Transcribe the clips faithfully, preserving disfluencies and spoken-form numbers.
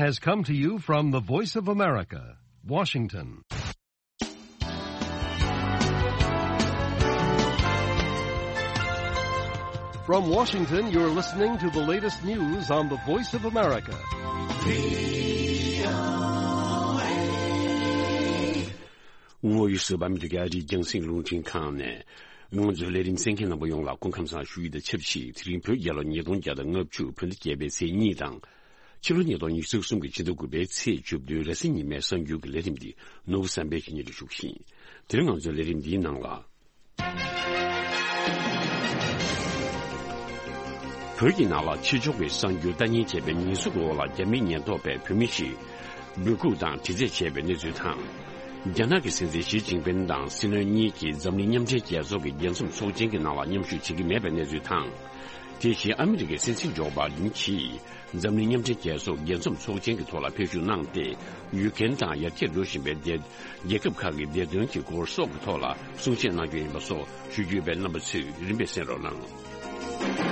has come to you from the Voice of America, Washington. From Washington, you're listening to the latest news on the Voice of America. ཝོ་ཡུ་སུ་བ་མི་དུ་ག་རི་རྒྱང་སྲིང་རླུང་འཕྲིན་ཁང་ནས། ང་ཚོའི་ལས་རིམ་གསན་མཁན་རྣམ་པ་ཡོངས་ལ་སྐུ་ཁམས་བཟང་ཞུ་ཡི་དང་ཆབས་ཅིག་དེ་རིང་བོད་རྒྱལ་ལོ་ཉིས་སྟོང་བརྒྱ་དང་ལྔ་བཅུ་བོད་ཟླ་བརྒྱད་པའི་ཚེས་གཉིས་དང་། ཕྱི་ལོ་ཉིས་སྟོང་ཉི་ཤུ་རྩ་གསུམ་གྱི་ཕྱི་ཟླ་དགུ་པའི་ཚེས་བཅུ་བདུན་རེས་གཟའ་ཉི་མའི་གསར་འགྱུར་གྱི་ལས་རིམ་འདི་ནོར་བུ་བསམ་འཕེལ་གྱིས་སྙན་སྒྲོན་ཞུ་གི་ཡིན། དེ་རིང་ང་ཚོའི་ལས་རིམ་འདིའི་ནང་ལ། བོད་ཀྱི་ནང་ལ་ཕྱི་ཕྱོགས་ཀྱི་གསར་འགྱུར་ལྟ་ཉན་བྱས་པའི་ཉེས་འཛུགས་འོག་ལ་རྒྱ་མིའི་ཉེན་རྟོག་པས་བོད་མི་ཞིག་འབོད་འགུག་དང་དྲི་རྩད་བྱས་པའི་གནས་ཚུལ་དང་། རྒྱ་ནག་གི་སྲིད་འཛིན་ཞི་ཅིན་ཕིན་དང་སྲིད་བློན་གཉིས་ཀྱིས་འཛམ་གླིང་མཉམ་འབྲེལ་རྒྱལ་ཚོགས་ཀྱི་རྒྱལ་འཛོམས་ཚོགས་ཆེན་གྱི་ནང་ལ་མཉམ་ཞུགས་བྱེད་ཀྱི་མེད་པའི་གནས་ཚུལ་དང་། དེ་བཞིན་ཨ་མི་རི་ཀའི་སྲིད་འཛིན་ཇོ་བྷའི་ཌེན་གྱིས་འཛམ་གླིང་མཉམ་འབྲེལ་རྒྱལ་ཚོགས་རྒྱལ་འཛོམས་ཚོགས་ཆེན་གྱི་ཐོག་ལ་ཕེབས་ཞུགས་གནང་སྟེ། ཡུཀ་རེན་དང་ཡར་རྒྱས་འགྲོ་བཞིན་པའི་རྒྱལ་ཁབ་ཁག་གི་བདེ་དོན་གྱི་སྐོར་སོགས་ཀྱི་ཐོག་ལ་གསུང་བཤད་གནང་རྒྱུ་ཡིན་པ་སོགས་ཞུ་རྒྱུ་ཡོད་པས། རྣམ་པ་ཚོས་རིམ་པས་གསན་རོགས་གནང་།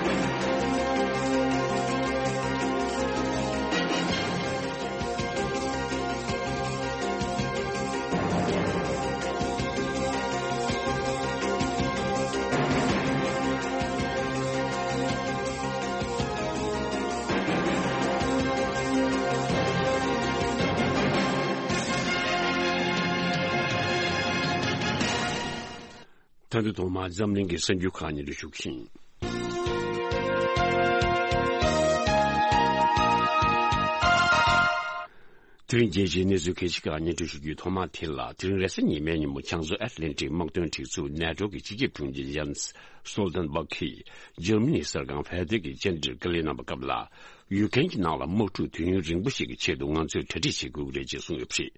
ད་དུང་ཐོག་མར་འཛམ་གླིང་གི་གསར་འགྱུར་ཁག་སྙན་སྒྲོན་ཞུ་གི་ཡིན། དེ་རིང་རྒྱལ་སྤྱིའི་གནས་ཚུལ་གལ་ཆེ་ཁག་སྙན་སྒྲོན་ཞུ་རྒྱུའི་ཐོག་མ་དེ་ལ། དེ་རིང་རེས་གཟའ་ཉི་མའི་ཉིན་མོ་བྱང་མཚོ་ཨེཊ་ལན་ཊིག་དམག་དོན་སྒྲིག་འཛུགས་ནེ་ཊོ་གི་སྤྱི་ཁྱབ་དྲུང་ཆེ་ཡན་སི་སྟོལ་ཏན་སྦག་གིས་འཇར་མ་ནིའི་གསར་ཁང་ཕེ་ཏེ་གི་བཅར་འདྲིར་བཀའ་ལན་གནང་བའི་སྐབས་ལ། ཡུཀ་རེན་གྱི་ནང་ལ་དམག་འཁྲུག་དུས་ཡུན་རིང་པོ་ཞིག་གི་ཆེད་དུ་ང་ཚོས་གྲ་སྒྲིག་བྱེད་དགོས་ཀྱི་རེད་ཅེས་གསུངས་ཡོད་པ་རེད།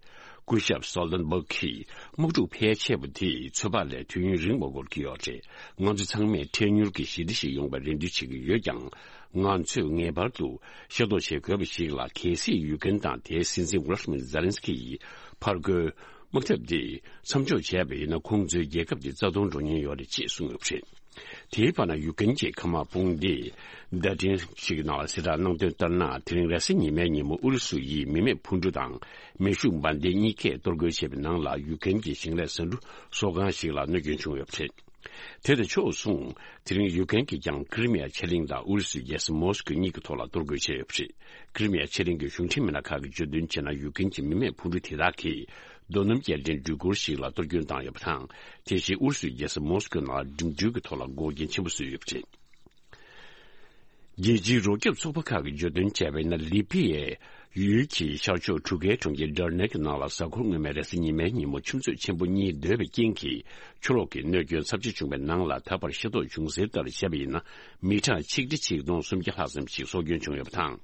སྐུ་ཞབས་སྟོལ་ཏན་སྦག་གིས་དམག་འཁྲུག་ཕལ་ཆེ་བ་དེ་ཚོད་དཔག་ལས་དུས་ཡུན་རིང་བ་འགོར་གྱི་ཡོད་རེད། ང་ཚོ་ཚང་མས་འཕྲལ་མྱུར་གྱི་ཞི་བདེ་ཞིག་ཡོང་བར་རེ་འདུན་བྱེད་ཀྱི་ཡོད་ཀྱང་། ང་ཚོས་ངེས་པར་དུ་ཤེས་རྟོགས་བྱེད་དགོས་པ་ཞིག་ལ། གལ་སྲིད་ཡུཀ་རེན་དང་དེའི་སྲིད་འཛིན་ཝོ་ལོ་ཌི་མིར་ཛེ་ལན་སི་ཀི་ཡིས་ཕར་རྒོལ་དམག་འཐབ་འདི་མཚམས་འཇོག་བྱས་པ་ཡིན་ན། ཁོང་ཚོའི་རྒྱལ་ཁབ་འདི་རྩ་སྟོང་འགྲོ་ཉེན་ཡོད་རེད་ཅེས་གསུངས་ཡོད་པ་རེད། དེའི་བར་ན་ཡུཀ་རེན་གྱི་མཁའ་དམག་དཔུང་སྡེས་བརྡ་འཕྲིན་ཞིག་གི་ནང་ལ་གསལ་བསྒྲགས་གནང་དོན་ལྟར་ན། དེ་རིང་རེས་གཟའ་ཉི་མའི་ཉིན་མོ་ཨུ་རུ་སུ་ཡིས་མི་མེད་འཕུར་གྲུ་དང་མེ་ཤུགས་འབར་མདེལ་གཉིས་ཀས་གཏོར་རྒོལ་བྱས་པའི་ནང་ལ། ཡུཀ་རེན་གྱི་ཞིང་ལས་ཟ་འབྲུ་བཟོ་ཁང་ཞིག་ལ་གནོད་སྐྱོན་བྱུང་ཡོད་པ་རེད། དེ་དང་ཕྱོགས་མཚུངས། དེ་རིང་ཡུཀ་རེན་གྱིས་ཀྱང་ཀི་རི་མི་ཡ་ཆེ་གླིང་དང་ཨུ་རུ་སུའི་རྒྱལ་ས་མོ་སི་ཀོ་གཉིས་ཀྱི་ཐོག་ལ་གཏོར་རྒོལ་བྱས་ཡོད་པ་རེད། ཀི་རི་མི་ཡ་ཆེ་གླིང་གི་གཞུང་འབྲེལ་མི་སྣ་ཁག་གིས་བརྗོད་དོན་བྱས་ན། ཡུཀ་རེན་གྱི་མི་མེད་འཕུར་གྲུ་དེ་དག་གིས་རྡོ་སྣུམ་སྐྱེལ་འདྲེན་འགྲུལ་འཁོར་ཞིག་ལ་གཏོར་སྐྱོན་བཏང་ཡོད་པ་དང་། དེ་བཞིན་ཨུ་རུ་སུའི་རྒྱལ་ས་མོ་སི་ཀོའི་ནང་ལ་འགྲིམ་འགྲུལ་གྱི་ཐོག་ལ་འགོག་རྐྱེན་ཆེན་པོ་བཟོས་ཡོད་པ་རེད། རྒྱལ་སྤྱིའི་རོགས་སྐྱོབ་ཚོགས་པ་ཁག་གིས་བརྗོད་དོན་བྱས་པ་ཡིན་ན། ལི་པི་ཡའི་ཡུལ་གྱི་ཤར་ཕྱོགས་གྲུ་ཁའི་གྲོང་ཁྱེར་ཌར་ནེ་གི་ནང་ལ་གཟའ་འཁོར་སྔོན་མའི་རེས་གཟའ་ཉི་མའི་ཉིན་མོ་ཆུ་མཛོད་ཆེན་པོ་གཉིས་རྡོལ་བའི་རྐྱེན་གྱིས་ཆུ་ལོག་གི་གནོད་སྐྱོན་ཚབས་ཆེ་བྱུང་བའི་ནང་ལ། ད་བར་ཤེས་རྟོགས་བྱུང་གསལ་ལྟར་བྱས་པ་ཡིན་ན། མི་གྲངས་ཆིག་ཁྲི་ཆིག་སྟོང་སུམ་བརྒྱ་ལྷག་ཙམ་ཞིག་སྲོག་སྐྱོན་བྱུང་ཡོད་པ་དང་།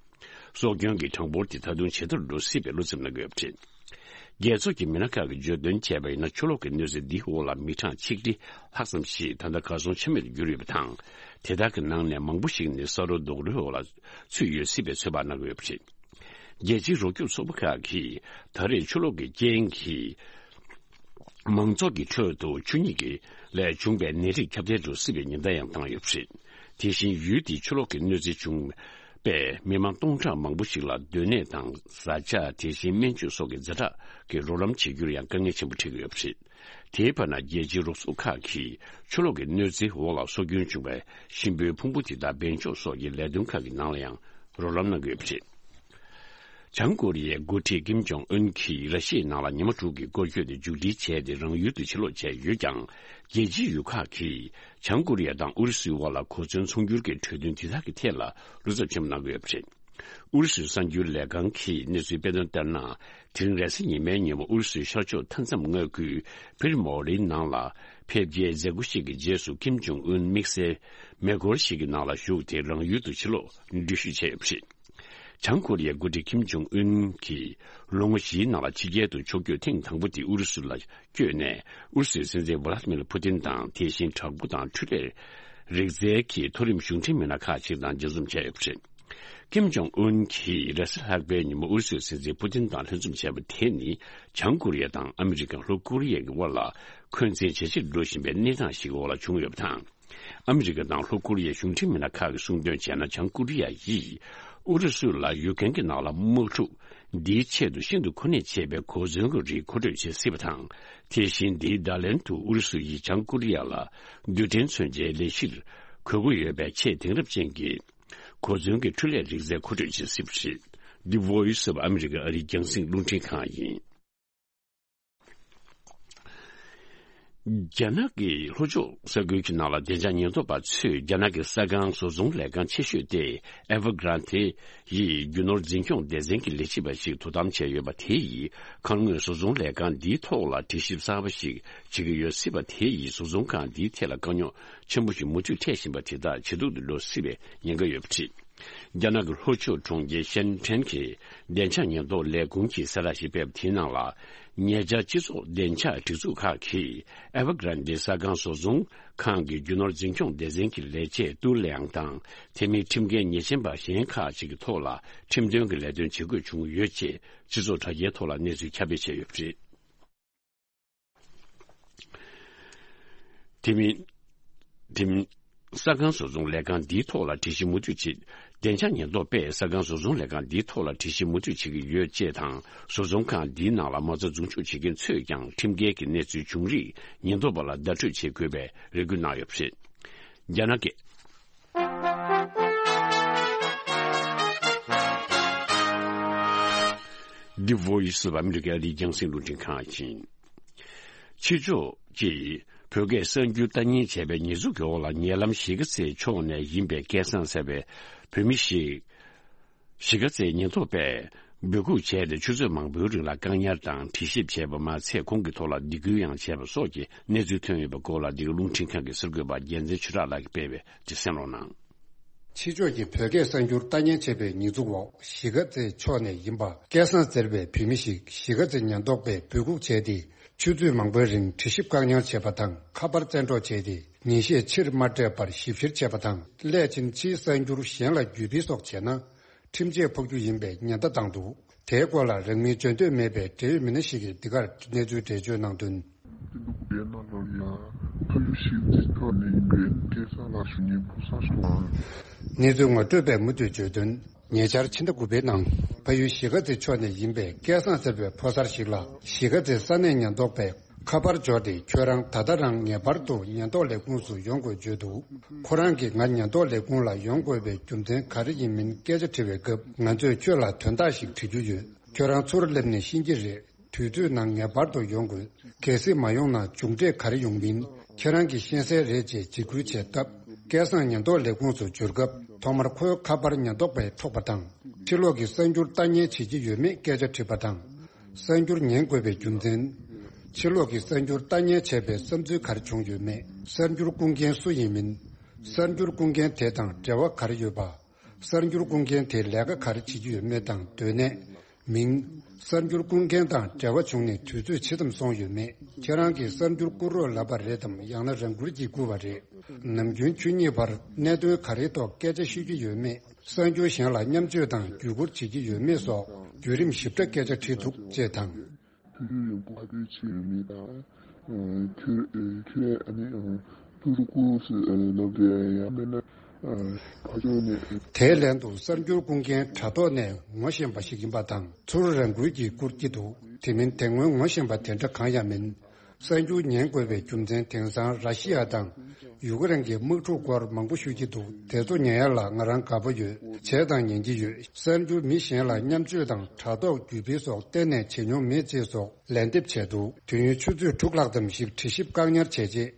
སྲོག་སྐྱོན་གྱི་གྲངས་འབོར་དེ་ད་དུང་ཇེ་མཐོར་འགྲོ་སྲིད་པའི་བློ་འཚབ་གནང་གི་ཡོད་པ་རེད། རྒྱལ་ཚོགས་ཀྱི་མི་སྣ་ཁག་གིས་བརྗོད་དོན་བྱས་པ་ཡིན་ན། ཆུ་ལོག་གི་གནོད་འཚེ་འདིའི་འོག་ལ་མི་གྲངས་ཆིག་ཁྲི་ལྷག་ཙམ་ཞིག་ད་ལྟ་གར་སོང་ཆ་མེད་དུ་གྱུར་ཡོད་པ་དང་། དེ་དག་གི་ནང་ནས་མང་པོ་ཞིག་ནི་ས་རོ་རྡོག་རོལ་འོག་ལ་ཚུད་ཡོད་སྲིད་པའི་ཚོད་དཔག་གནང་གི་ཡོད་པ་རེད། རྒྱལ་སྤྱིའི་རོགས་སྐྱོབ་ཚོགས་པ་ཁག་གིས་ད་རེས་ཆུ་ལོག་གི་རྐྱེན་གྱིས་མང་ཚོགས་ཀྱི་ཁྲོད་དུ་ཆུ་སྙིགས་ཀྱི་ལས་བྱུང་བའི་ནད་རིགས་ཁྱབ་གདལ་འགྲོ་སྲིད་པའི་ཉེན་བརྡ་ཡང་བཏང་ཡོད་པ་རེད། དེ་བཞིན་ཡུལ་དེའི་ཆུ་ལོག་གི་གནོད་འཚེ་བྱུང་པས་མི་མང་སྟོང་ཕྲག་མང་པོ་ཞིག་ལ་སྡོད་གནས་དང་བཟའ་བཅའ། དེ་བཞིན་སྨན་བཅོས་སོགས་ཀྱི་ཛ་དྲག་གི་རོགས་རམ་བྱེད་རྒྱུར་ཡང་དཀའ་ངལ་ཆེན་པོ་འཕྲད་ཀྱི་ཡོད་པ་རེད། དེའི་བར་ན་རྒྱལ་སྤྱིའི་རོགས་ཚོགས་ཁག་གིས་ཆུ་ལོག་གི་གནོད་འཚེའི་འོག་ལ་སྲོག་སྐྱོན་བྱུང་བའི་གཤིན་པོའི་ཕུང་པོ་དེ་དག་སྦས་འཇོག་སོགས་ཀྱི་ལས་དོན་ཁག་གི་ནང་ལ་ཡང་རོགས་རམ་གནང་གི་ཡོད་པ་རེད། བྱང་ཀོ་རི་ཡའི་འགོ་ཁྲིད་ཀིམ་ཇོང་ཨུན་གྱིས་ར་ཤི་ཡའི་ནང་ལ་ཉི་མ་དྲུག་གི་སྐོར་སྐྱོད་དེ་མཇུག་སྒྲིལ་བྱས་ཏེ་རང་ཡུལ་དུ་ཕྱིར་ལོག་བྱས་ཡོད་ཀྱང་། རྒྱལ་སྤྱིའི་ཡུལ་ཁག་གིས་བྱང་ཀོ་རི་ཡ་དང་ཨུ་རུ་སུའི་དབར་ལ་གོ་མཚོན་ཚོང་སྒྱུར་གྱི་གྲོས་མཐུན་དེ་དག་གི་ཐད་ལ་བློ་འཚབ་ཆེན་པོ་གནང་གི་ཡོད་པ་རེད། ཨུ་རུ་སུའི་གསར་འགྱུར་ལས་ཁང་གིས་གནས་ཚུལ་སྤེལ་དོན་ལྟར་ན། དེ་རིང་རེས་གཟའ་ཉི་མའི་ཉིན་མོ་ཨུ་རུ་སུའི་ཤར་ཕྱོགས་མཐའ་མཚམས་མངའ་ཁུལ་ཕིར་མོ་རིའི་ནང་ལ་ཕེབས་རྒྱའི་མཛད་སྒོ་ཞིག་གི་རྗེས་སུ། ཀིམ་ཇོང་ཨུན་དམིགས་བསལ་མེ་འཁོར་ཞིག་གི་ནང་ལ་བཞུགས་ཏེ་རང་ཡུལ་དུ་ཕྱིར་ལོག་འགྲུལ་བཞུད་བྱས་ཡོད་པ་རེད། བྱང་ཀོ་རི་ཡའི་འགོ་ཁྲིད་ཀིམ་ཇོང་ཨུན་གྱིས་ལོ་ངོ་བཞིའི་ནང་ལ་ཕྱི་རྒྱལ་དུ་ཕྱོགས་བསྐྱོད་ཐེངས་དང་པོ་དེ་ཨུ་རུ་སུ་ལ་བསྐྱོད་ནས། ཨུ་རུ་སུའི་སྲིད་འཛིན་ཝ་ལ་ཏི་མིར་ཕུ་ཏིན་དང་། དེ་བཞིན་དྲག་པོ་དང་འཕྲུལ་ལས་རིག་རྩལ་གྱི་མཐོ་རིམ་གཞུང་འབྲེལ་མི་སྣ་ཁག་ཅིག་དང་མཇལ་འཛོམས་བྱས་ཡོད་པ་རེད། ཀིམ་ཇོང་ཨུན་གྱིས་རེས་གཟའ་ལྷག་པའི་ཉིན་མོ་ཨུ་རུ་སུའི་སྲིད་འཛིན་ཕུ་ཏིན་དང་ལྷན་འཛོམས་བྱས་པ་དེ་ནི། བྱང་ཀོ་རི་ཡ་དང་ཨ་མི་རི་ཀ་ལྷོ་ཀོ་རི་ཡ་གི་དབར་ལ་འཁོན་འཛིན་ཇེ་ཆེར་འགྲོ་བཞིན་པའི་གནས་སྟངས་ཤིག་འོག་ལ་བྱུང་ཡོད་པ་དང་། ཨ་མི་རི་ཀ་དང་ལྷོ་ཀོ་རི་ཡའི་གཞུང་འབྲེལ་མི་སྣ་ཁག་གིས་གསུངས་དོན་བྱས་ན། བྱང་ཀོ་རི་ཡ་ཡིས་ཨུ་རུ་སུ་ལ་ཡུཀ་རེན་གྱི་ནང་ལ་དམག་འཁྲུག་ འདིའི་ཆེད་དུ་ཤིན་ཏུ་མཁོ་གནད་ཆེ་བའི་གོ་མཚོན་གྱི་རིགས་མཁོ་སྤྲོད་བྱེད་སྲིད་པ་དང་། དེ་བཞིན་འདིའི་བརྡ་ལན་དུ་ཨུ་རུ་སུ་ཡིས་བྱང་ཀོ་རི་ཡ་ལ་རྡུལ་ཕྲན་མཚོན་ཆའི་ལས་གཞིར་དགོས་མཁོ་ཡོད་པའི་ཆེས་དེང་རབས་ཅན་གྱི་གོ་མཚོན་གྱི་འཕྲུལ་ལས་རིག་རྩལ་མཁོ་སྤྲོད་བྱེད་སྲིད་པ་རེད། འདི་Voice of America ཨ་རིའི་རྒྱང་སྲིང་རླུང་འཕྲིན་ཁང་ཡིན། རྒྱ་ནག་གི་ལྷོ་ཕྱོགས་ས་ཁུལ་གྱི་ནང་ལ་བདེ་འཇགས་ཉེན་རྟོག་པ་ཚོས་རྒྱ་ནག་གི་ས་ཁང་བཟོ་ཚོང་ལས་ཁང་ཆེ་ཤོས་ཏེ་Evergrande ཡི་རྒྱུ་ནོར་འཛིན་སྐྱོང་སྡེ་ཚན་གྱི་ལས་བྱེད་པ་ཞིག་དོ་དམ་བྱས་ཡོད་པ་དེ་ཡིས་ཁ་སྔོན་བཟོ་ཚོང་ལས་ཁང་འདིའི་ཐོག་ལ་དྲི་ཞིབ་གསར་པ་ཞིག་བྱེད་ཀྱི་ཡོད་སྲིད་པ་དེ་ཡིས་བཟོ་ཚོང་ཁང་འདིའི་ཐད་ལ་དཀའ་རྙོག་ཆེན་པོ་ཞིག་མུ་མཐུད་འཕྲད་བཞིན་པ་དེ་དག་ཇེ་སྡུག་ཏུ་འགྲོ་སྲིད་པའི་ཉེན་ཁ་ཡོད་པ་རེད། རྒྱ་ནག་གི་ལྷོ་ཕྱོགས་གྲོང་ཁྱེར་ཤན་ཁྲེན་གྱི་བདེ་འཇགས་ཉེན་རྟོག་ལས་ཁུངས་ཀྱིས་གསལ་བསྒྲགས་ཤིག་སྤེལ་བ་དེའི་ནང་ལ། ཉེ་ཆར་སྤྱི་ཚོགས་བདེ་འཇགས་སྒྲིག་འཛུགས་ཁག་གིས་Evergrande ས་ཁང་བཟོ་ཚོང་ཁང་གི་རྒྱུ་ནོར་འཛིན་སྐྱོང་སྡེ་ཚན་གྱི་ལས་བྱེད་ཏུའུ་ལེང་དང་། དེ་མིན་ཁྲིམས་འགལ་ཉེས་ཅན་པ་གཞན་ཁག་ཅིག་གི་ཐོག་ལ་ཁྲིམས་དོན་གྱི་ལས་དོན་བྱེད་དགོས་བྱུང་ཡོད་ཅེས་སྤྱི་ཚོགས་དྲ་རྒྱའི་ཐོག་ལ་གནས་ཚུལ་ཁྱབ་སྤེལ་བྱས་ཡོད་པ་རེད། དེ་མིན། དེ་མིན། ས་ཁང་བཟོ་ཚོང་ལས་ཁང་འདིའི་ཐོག་ལ་དྲི་ཞིབ་མུ་མཐུད་བྱེད། བདེ་འཇགས་ཉེན་རྟོག་པས་ས་ཁང་བཟོ་ཚོང་ལས་ཁང་འདིའི་ཐོག་ལ་དྲི་ཞིབ་མུ་མཐུད་བྱེད་ཀྱི་ཡོད་ཅེས་དང་། བཟོ་ཚོང་ཁང་འདིའི་ནང་ལ་མ་རྩ་འཛུགས་སྐྲུན་བྱེད་མཁན་ཚོས་ཀྱང་ཁྲིམས་འགལ་གྱི་གནས་ཚུལ་བྱུང་རིགས་ཉེན་རྟོག་པ་ལ་བརྡ་སྤྲོད་བྱེད་དགོས་པའི་རེ་སྐུལ་གནང་ཡོད་པ་རེད། རྒྱ་ནག་གི། The Voice of America ཨ་རིའི་རྒྱང་སྲིང་རླུང་འཕྲིན་ཁང་ཡིན། ཕྱི་ཕྱོགས་ཀྱིས་བོད་སྐད་གསར་འགྱུར་ལྟ་ཉན་བྱས་པའི་ཉེས་འཛུགས་ཀྱི་འོག་ལ་ཉེ་ལམ་གཞིས་ཀ་རྩེ་ཕྱོགས་ནས་ཡིན་པའི་སྐལ་བཟང་ཟེར་བའི་བོད་མི་ཞིག་གཞིས་ཀ་རྩེའི་ཉེན་རྟོག་པས་འབོད་འགུག་བྱས་ཏེ་ཆུ་ཚོད་མང་པོའི་རིང་ལ་བཀག་ཉར་དང་དྲི་ཞིབ་བྱས་པ་མ་ཚད་ཁོང་གི་ཐོག་ལ་སྡིགས་སྐུལ་ཡང་བྱས་པ་སོགས་ཀྱི་གནས་ཚུལ་ཐོན་ཡོད་པའི་སྐོར་ལ་འདི་ག་རླུང་འཕྲིན་ཁང་གི་གསར་འགོད་པ་རྒྱལ་མཚན་ཆོས་གྲགས་ལགས་ཀྱིས་སྤེལ་བའི་འདི་གསན་རོགས་གནང་། ཕྱི་ཕྱོགས་ཀྱི་བོད་སྐད་གསར་འགྱུར་ལྟ་ཉན་བྱས་པའི་ཉེས་འཛུགས་འོག་གཞིས་ཀ་རྩེ་ཕྱོགས་ནས་ཡིན་པ་སྐལ་བཟང་ཟེར་བའི་བོད་མི་ཞིག་གཞིས་ཀ་རྩེ་ཉེན་རྟོག་པས་འབོད་འགུག་བྱས་ཏེ་ཆུ་ཚོད་མང་པོའི་རིང་དྲི་ཞིབ་བཀག་ཉར་བྱས་པ་དང་ཁ་པར་བཙན་འཕྲོག་བྱས་ཏེ་ཉིན་ཤས་ཕྱིར་མ་སྤྲད་པར་ཞིབ་བཤེར་བྱས་པ་དང་སླད་ཕྱིན་ཕྱིའི་གསར་འགྱུར་གཞན་ལ་བརྒྱུད་སྤེལ་སོགས་བྱས་ན་ཁྲིམས་ཆད་ཕོག་རྒྱུ་ཡིན་པའི་ཉེན་བརྡ་བཏང་འདུག་དེའི་སྐོར་ལ་རང་མིང་བརྗོད་འདོད་མེད་པའི་འབྲེལ་ཡོད་མི་སྣ་ཞིག་གིས་འདི་གར་གནས་ཚུལ་འགྲེལ་བརྗོད་གནང་དོན། སྤྱི་འདུག་པའི་ནང་ལོགས་ལ་ཕ་ཡུལ་གཞིས་རྩེ་ཕྱོགས་ནས་ཡིན་པའི་སྐལ་བཟང་ལགས་ཞུ་ཉེ་ཕོ་གསར་ཞིག་དང་། གནས་ཚུལ་ངོ་སྤྲོད་པས་མུ་མཐུད་བརྗོད་དོན། ཉེ་ཆར་ཕྱི་ཟླ་དགུ་པའི་ནང་ཕ་ཡུལ་གཞིས་ཀ་རྩེ་ཕྱོགས་ནས་ཡིན་པའི་སྐལ་བཟང་ཟེར་བའི་ཕོ་གསར་ཞིག་ལ་གཞིས་ཀ་རྩེ་ས་གནས་ཉེན་རྟོག་པས་ཁ་པར་འབྱོར་ཏེ་ཁྱོད་རང་ད་ལྟ་རང་ངེས་པར་དུ་ཉེན་རྟོག་ལས་ཁུངས་སུ་ཡོང་དགོས་བརྗོད་འདུག་ཁོ་རང་གིས་ང་ཉེན་རྟོག་ལས་ཁུངས་ལ་ཡོང་དགོས་པའི་རྒྱུ་མཚན་ག་རེ་ཡིན་མིན་སྐད་ཆ་དྲི་བའི་སྐབས་ང་ཚོས་ཁྱོད་ལ་དོན་དག་ཞིག་དྲི་རྒྱུ་ཡོད། ཁྱོད་རང་ཚུར་སླེབས་ནས་ཤེས་ཀྱི་རེད། དུས་ཚོད་ནང་ངེས་པར་དུ་ཡོང་དགོས། གལ་སྲིད་མ་ཡོང་ན་མཇུག་འབྲས་ག་རེ་ཡོང་མིན་ཁྱེད་རང་གིས་ཤེས་གསལ་རེད་ཅེས་འཇིགས་སྐུལ་བྱས་སྟབས། སྐལ་བཟང་ཉེན་རྟོག་ལས་ཁུངས་སུ་འབྱོར་སྐབས་ཐོག་མར་ཁོའི་ཁ་པར་ཉེན་རྟོག་པས་འཕྲོག་པ་དང་། ཕྱི་ལོགས་ཀྱི་གསར་འགྱུར་ལྟ་ཉན་བྱེད་ཀྱི་ཡོད་མེད་སྐད་ཆ་དྲིས་པ་དང་། གསར་འགྱུར་ཉན་དགོས་པའི་རྒྱུ་མཚན། ཕྱི་ལོགས་ཀྱི་གསར་འགྱུར་ལྟ་ཉན་བྱས་པའི་བསམ་ཚུལ་ག་རེ་བྱུང་ཡོད་མེད། གསར་འགྱུར་སྐུར་མཁན་སུ་ཡིན་མིན། གསར་འགྱུར་སྐུར་མཁན་དེ་དང་འབྲེལ་བ་ག་རེ་ཡོད་པ། གསར་འགྱུར་སྐུར་མཁན་དེ་ལས་ཀ་ག་རེ་བྱེད་ཀྱི་ཡོད་མེད་དང་སྡོད་གནས། མིང་། གསར་འགྱུར་སྐུར་མཁན་དང་འབྲེལ་བ་བྱུང་ནས་དུས་ཚོད་ཇི་ཙམ་སོང་ཡོད་མེད། ཁྱེད་རང་གིས་གསར་འགྱུར་བསྐུར་རོགས་ལབ་པ་རེད་དམ་ཡང་ན་རང་བཀུར་གྱིས་བསྐུར་བ་རེད། ནམ་རྒྱུན་ཁྱོད་གཉིས་བར་གནད་དོན་ག་རེའི་ཐོག་སྐད་ཆ་ཤོད་ཀྱི་ཡོད་མེད། གསར་འགྱུར་གཞན་ལ་མཉམ་སྤྱོད་དང་བརྒྱུད་བསྐུར་བྱེད་ཀྱི་ཡོད་མེད་སོགས་བརྒྱུད་རིམ་ཞིབ་ཕྲ་སྐད་ཆ་དྲིས་འདུག་ཅེས་དང་། དུས་ཚོད་ཡོད་པ་ཁ་ཐུག་ཆེ་ཡོད་མེད་དང་། ཁྱོད་ཁྱོད་ཨ་ནི་ཐུགས་སུ་བཀུར་སྲིད་ལབ་རེད་ཡང་མིན་ན་ཕ་ཕྱོགས་ནས། དེའི་ལན་དུ་གསར་འགྱུར་སྐུར་མཁན་དྲ་ཐོག་ནས་ངོ་ཤེས་པ་ཞིག་ཡིན་པ་དང་ཚུར་རང་འཁུལ་གྱིས་བསྐུར་གྱི་འདུག་དེ་མིན་དེ་སྔོན་ངོ་ཤེས་པ་དེ་འདྲ་གང་ཡང་མིན། གསར་འགྱུར་ཉན་དགོས་པའི་རྒྱུ་མཚན་དེང་སང་ར་ཤི་ཡ་དང་ཡུ་ཀེ་རེན་གྱི་དམག་འཁྲུག་སྐོར་མང་པོ་ཤོད་ཀྱི་འདུག་དེ་ཚོ་ཉན་ཡ་ལ་ང་རང་དགའ་པོ་ཡོད། བྱས་དང་ཉན་གྱི་ཡོད། གསར་འགྱུར་མི་གཞན་ལ་མཉམ་སྤྱོད་དང་དྲ་ཐོག་བརྒྱུད་སྤེལ་སོགས་གཏན་ནས་བྱེད་མྱོང་མེད་ཅེས་སོགས་ལན་འདེབས་བྱས་འདུག་དུས་ཡུན་ཆུ་ཚོད་དྲུག་ལྷག་ཙམ་ཞིག་དྲི་ཞིབ་བཀག་ཉར་བྱས་རྗེས།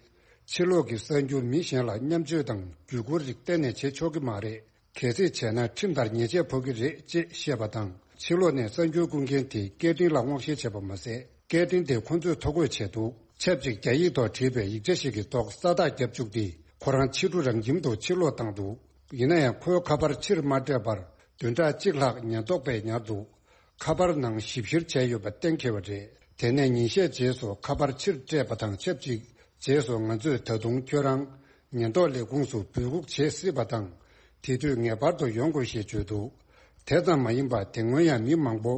ཕྱི་ལོགས་ཀྱི་གསར་འགྱུར་མི་གཞན་ལ་མཉམ་སྤྱོད་དང་བརྒྱུད་བསྐུར་རིགས་གཏན་ནས་བྱེད་ཆོག་གི་མ་རེད། གལ་སྲིད་བྱས་ན་ཁྲིམས་ལྟར་ཉེས་ཆད་ཕོག་གི་རེད་ཅེས་བཤད་པ་དང་ཕྱི་ལོགས་ནས་གསར་འགྱུར་བསྐུར་མཁན་དེའི་སྐད་འཕྲིན་ལ་སྔོག་བཤེར་བྱས་པ་མ་ཟད་སྐད་འཕྲིན་དེ་ཁོ་ཚོས་ཐོ་འགོད་བྱས་འདུག་ཆབས་ཅིག་རྒྱ་ཡིག་ཐོག་བྲིས་པའི་ཡིག་ཆ་ཞིག་གི་ཐོག་ས་རྟགས་བརྒྱབ་བཅུག་སྟེ་ཁོ་རང་ཕྱི་དྲོ་རང་ཁྱིམ་དུ་ཕྱིར་ལོག་བཏང་འདུག་ཡིན་ན་ཡང་ཁོའི་ཁ་པར་ཕྱིར་མ་སྤྲད་པར་བདུན་ཕྲག་གཅིག་ལྷག་ཉེན་རྟོག་པས་ཉར་འདུག་ཁ་པར་ནང་ཞིབ་བཤེར་བྱས་ཡོད་པ་གཏན་འཁེལ་བ་རེད། དེ་ནས་ཉིན་ཤས་རྗེས་སུ་ཁ་པར་ཕྱིར་སྤྲད་པ་དང་ཆབས་ཅིག་རྗེས་སུ་ང་ཚོས་ད་དུང་ཁྱོད་རང་ཉེན་རྟོག་ལས་ཁུངས་སུ་འབོད་འགུག་བྱེད་སྲིད་པ་དང་། དེ་དུས་ངེས་པར་དུ་ཡོང་དགོས་ཞེས་བརྗོད་འདུག་དེ་ཙམ་མ་ཡིན་པར་དེ་སྔོན་ཡང་མི་མང་པོ་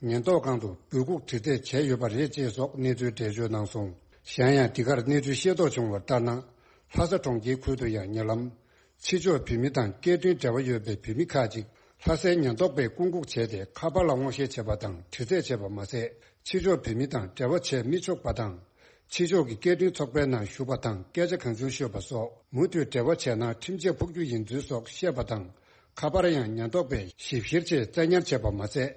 ཉེན་རྟོག་ཁང་དུ་འབོད་འགུག་དྲི་རྩད་བྱས་ཡོད་པ་རེད་ཅེས་སོགས་གནས་ཚུལ་འགྲེལ་བརྗོད་གནང་སོང་། གཞན་ཡང་འདི་གར་གནས་ཚུལ་ཤེས་རྟོགས་བྱུང་བ་ལྟར་ན། ལྷ་ས་གྲོང་ཁྱེར་ཁུལ་དུ་ཡང་ཉེ་ལམ། ཕྱི་ཕྱོགས་བོད་མི་དང་སྐད་འཕྲིན་འབྲེལ་བ་ཡོད་པའི་བོད་མི་ཁག་ཅིག་ མཐའ་གསལ་ཉེན་རྟོག་པས་བསྐུལ་འགུག་བྱས་ཏེ། ཁ་པར་ལ་སྔོག་བཤེར་བྱས་པ་དང་། དྲི་རྩད་བྱས་པ་མ་ཟད། ཕྱི་ཕྱོགས་བོད་མི་དང་འབྲེལ་བ་བྱས་མི་ཆོག་པ་དང་། ཕྱི་ཕྱོགས་ཀྱི་སྐད་འཕྲིན་ཚོགས་པའི་ནང་ཞུགས་པ་དང་། སྐད་ཆ་གང་བྱུང་ཤོད་པ་སོགས། མུ་མཐུད་འབྲེལ་བ་བྱས་ན་ཁྲིམས་ཆད་ཕོག་རྒྱུ་ཡིན་ཚུལ་སོགས་བཤད་པ་དང་། ཁ་པར་ཡང་ཉེན་རྟོག་པས་ཞིབ་བཤེར་ཆེད་བཙན་ཉར་བྱས་པ་མ་ཟད།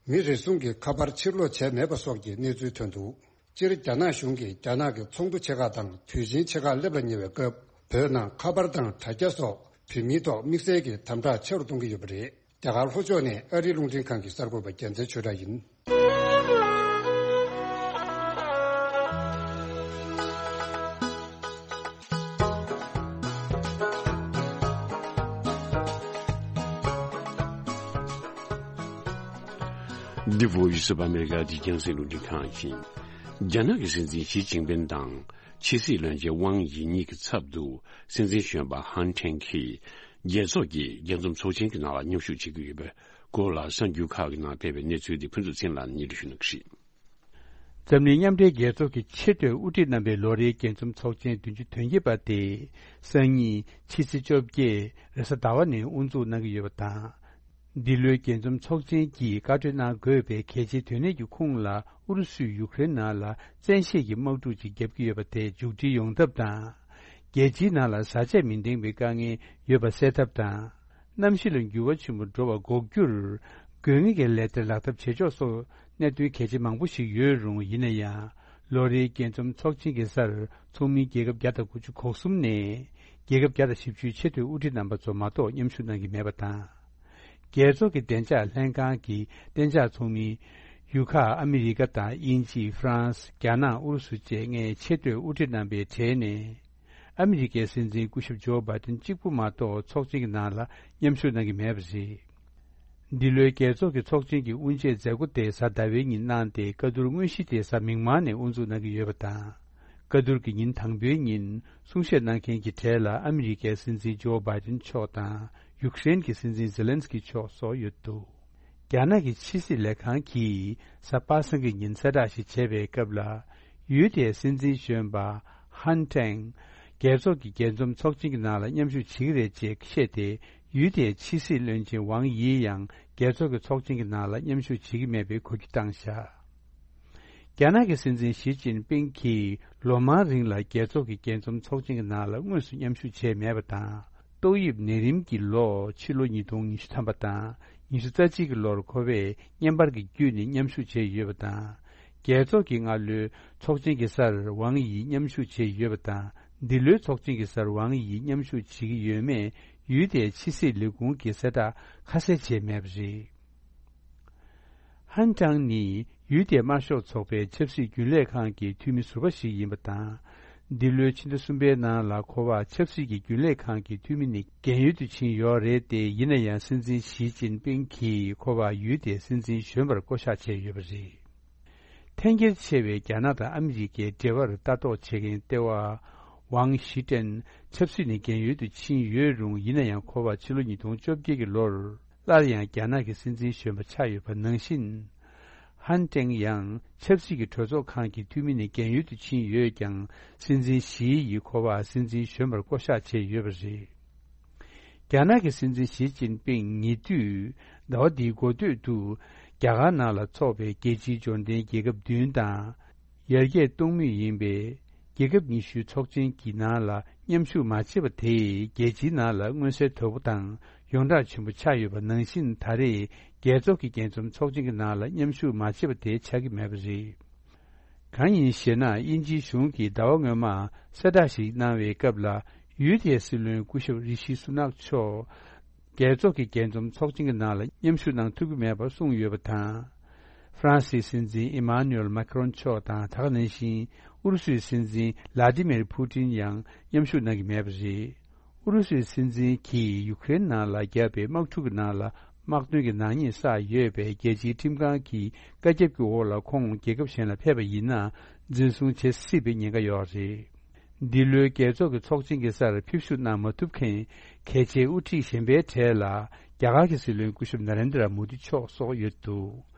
མི་རེ་ཟུང་གི་ཁ་པར་ཕྱིར་སློག་བྱས་མེད་པ་སོགས་ཀྱི་གནས་ཚུལ་ཐོན་འདུག་སྤྱིར་རྒྱ་ནག་གཞུང་གིས་རྒྱ་ནག་གི་ཚོགས་འདུ་ཆེ་ཁག་དང་དུས་ཆེན་ཆེ་ཁག་སླེབས་ལ་ཉེ་བའི་སྐབས། བོད་ནང་ཁ་པར་དང་དྲ་རྒྱ་སོགས་བོད་མིའི་ཐོག་དམིགས་བསལ་གྱི་དམ་དྲག་ཆེ་རུ་གཏོང་གི་ཡོད་པ་རེད། རྒྱ་གར་ལྷོ་ཕྱོགས་ནས་ཨ་རིའི་རླུང་འཕྲིན་ཁང་གི་གསར་འགོད་པ་རྒྱལ་མཚན་ཆོས་གྲགས་ཡིན། འདི་Voice of America གི་རྒྱང་སྲིང་རླུང་འཕྲིན་ཁང་ཡིན། རྒྱ་ནག་གི་སྲིད་འཛིན་ཞི་ཅིན་ཕིན་དང་ཕྱི་སྲིད་བློན་ཆེན་ཝང་ཡི་གཉིས་ཀྱི་ཚབ་ཏུ། སྲིད་འཛིན་གཞོན་པ་ཧན་ཁྲེང་གིས་རྒྱལ་ཚོགས་ཀྱི་རྒྱས་འཛོམས་ཚོགས་ཆེན་གྱི་ནང་ལ་མཉམ་ཞུགས་བྱེད་ཀྱི་ཡོད་པའི་སྐོར་ལ། གསར་འགྱུར་ཁག་གི་ནང་སྤེལ་བའི་གནས་ཚུལ་དེ་ཕུན་ཚོགས་ཚེ་རིང་ལགས་ནས་སྙན་སྒྲོན་ཞུ་གནང་གི་རེད། འཛམ་གླིང་མཉམ་འབྲེལ་རྒྱལ་ཚོགས་ཀྱི་ཆེས་མཐོའི་དབུ་ཁྲིད་རྣམ་པའི་ལོ་རེའི་རྒྱས་འཛོམས་ཚོགས་ཆེན་བདུན་ཅུ་དོན་བརྒྱད་པ་དེ་སང་ཉིན་ཕྱི་ཚེས་བཅོ་བརྒྱད་རེས་གཟའ་ཟླ་བ་ནས་དབུ་འཛུགས་གནང་གི་ཡོད་པ་དང་། འདི་ལོའི་རྒྱས་འཛོམས་ཚོགས་ཆེན་གྱིས་བཀའ་འཁྲོལ་གནང་དགོས་པའི་གལ་ཆེའི་དོན་གནད་ཀྱི་ཁུངས་ལ། ཨུ་རུ་སུས་ཡུཀ་རེན་ནང་ལ་བཙན་ཤེད་ཀྱི་དམག་འཁྲུག་ཅིག་བརྒྱབ་ཀྱི་ཡོད་པ་དེ་མཇུག་སྒྲིལ་ཡོང་ཐབས་དང་། རྒྱལ་སྤྱིའི་ནང་ལ་བཟའ་ཆས་མི་འདང་བའི་དཀའ་ངལ་ཡོད་པ་སེལ་ཐབས་དང་། གནམ་གཤིས་ལ་འགྱུར་བ་ཆེན་པོ་འགྲོ་བ་འགོག་རྒྱུར་དགོས་ངེས་ཀྱི་ལས་དོན་ལག་བསྟར་བྱེད་ཕྱོགས་སོགས་གནད་དོན་གལ་ཆེ་མང་པོ་ཞིག་ཡོད་རུང་། ཡིན་ན་ཡང་། ལོ་རེའི་རྒྱས་འཛོམས་ཚོགས་ཆེན་གྱི་སར་ཚོགས་མི་རྒྱལ་ཁབ་བརྒྱ་དང་དགུ་བཅུ་གོ་གསུམ་ནས་རྒྱལ་ཁབ་བརྒྱ་དང་བཞི་བཅུའི་ཆེས་མཐོའི་དབུ་ཁྲིད་རྣམ་པ་ཚོ་མ་གཏོགས་མཉམ་ཞུགས་གནང་གི་མེད་པ་དང་། རྒྱལ་ཚོགས་ཀྱི་བདེ་འཇགས་ལྷན་ཁང་གི་གཏན་འཇགས་ཚོགས་མི་ཡུ་ཁ་ཨ་མི་རི་ཀ་དང་དབྱིན་ཇི། ཧྥ་རན་སི། རྒྱ་ནག། ཨུ་རུ་སུ་བཅས་ལྔའི་ཆེས་མཐོའི་དབུ་ཁྲིད་རྣམ་པའི་གྲས་ནས། ཨ་མི་རི་ཀའི་སྲིད་འཛིན་སྐུ་ཞབས་ཇོ་བྷའི་ཏིན་གཅིག་པུ་མ་གཏོགས་ཚོགས་ཆེན་གྱི་ནང་ལ་མཉམ་ཞུགས་གནང་གི་མེད་པ་རེད། འདི་ལོའི་རྒྱལ་ཚོགས་ཀྱི་ཚོགས་ཆེན་གྱི་དབུ་འབྱེད་མཛད་སྒོ་དེ་གཟའ་ཟླ་བའི་ཉིན་གནང་སྟེ། བཀའ་བསྡུར་དངོས་གཞི་དེ་གཟའ་མིག་དམར་ནས་དབུ་འཛུགས་གནང་གི་ཡོད་པ་དང་། བཀའ་བསྡུར་གྱི་ཉིན་དང་པོའི་ཉིན་གསུང་བཤད་གནང་མཁན་གྱི་གྲས་ལ་ཨ་མི་རི་ཀའི་སྲིད་འཛིན་ཇོ་བྷའི་ཏིན་མཆོག་དང་། ཡུཀ་རེན་གྱི་སྲིད་འཛིན་ཛེ་ལན་སི་ཀི་མཆོག་སོགས་ཡོད་འདུག་རྒྱ་ནག་གི་ཕྱི་སྲིད་ལས་ཁང་གིས་གཟའ་པ་སངས་ཀྱི་ཉིན་གསལ་བསྒྲགས་ཤིག་བྱས་པའི་སྐབས་ལ། ཡུལ་དེའི་སྲིད་འཛིན་གཞོན་པ་ཧན་ཀྲེང་རྒྱལ་ཚོགས་ཀྱི་རྒྱས་འཛོམས་ཚོགས་ཆེན་གྱི་ནང་ལ་མཉམ་ཞུགས་བྱེད་ཀྱི་རེད་ཅེས་བཤད་དེ། ཡུལ་དེའི་ཕྱི་སྲིད་བློན་ཆེན་ཝང་ཡི་ཡང་རྒྱལ་ཚོགས་ཀྱི་ཚོགས་ཆེན་གྱི་ནང་ལ་མཉམ་ཞུགས་བྱེད་ཀྱི་མེད་པའི་གོ་རྒྱུ་བཏང་བཞག་རྒྱ་ནག་གི་སྲིད་འཛིན་ཞི་ཅིན་ཕིང་གིས་ལོ་མང་རིང་ལ་རྒྱལ་ཚོགས་ཀྱི་རྒྱས་འཛོམས་ཚོགས་ཆེན་གྱི་ནང་ལ་དངོས་སུ་མཉམ་ཞུགས་བྱས་མེད་པ་དང་། ཏོག་དབྱིབས་ནད་རིམས་ཀྱི་ལོ། ཕྱི་ལོ་ཉིས་སྟོང་ཉི་ཤུ་ཐམ་པ་དང་ཉི་ཤུ་རྩ་གཅིག་གི་ལོར་ཁོ་པས་བརྙན་པར་གྱི་བརྒྱུད་ནས་མཉམ་ཞུགས་བྱས་ཡོད་པ་དང་། རྒྱལ་ཚོགས་ཀྱི་སྔ་ལོའི་ཚོགས་ཆེན་གྱི་སར་ཝང་ཡི་མཉམ་ཞུགས་བྱས་ཡོད་པ་དང་། འདི་ལོའི་ཚོགས་ཆེན་གྱི་སར་ཝང་ཡི་མཉམ་ཞུགས་བྱེད་ཀྱི་ཡོད་མེད་ཡུལ་དེའི་ཕྱི་སྲིད་ལས་ཁུངས་ཀྱིས་གསལ་བསྒྲགས་ཁ་གསལ་བྱས་མེད་པ་རེད། ཧན་ཀྲང་ནི་ཡུལ་དེའི་དམར་ཤོག་ཚོགས་པའི་ཆབ་སྲིད་རྒྱུན་ལས་ཁང་གི་འཐུས་མི་ཟུར་པ་ཞིག་ཡིན་པ་དང་། འདི་ལོའི་ཕྱི་ཟླ་གསུམ་པའི་ནང་ལ་ཁོ་པ་ཆབ་སྲིད་ཀྱི་རྒྱུན་ལས་ཁང་གི་འཐུས་མི་ནས་རྒན་ཡོལ་དུ་ཕྱིན་ཡོད་རེད་དེ། ཡིན་ན་ཡང་སྲིད་འཛིན་ཞི་ཅིན་ཕིང་གིས་ཁོ་པ་ཡུལ་དེའི་སྲིད་འཛིན་གཞོན་པར་བསྐོ་གཞག་བྱས་ཡོད་པ་རེད། འཐེན་འཁྱེར་ཆེ་བའི་རྒྱ་ནག་དང་ཨ་མི་རི་ཀའི་འབྲེལ་བར་ལྟ་རྟོག་བྱེད་མཁན་ལྟེ་བ་ཝང་ཞི་ཀྲེན་ཆབ་སྲིད་ནས་རྒན་ཡོལ་དུ་ཕྱིན་ཡོད་རུང་། ཡིན་ན་ཡང་ཁོ་པ་ཕྱི་ལོ་ཉིས་སྟོང་བཅོ་བརྒྱད་ཀྱི་ལོར་སླར་ཡང་རྒྱ་ནག་གི་སྲིད་འཛིན་གཞོན་པ་ཆགས་ཡོད་པ་ནང་བཞིན། ཧན་ཀྲེང་ཡང་ཆབ་སྲིད་ཀྱི་གྲོས་ཚོགས་ཁང་གི་འཐུས་མི་ནས་རྒན་ཡོལ་དུ་ཕྱིན་ཡོད་ཀྱང་། སྲིད་འཛིན་ཞི་ཡིས་ཁོ་པ་སྲིད་འཛིན་གཞོན་པར་བསྐོ་གཞག་བྱས་ཡོད་པ་རེད། རྒྱ་ནག་གི་སྲིད་འཛིན་ཞི་ཅིན་ཕིང་ཉེ་དུས་ཟླ་བ་འདིའི་འགོ་སྟོད་དུ་རྒྱ་གར་ནང་ལ་འཚོགས་པའི་རྒྱལ་སྤྱིའི་འབྱོར་ལྡན་རྒྱལ་ཁབ་བདུན་དང་། ཡར་རྒྱས་གཏོང་མུས་ཡིན་པའི་རྒྱལ་ཁབ་ཉི་ཤུའི་ཚོགས་ཆེན་གྱི་ནང་ལ་མཉམ་ཞུགས་མ་བྱས་པ་དེས་རྒྱལ་སྤྱིའི་ནང་ལ་མངོན་གསལ་དོད་པོ་དང་ཡོངས་གྲགས་ཆེན་པོ་ཆགས་ཡོད་པ་ནང་བཞིན། ད་རེས་རྒྱལ་ཚོགས་ཀྱི་རྒྱས་འཛོམས་ཚོགས་ཆེན་གྱི་ནང་ལ་མཉམ་ཞུགས་མ་བྱས་པ་དེ་ཆགས་ཀྱི་མེད་པ་རེད། གང་ཡིན་ཞེ་ན། དབྱིན་ཇིའི་གཞུང་གིས་ཟླ་བ་སྔོན་མ་གསལ་བསྒྲགས་ཤིག་གནང་བའི་སྐབས་ལ། ཡུལ་དེའི་སྲིད་བློན་སྐུ་ཞབས་རི་ཤི་སུ་ནག་མཆོག་རྒྱལ་ཚོགས་ཀྱི་རྒྱས་འཛོམས་ཚོགས་ཆེན་གྱི་ནང་ལ་མཉམ་ཞུགས་གནང་ཐུབ་ཀྱི་མེད་པར་གསུངས་ཡོད་པ་དང་། ཧྥ་རན་སིའི་སྲིད་འཛིན་ཨི་མཱ་ནུ་ཨེལ་མཱ་ཁི་རོན་མཆོག་དང་། ད་ག་ནང་བཞིན་ཨུ་རུ་སུའི་སྲིད་འཛིན་ལ་ཏི་མིར་ཕུ་ཏིན་ཡང་མཉམ་ཞུགས་གནང་གི་མེད་པ་རེད། ཨུ་རུ་སུའི་སྲིད་འཛིན་གྱིས་ཡུ་ཀེ་རེན་ནང་ལ་བརྒྱབ་པའི་དམག་འཁྲུག་གི་ནང་ལ་དམག་དོན་གྱི་ནག་ཉེས་བསགས་ཡོད་པས། རྒྱལ་སྤྱིའི་ཁྲིམས་ཁང་གི་བཀའ་ཁྱབ་ཀྱི་འོག་ལ་ཁོང་རྒྱལ་ཁབ་གཞན་ལ་ཕེབས་པ་ཡིན་ན་འཛིན་བཟུང་བྱེད་སྲིད་པའི་ཉེན་ཁ་ཡོད་རེད། འདི་ལོའི་རྒྱལ་ཚོགས་ཀྱི་ཚོགས་ཆེན་གྱི་སར་ཕེབས་བཞུགས་གནང་མ་ཐུབ་མཁན་གལ་ཆེའི་དབུ་ཁྲིད་གཞན་པའི་གྲས་ལ་རྒྱ་གར་གྱི་སྲིད་བློན་སྐུ་ཞབས་ན་རེན་དྲ་མོ་དི་མཆོག་སོགས་ཡོད་འདུག་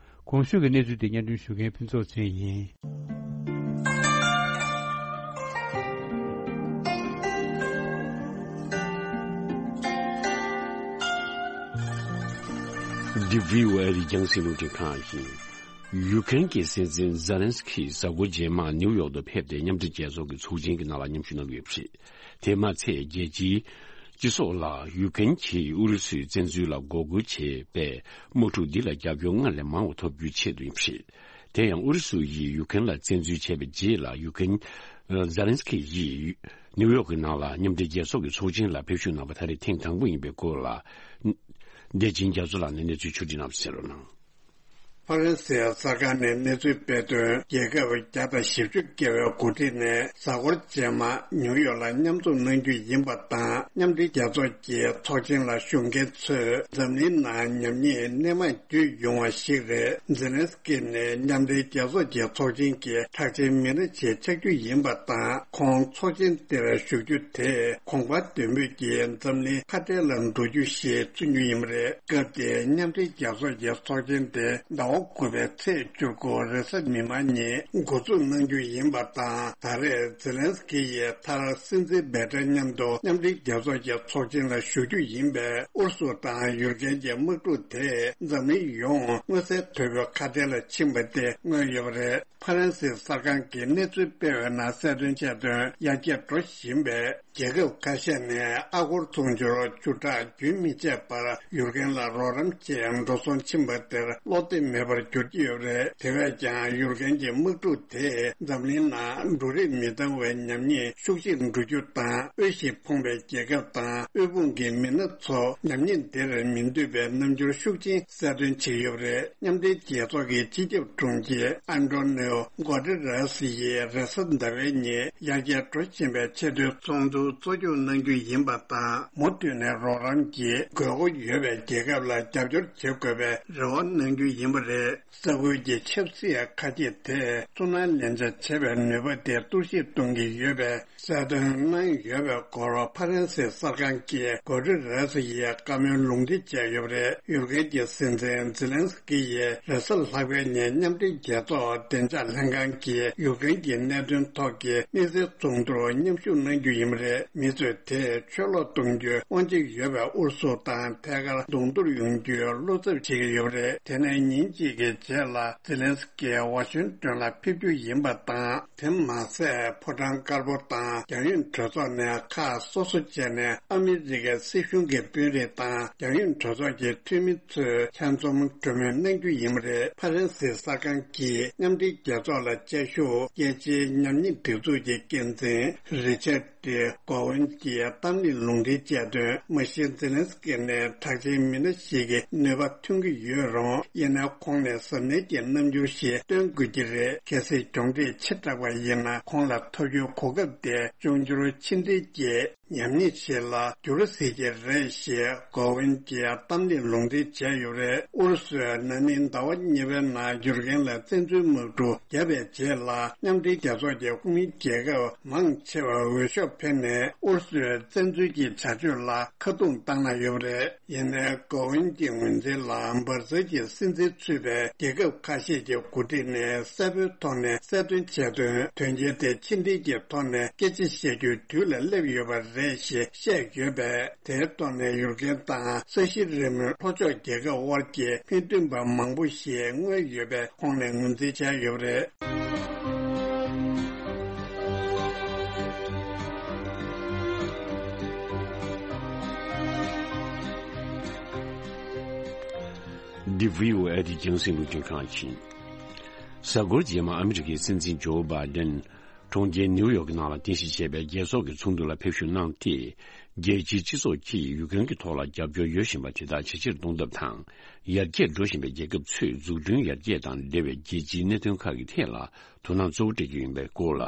གོང་ཞུས་ཀྱི་གནས་ཚུལ་དེ་སྙན་སྒྲོན་ཞུ་མཁན་ཕུན་ཚོགས་ཚེ་ཡིན། འདི་བྷི་ཨོ་ཨེ་རི་རྒྱང་སྲིང་རླུང་འཕྲིན་ཁང་ཡིན། ཡུ་ཀེ་རེན་གྱི་སྲིད་འཛིན་ཛེ་ལན་སི་ཁི་གཟའ་འཁོར་རྗེས་མར་ནིའུ་ཡོག་ཏུ་ཕེབས་ཏེ་མཉམ་འབྲེལ་རྒྱལ་ཚོགས་ཀྱི་ཚོགས་ཆེན་གྱི་ནང་ལ་མཉམ་ཞུགས་གནང་གི་ཡོད་པ་རེད། དེ་མ་ཚད་རྒྱལ་སྤྱིའི་སྤྱི་ཚོགས་ལ་ཡུ་ཀེ་རེན་གྱིས་ཨུ་རུ་སུའི་བཙན་འཛུལ་ལ་འགོག་རྒོལ་བྱས་པའི་དམག་འཁྲུག་འདི་ལ་རྒྱབ་སྐྱོར་སྔར་ལས་མང་བ་ཐོབ་རྒྱུའི་ཆེད་དུ་ཡིན་པ་རེད། དེ་ཡང་ཨུ་རུ་སུ་ཡིས་ཡུ་ཀེ་རེན་ལ་བཙན་འཛུལ་བྱས་པའི་རྗེས་ལ་ཡུ་ཀེ་རེན། ཛེ་ལན་སི་ཁི་ཡིས་ནིའུ་ཡོག་གི་ནང་ལ་མཉམ་འབྲེལ་རྒྱལ་ཚོགས་ཀྱི་ཚོགས་ཆེན་ལ་ཕེབས་ཞུགས་གནང་བ་ད་རེས་ཐེངས་དང་པོ་ཡིན་པའི་སྐོར་ལ། བདེ་ཆེན་རྒྱ་མཚོ་ལགས་ནས་གནས་ཚུལ་ཕྱོགས་སྒྲིག་གནང་བ་གསན་རོགས་གནང་། ཧྥ་རན་སིའི་གསར་ཁང་ནས་གནས་ཚུལ་སྤེལ་དོན། རྒྱལ་ཁབ་བརྒྱ་དང་བཞི་བཅུ་བརྒལ་བའི་འགོ་ཁྲིད་ནས་གཟའ་འཁོར་རྗེས་མ་ནིའུ་ཡོག་ལ་མཉམ་འཛོམས་གནང་རྒྱུ་ཡིན་པ་དང་། མཉམ་འབྲེལ་རྒྱལ་ཚོགས་ཀྱི་ཚོགས་ཆེན་ལ་ཞུགས་མཁན་ཚོས་འཛམ་གླིང་ནང་ཉམས་ཉེས་སྣེ་མང་བརྒྱུད་ཡོང་བ་ཞིག་རེད། ཛེ་ལན་སི་ཀི་ནས་མཉམ་འབྲེལ་རྒྱལ་ཚོགས་ཀྱི་ཚོགས་ཆེན་གྱི་གྲགས་ཅན་མི་སྣ་ཞིག་ཆགས་རྒྱུ་ཡིན་པ་དང་། ཁོང་ཚོགས་ཆེན་དེར་ཞུགས་རྒྱུ་དེས་གོང་འཕེལ་ལྡན་པོས་ཀྱི་འཛམ་གླིང་ཁ་བྲལ་ལ་འགྲོ་རྒྱུ་ཞེས་བརྩི་རྒྱུ་ཡིན་པ་རེད། སྐབས་དེའི་མཉམ་འབྲེལ་རྒྱལ་ཚོགས་ཀྱི་ཚོགས་ཆེན་དེ་ཟླ་བ་དགུ་པའི་ཚེས་བཅུ་དགུ་རེས་གཟའ་མིག་དམར་ཉིན་འགོ་འཛུགས་གནང་རྒྱུ་ཡིན་པ་དང་། ད་རེས་ཛེ་ལན་སི་ཀི་ཡིས་མཐར་སྲིད་འཛིན་བེ་ཏྲ་མཉམ་དུ་མཉམ་འབྲེལ་རྒྱལ་ཚོགས་ཀྱི་ཚོགས་ཆེན་ལ་ཞུགས་རྒྱུ་ཡིན་པས། ཨུ་རུ་སུ་དང་ཡུཀ་རེན་གྱི་དམག་འཁྲུག་དེས་འཛམ་གླིང་ཡོངས་མངོན་གསལ་དོད་པོའི་ཁ་བྲལ་ལ་ཕྱིན་པ་དེ་མངོན་ཡོད་པ་རེད། ཧྥ་རན་སིའི་གསར་ཁང་གིས་གནས་ཚུལ་སྤེལ་བའི་ནང་གསལ་སྟོན་བྱས་དོན། ཡར་རྒྱས་འགྲོ་བཞིན་པའི་རྒྱལ་ཁབ་ཁ་ཤས་ནས་ཨ་སྒོར་དུང་ཕྱུར་བཅུ་ཕྲག་རྒྱུན་མི་ཆད་པར་ཡུཀ་རེན་ལ་རོགས་རམ་ཆེད་འགྲོ་སོང་ཕྱིན་པ་དེར་བློ་གཏད་མེད་པར་གྱུར་གྱི་ཡོད་པ་རེད། དེ་བས་ཀྱང་ཡུཀ་རེན་གྱི་དམག་འཁྲུག་དེས་འཛམ་གླིང་ནང་འབྲུ་རིགས་མི་འདང་བའི་ཉམས་ཉེས་ཤུགས་ཆེར་འགྲོ་རྒྱུ་དང་། དབུལ་ཞིང་ཕོངས་པའི་རྒྱལ་ཁབ་དང་དབུལ་ཕོངས་ཀྱི་མི་སྣ་ཚོ་ཉམས་ཉེས་འདིར་མི་འདུས་པའི་རྣམ་འགྱུར་ཤུགས་ཆེན་གསལ་སྟོན་བྱེད་ཀྱི་ཡོད་པ་རེད། མཉམ་འབྲེལ་རྒྱལ་ཚོགས་ཀྱི་སྤྱི་ཁྱབ་དྲུང་ཆེ་ཨན་ཏོ་ནིའོ་གོ་ཏི་རེས་ཡིས་རེས་གཟའ་ཟླ་བའི་ཉིན་ཡར་རྒྱས་འགྲོ་བཞིན་པའི་ཆེས་མཐོའི་ཚོགས་འདུ་གཙོ་སྐྱོང་གནང་རྒྱུ་ཡིན་པ་དང་། མུ་མཐུད་ནས་རོགས་རམ་གྱི་དགོས་མཁོ་ཡོད་པའི་རྒྱལ་ཁབ་ལ་རྒྱབ་སྐྱོར་བྱེད་དགོས་པའི་རེ་བ་གནང་རྒྱུ་ཡིན་པ་རེད། ས་ཁུལ་གྱི་ཆབ་སྲིད་ཁ་གྱེས་དེས་ཚུར་སྣང་ལེན་ཆ་བྱེད་པའི་ནུས་པ་དེ་གཏོར་བཤིག་གཏོང་གི་ཡོད་པའི་གསལ་སྟོན་གནང་ཡོད་པའི་སྐོར་ཧྥ་རན་སིའི་གསར་ཁང་གིས་གོ་ཏི་རེས་ཡིས་བཀའ་མོལ་ལུང་འདྲེན་བྱས་ཡོད་པ་རེད། ཡུཀ་རེན་གྱི་སྲིད་འཛིན་ཛེ་ལན་སི་ཀི་ཡིས་རེས་གཟའ་ལྷག་པའི་ཉིན་མཉམ་འབྲེལ་རྒྱལ་ཚོགས་བདེ་འཇགས་ལྷན་ཁང་གིས་ཡུཀ་རེན་གྱི་གནད་དོན་ཐོག་གི་དམིགས་བསལ་ཚོགས་འདུར་མཉམ་ཞུགས་གནང་རྒྱུ་ཡིན་པ་རེད། མི་ཚོས་དེས་ཆོས་ལུགས་གཏོང་རྒྱུའི་དབང་ཆ་ཡོད་པའི་ཨུ་རུ་སུ་དང་ཐད་ཀར་གདོང་ཐུག་ཡོང་རྒྱུའི་བློ་འཚབ་བྱེད་ཀྱི་ཡོད་པ་རེད། དེ་ནས་ཉིན་གཅིག་གི་རྗེས་ལ་ཛེ་ལན་སི་ཀི་ཝ་ཤིང་ཏོན་ལ་ཕེབས་རྒྱུ་ཡིན་པ་དང་། དེ་མ་ཟད་ཕོ་བྲང་དཀར་པོ་དང་རྒྱང་ཡོལ་གྲོས་ཚོགས་ནས་ཁག་སོ་སོ་བྱས་ནས་ཨ་མི་རི་ཀའི་སྲིད་གཞུང་གི་དཔོན་རིགས་དང་རྒྱང་ཡོལ་གྲོས་ཚོགས་ཀྱི་འཐུས་མི་ཚོས་ཆ་འཛོམས་གྲོས་མོལ་གནང་རྒྱུ་ཡིན་པ་རེད། ཧྥ་རན་སིའི་གསར་ཁང་གིས་མཉམ་འབྲེལ་རྒྱལ་ཚོགས་ལ་བཅའ་བཞུགས་རྒྱལ་སྤྱིའི་ཉམས་ཉེས་སྒྲིག་འཛུགས་ཀྱི་འགན་འཛིན་རི་ཆར་ཏི་གོ་ཝན་གྱིས་གཏམ་གླེང་ལུང་འདྲེན་བྱས་དོན། མ་གཞི་ཛེ་ལན་སི་ཀི་ནས་གྲགས་ཅན་མི་སྣ་ཞིག་གི་ནུས་པ་ཐོན་གྱི་ཡོད་རུང་། ཡིན་ན་ཁོང་ནས་གཟབ་ནན་གྱི་རྣམ་འགྱུར་ཞིག་སྟོན་དགོས་ཀྱི་རེད། གལ་སྲིད་གྱོང་འཕྲད་ཆེ་དྲགས་པ་ཡིན་ན། ཁོང་ལ་ཐོབ་རྒྱུའི་གོ་སྐབས་དེ་ཅུང་ཅུང་ཕྱི་འབྲེལ་གྱི་ཉམས་ཉེས་ཤིག་ལ་འགྱུར་སྲིད་ཀྱི་རེད་ཞེས་གོ་ཝན་གྱིས་གཏམ་གླེང་ལུང་འདྲེན་བྱས་ཡོད་རེད། ཨུ་རུ་སུས་ན་ནིང་ཟླ་བ་གཉིས་པའི་ནང་ཡུཀ་རེན་ལ་བཙན་འཛུལ་དམག་འཁྲུག་བརྒྱབ་པའི་རྗེས་ལ། མཉམ་འབྲེལ་རྒྱལ་ཚོགས་ཀྱི་ཁོངས་མི་རྒྱལ་ཁབ་མང་ཆེ་བ་འོས་ཤོག་འཕེན་ནས་ཨུ་རུ་སུའི་བཙན་འཛུལ་གྱི་བྱ་སྤྱོད་ལ་ཁ་རྡུང་བཏང་གནང་ཡོད་པ་རེད། ཡིན་ནའི་གོ་ཝན་གྱི་ངོས་འཛིན་ལ་འབར་འཛག་གི་སྲིད་འཛིན་ཚུད་པའི་རྒྱལ་ཁབ་ཁ་ཤས་ཀྱི་འགོ་ཁྲིད་ནས་གསལ་པོའི་ཐོག་ནས་གསལ་སྟོན་བྱས་དོན། དོན་རྐྱེན་དེ་ཕྱི་འབྲེལ་གྱི་ཐོག་ནས་སྐད་ཆ་བཤད་རྒྱུའི་དུས་ལ་སླེབས་ཡོད་པ་རེད་ཞེས་བཤད་ཡོད་པས། དེའི་ཐོག་ནས་ཡུཀ་རེན་དང་ས་གཞི་རིལ་མོའི་ལྷོ་ཕྱོགས་རྒྱལ་ཁབ་དབར་གྱི་མི་མཐུན་པ་མང་པོ་ཞིག་མངོན་ཡོད་པའི་ཁོངས་ནས་ངོས་འཛིན་བྱས་ཡོད་པ་རེད། འདི་བྷི་ཨོ་ཨེ་ཡི་རྒྱང་སྲིང་རླུང་འཕྲིན་ཁང་ཡིན། གཟའ་འཁོར་རྗེས་མ་ཨ་མི་རི་ཀའི་སྲིད་འཛིན་ཇོ་བྷའི་ཌེན། གྲོང་ཁྱེར་ནིའུ་ཡོག་གི་ནང་ལ་རྟེན་གཞི་བྱས་པའི་རྒྱལ་ཚོགས་ཀྱི་ཚོགས་འདུ་ལ་ཕེབས་ཞུགས་གནང་སྟེ། རྒྱལ་སྤྱིའི་སྤྱི་ཚོགས་ཀྱིས་ཡུཀ་རེན་གྱི་ཐོག་ལ་རྒྱབ་སྐྱོར་ཡོད་བཞིན་པ་དེ་དག་ཇེ་ཆེར་གཏོང་ཐབས་དང་། ཡར་རྒྱས་འགྲོ་བཞིན་པའི་རྒྱལ་ཁབ་ཚོས་འཛུགས་སྐྲུན་ཡར་རྒྱས་དང་འབྲེལ་བའི་རྒྱལ་སྤྱིའི་གནད་དོན་ཁག་གི་ཐད་ལ་དོ་སྣང་གཙོ་བོ་སྤྲད་ཀྱི་ཡིན་པའི་སྐོར་ལ།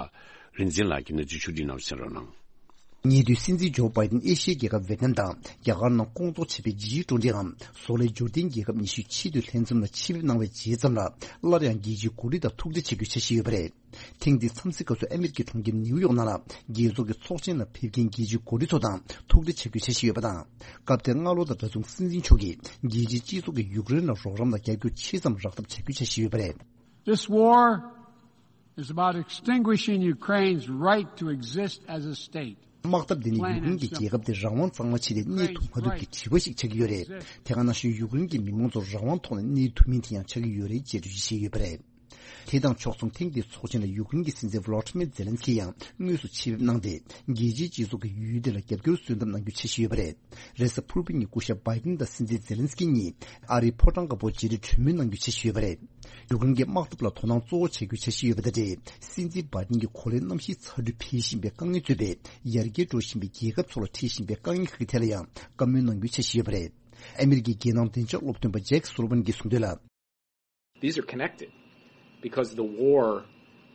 རིན་འཛིན་ལགས་ཀྱིས་གནས་ཚུལ་ཕྱོགས་སྒྲིག་གནང་བ་གསན་རོགས་གནང་། ཉེ་དུས་སྲིད་འཛིན་ཇོ་བྷའི་ཌེན་ཨེ་ཤི་ཡའི་རྒྱལ་ཁབ་ཝེ་ཏི་ནམ་དང་རྒྱ་གར་ནང་སྐོང་ཚོགས་བྱས་པའི་ཇི་ཊུ་ཝེན་ཊི་འམ་བཟོ་ལས་འབྱོར་ལྡན་རྒྱལ་ཁབ་ཉི་ཤུ་ཆེས་མཐོའི་ལྷན་འཛོམས་ལ་ཆེད་ཕེབས་གནང་བའི་རྗེས་ཙམ་ལ། སླར་ཡང་རྒྱལ་སྤྱིའི་འགོ་ཁྲིད་དང་ཐུག་འཕྲད་བྱ་རྒྱུའི་འཆར་གཞི་ཡོད་པ་རེད། ཐེངས་འདིའི་འཚམས་གཟིགས་སྐབས་སུ་ཨ་མི་རི་ཀའི་གྲོང་ཁྱེར་ནིའུ་ཡོག་ནང་ལ་རྒྱལ་ཚོགས་ཀྱི་ཚོགས་ཆེན་ལ་ཕེབས་མཁན་རྒྱལ་སྤྱིའི་འགོ་ཁྲིད་ཚོ་དང་ཐུག་འཕྲད་བྱ་རྒྱུའི་འཆར་གཞི་ཡོད་པ་དང་། སྐབས་དེར་སྔ་ལོ་དང་འདྲ་མཚུངས་སྲིད་འཛིན་མཆོག་གིས་རྒྱལ་སྤྱིའི་སྤྱི་ཚོགས་ཀྱིས་ཡུཀ་རེན་ལ་རོགས་རམ་ལ་རྒྱབ་སྐྱོར་ཆེ་ཙམ་རག་ཐབས་བྱ་རྒྱུའི་འཆར་གཞི་ཡོད་པ་རེད། This war is about extinguishing Ukraine's right to exist as a state. དམག་འཐབ་འདི་ནི་ཡུཀ་རེན་གྱི་རྒྱལ་ཁབ་དེ་རང་དབང་གཙང་མ་ཆེད་དུ་གནས་ཐུབ་མ་ཐུབ་ཀྱི་དྲི་བ་ཞིག་ཆགས་ཀྱི་ཡོད་རེད། དེ་ག་ནང་བཞིན་ཡུཀ་རེན་གྱི་མི་མང་ཚོ་རང་དབང་ཐོག་ནས་གནས་ཐུབ་མིན་དེ་ཡང་ཆགས་ཀྱི་ཡོད་རེད་ཅེས་འགྲེལ་བརྗོད་བྱས་ཡོད་པ་རེད། དེ་དང་ཕྱོགས་མཚུངས། ཐེངས་འདིའི་ཚོགས་ཆེན་ལ་ཡུཀ་རེན་གྱི་སྲིད་འཛིན་ཝོ་ལོ་ཏི་མེར་ཛེ་ལན་སི་ཀི་ཡང་དངོས་སུ་ཆེད་ཕེབས་གནང་སྟེ། རྒྱལ་སྤྱིའི་སྤྱི་ཚོགས་ཀྱིས་ཡུལ་དེ་ལ་རྒྱབ་སྐྱོར་སོན་ཐབས་གནང་རྒྱུ་འཆར་གཞི་ཡོད་པ་རེད། རེས་གཟའ་ཕུར་བུ་ཉིན་སྐུ་ཞབས་བྷའི་ཏིན་དང་སྲིད་འཛིན་ཛེ་ལན་སི་ཀི་གཉིས་ཨ་རིའི་ཕོ་བྲང་དཀར་པོར་མཇལ་འཕྲད་གྲོས་མོལ་གནང་རྒྱུ་འཆར་གཞི་ཡོད་པ་རེད། ཡུཀ་རེན་གྱི་དམག་འཐབ་ལ་དོ་སྣང་གཙོ་བོ་བྱ་རྒྱུའི་འཆར་གཞི་ཡོད་པ་དང་འབྲེལ། སྲིད་འཛིན་བྷའི་ཏིན་གྱི་གོ་ལའི་གནམ་གཤིས་ཚ་དྲོད་འཕེལ་བཞིན་པའི་དཀའ་ངལ་གཙོས་པའི་ཡར་རྒྱས་འགྲོ་བཞིན་པའི་རྒྱལ་ཁབ་ཚོ་ལ་འཕྲད་བཞིན་པའི་དཀའ་ངལ་ཁག་གི་ཐད་ལ་ཡང་བཀའ་མོལ་གནང་རྒྱུའི་འཆར་གཞི་ཡོད་པ་རེད། ཨ་མི་རི་ཀའི་རྒྱལ་ནང་བདེ་འཇགས་སློབ་སྟོན་པ་ཇེག་སུ་ལི་ཝན་གྱིས་གསུངས་དོན་ལ། These are connected because the war,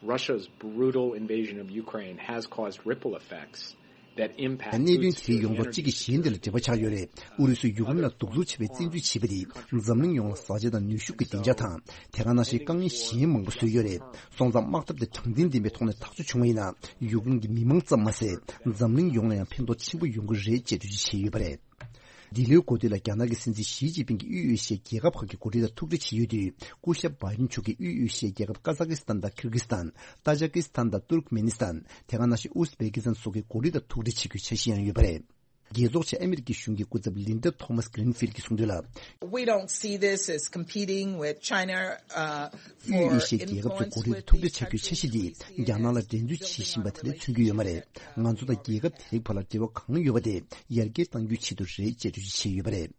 Russia's brutal invasion of Ukraine, has caused ripple effects that impact གནད་དོན་དེ་ཡོངས་རྫོགས་གཅིག་གིས་གཞན་དེ་ལ་འབྲེལ་བ་ཆགས་ཡོད་རེད། ཨུ་རུ་སུས་ཡུཀ་རེན་ལ་གདུག་རྩུབ་ཆེ་བའི་བཙན་འཛུལ་བྱས་པ་དེས་འཛམ་གླིང་ཡོངས་ལ་བཟའ་བཅའ་དང་ནུས་ཤུགས་ཀྱི་བདེ་འཇགས་དང་། དེ་ག་ནང་བཞིན་དཀའ་ངལ་གཞན་མང་པོ་བཟོས་ཡོད་རེད། སོང་ཙང་དམག་འཐབ་དེ་དྲང་བདེན་ལྡན་པའི་ཐོག་ནས་ཐག་གཅོད་བྱུང་བ་ཡིན་ན། ཡུཀ་རེན་གྱི་མི་མང་ཙམ་མ་ཟད། འཛམ་གླིང་ཡོངས་ལ་ཡང་ཕན་ཐོགས་ཆེན་པོ་ཡོང་གི་རེད་ཅེས་འགྲེལ་བརྗོད་བྱས་ཡོད་པ་རེད། འདི་ལོའི་འགོ་སྟོད་ལ་རྒྱ་ནག་གི་སྲིད་འཛིན་ཞི་ཅིན་ཕིང་གིས་དབུས་ཨེ་ཤི་ཡའི་རྒྱལ་ཁབ་ཁག་གི་འགོ་ཁྲིད་དང་ཐུག་འཕྲད་བྱེད་ཡུལ་དུ། སྐུ་ཞབས་བྷའི་ཏིན་མཆོག་གིས་དབུས་ཨེ་ཤི་ཡའི་རྒྱལ་ཁབ་ཀ་ཛ་ཀི་སི་ཐན་དང་ཁིར་གི་སི་ཐན། ཏཱ་ཇ་ཀི་སི་ཐན་དང་ཏུར་ཀ་མེ་ནི་སི་ཐན། དེ་ག་ནང་བཞིན་ཨུ་ཟ་བེ་ཀི་སི་ཐན་སོགས་ཀྱི་འགོ་ཁྲིད་དང་ཐུག་འཕྲད་བྱེད་རྒྱུའི་འཆར་གཞི་ཡང་ཡོད་པ་རེད། རྒྱལ་ཚོགས་ཆེད་ཨ་མི་རི་ཀའི་གཞུང་གི་སྐུ་ཚབ་ལིན་ཌ་ཐོ་མཱས་གྷི་རིན་ཕིལ་གྱིས་གསུངས་དོན་ལ། We don't see this as competing with China, uh, དབུས་ཨེ་ཤི་ཡའི་རྒྱལ་ཁབ་ཚོའི་འགོ་ཁྲིད་དང་ཐུག་འཕྲད་བྱ་རྒྱུའི་འཆར་གཞི་འདིས་རྒྱ་ནག་ལ་འགྲན་རྩོད་བྱེད་བཞིན་པ་དེ་འདྲ་མཚོན་གྱི་ཡོད་མ་རེད། ང་ཚོ་དང་རྒྱལ་ཁབ་དེ་རིགས་བར་ལ་འབྲེལ་བ་གང་ཡོད་པ་དེ་ཡར་རྒྱས་གཏང་རྒྱུའི་ཆེད་དུ་རེད་ཅེས་འགྲེལ་བརྗོད་བྱས་ཡོད་པ་རེད།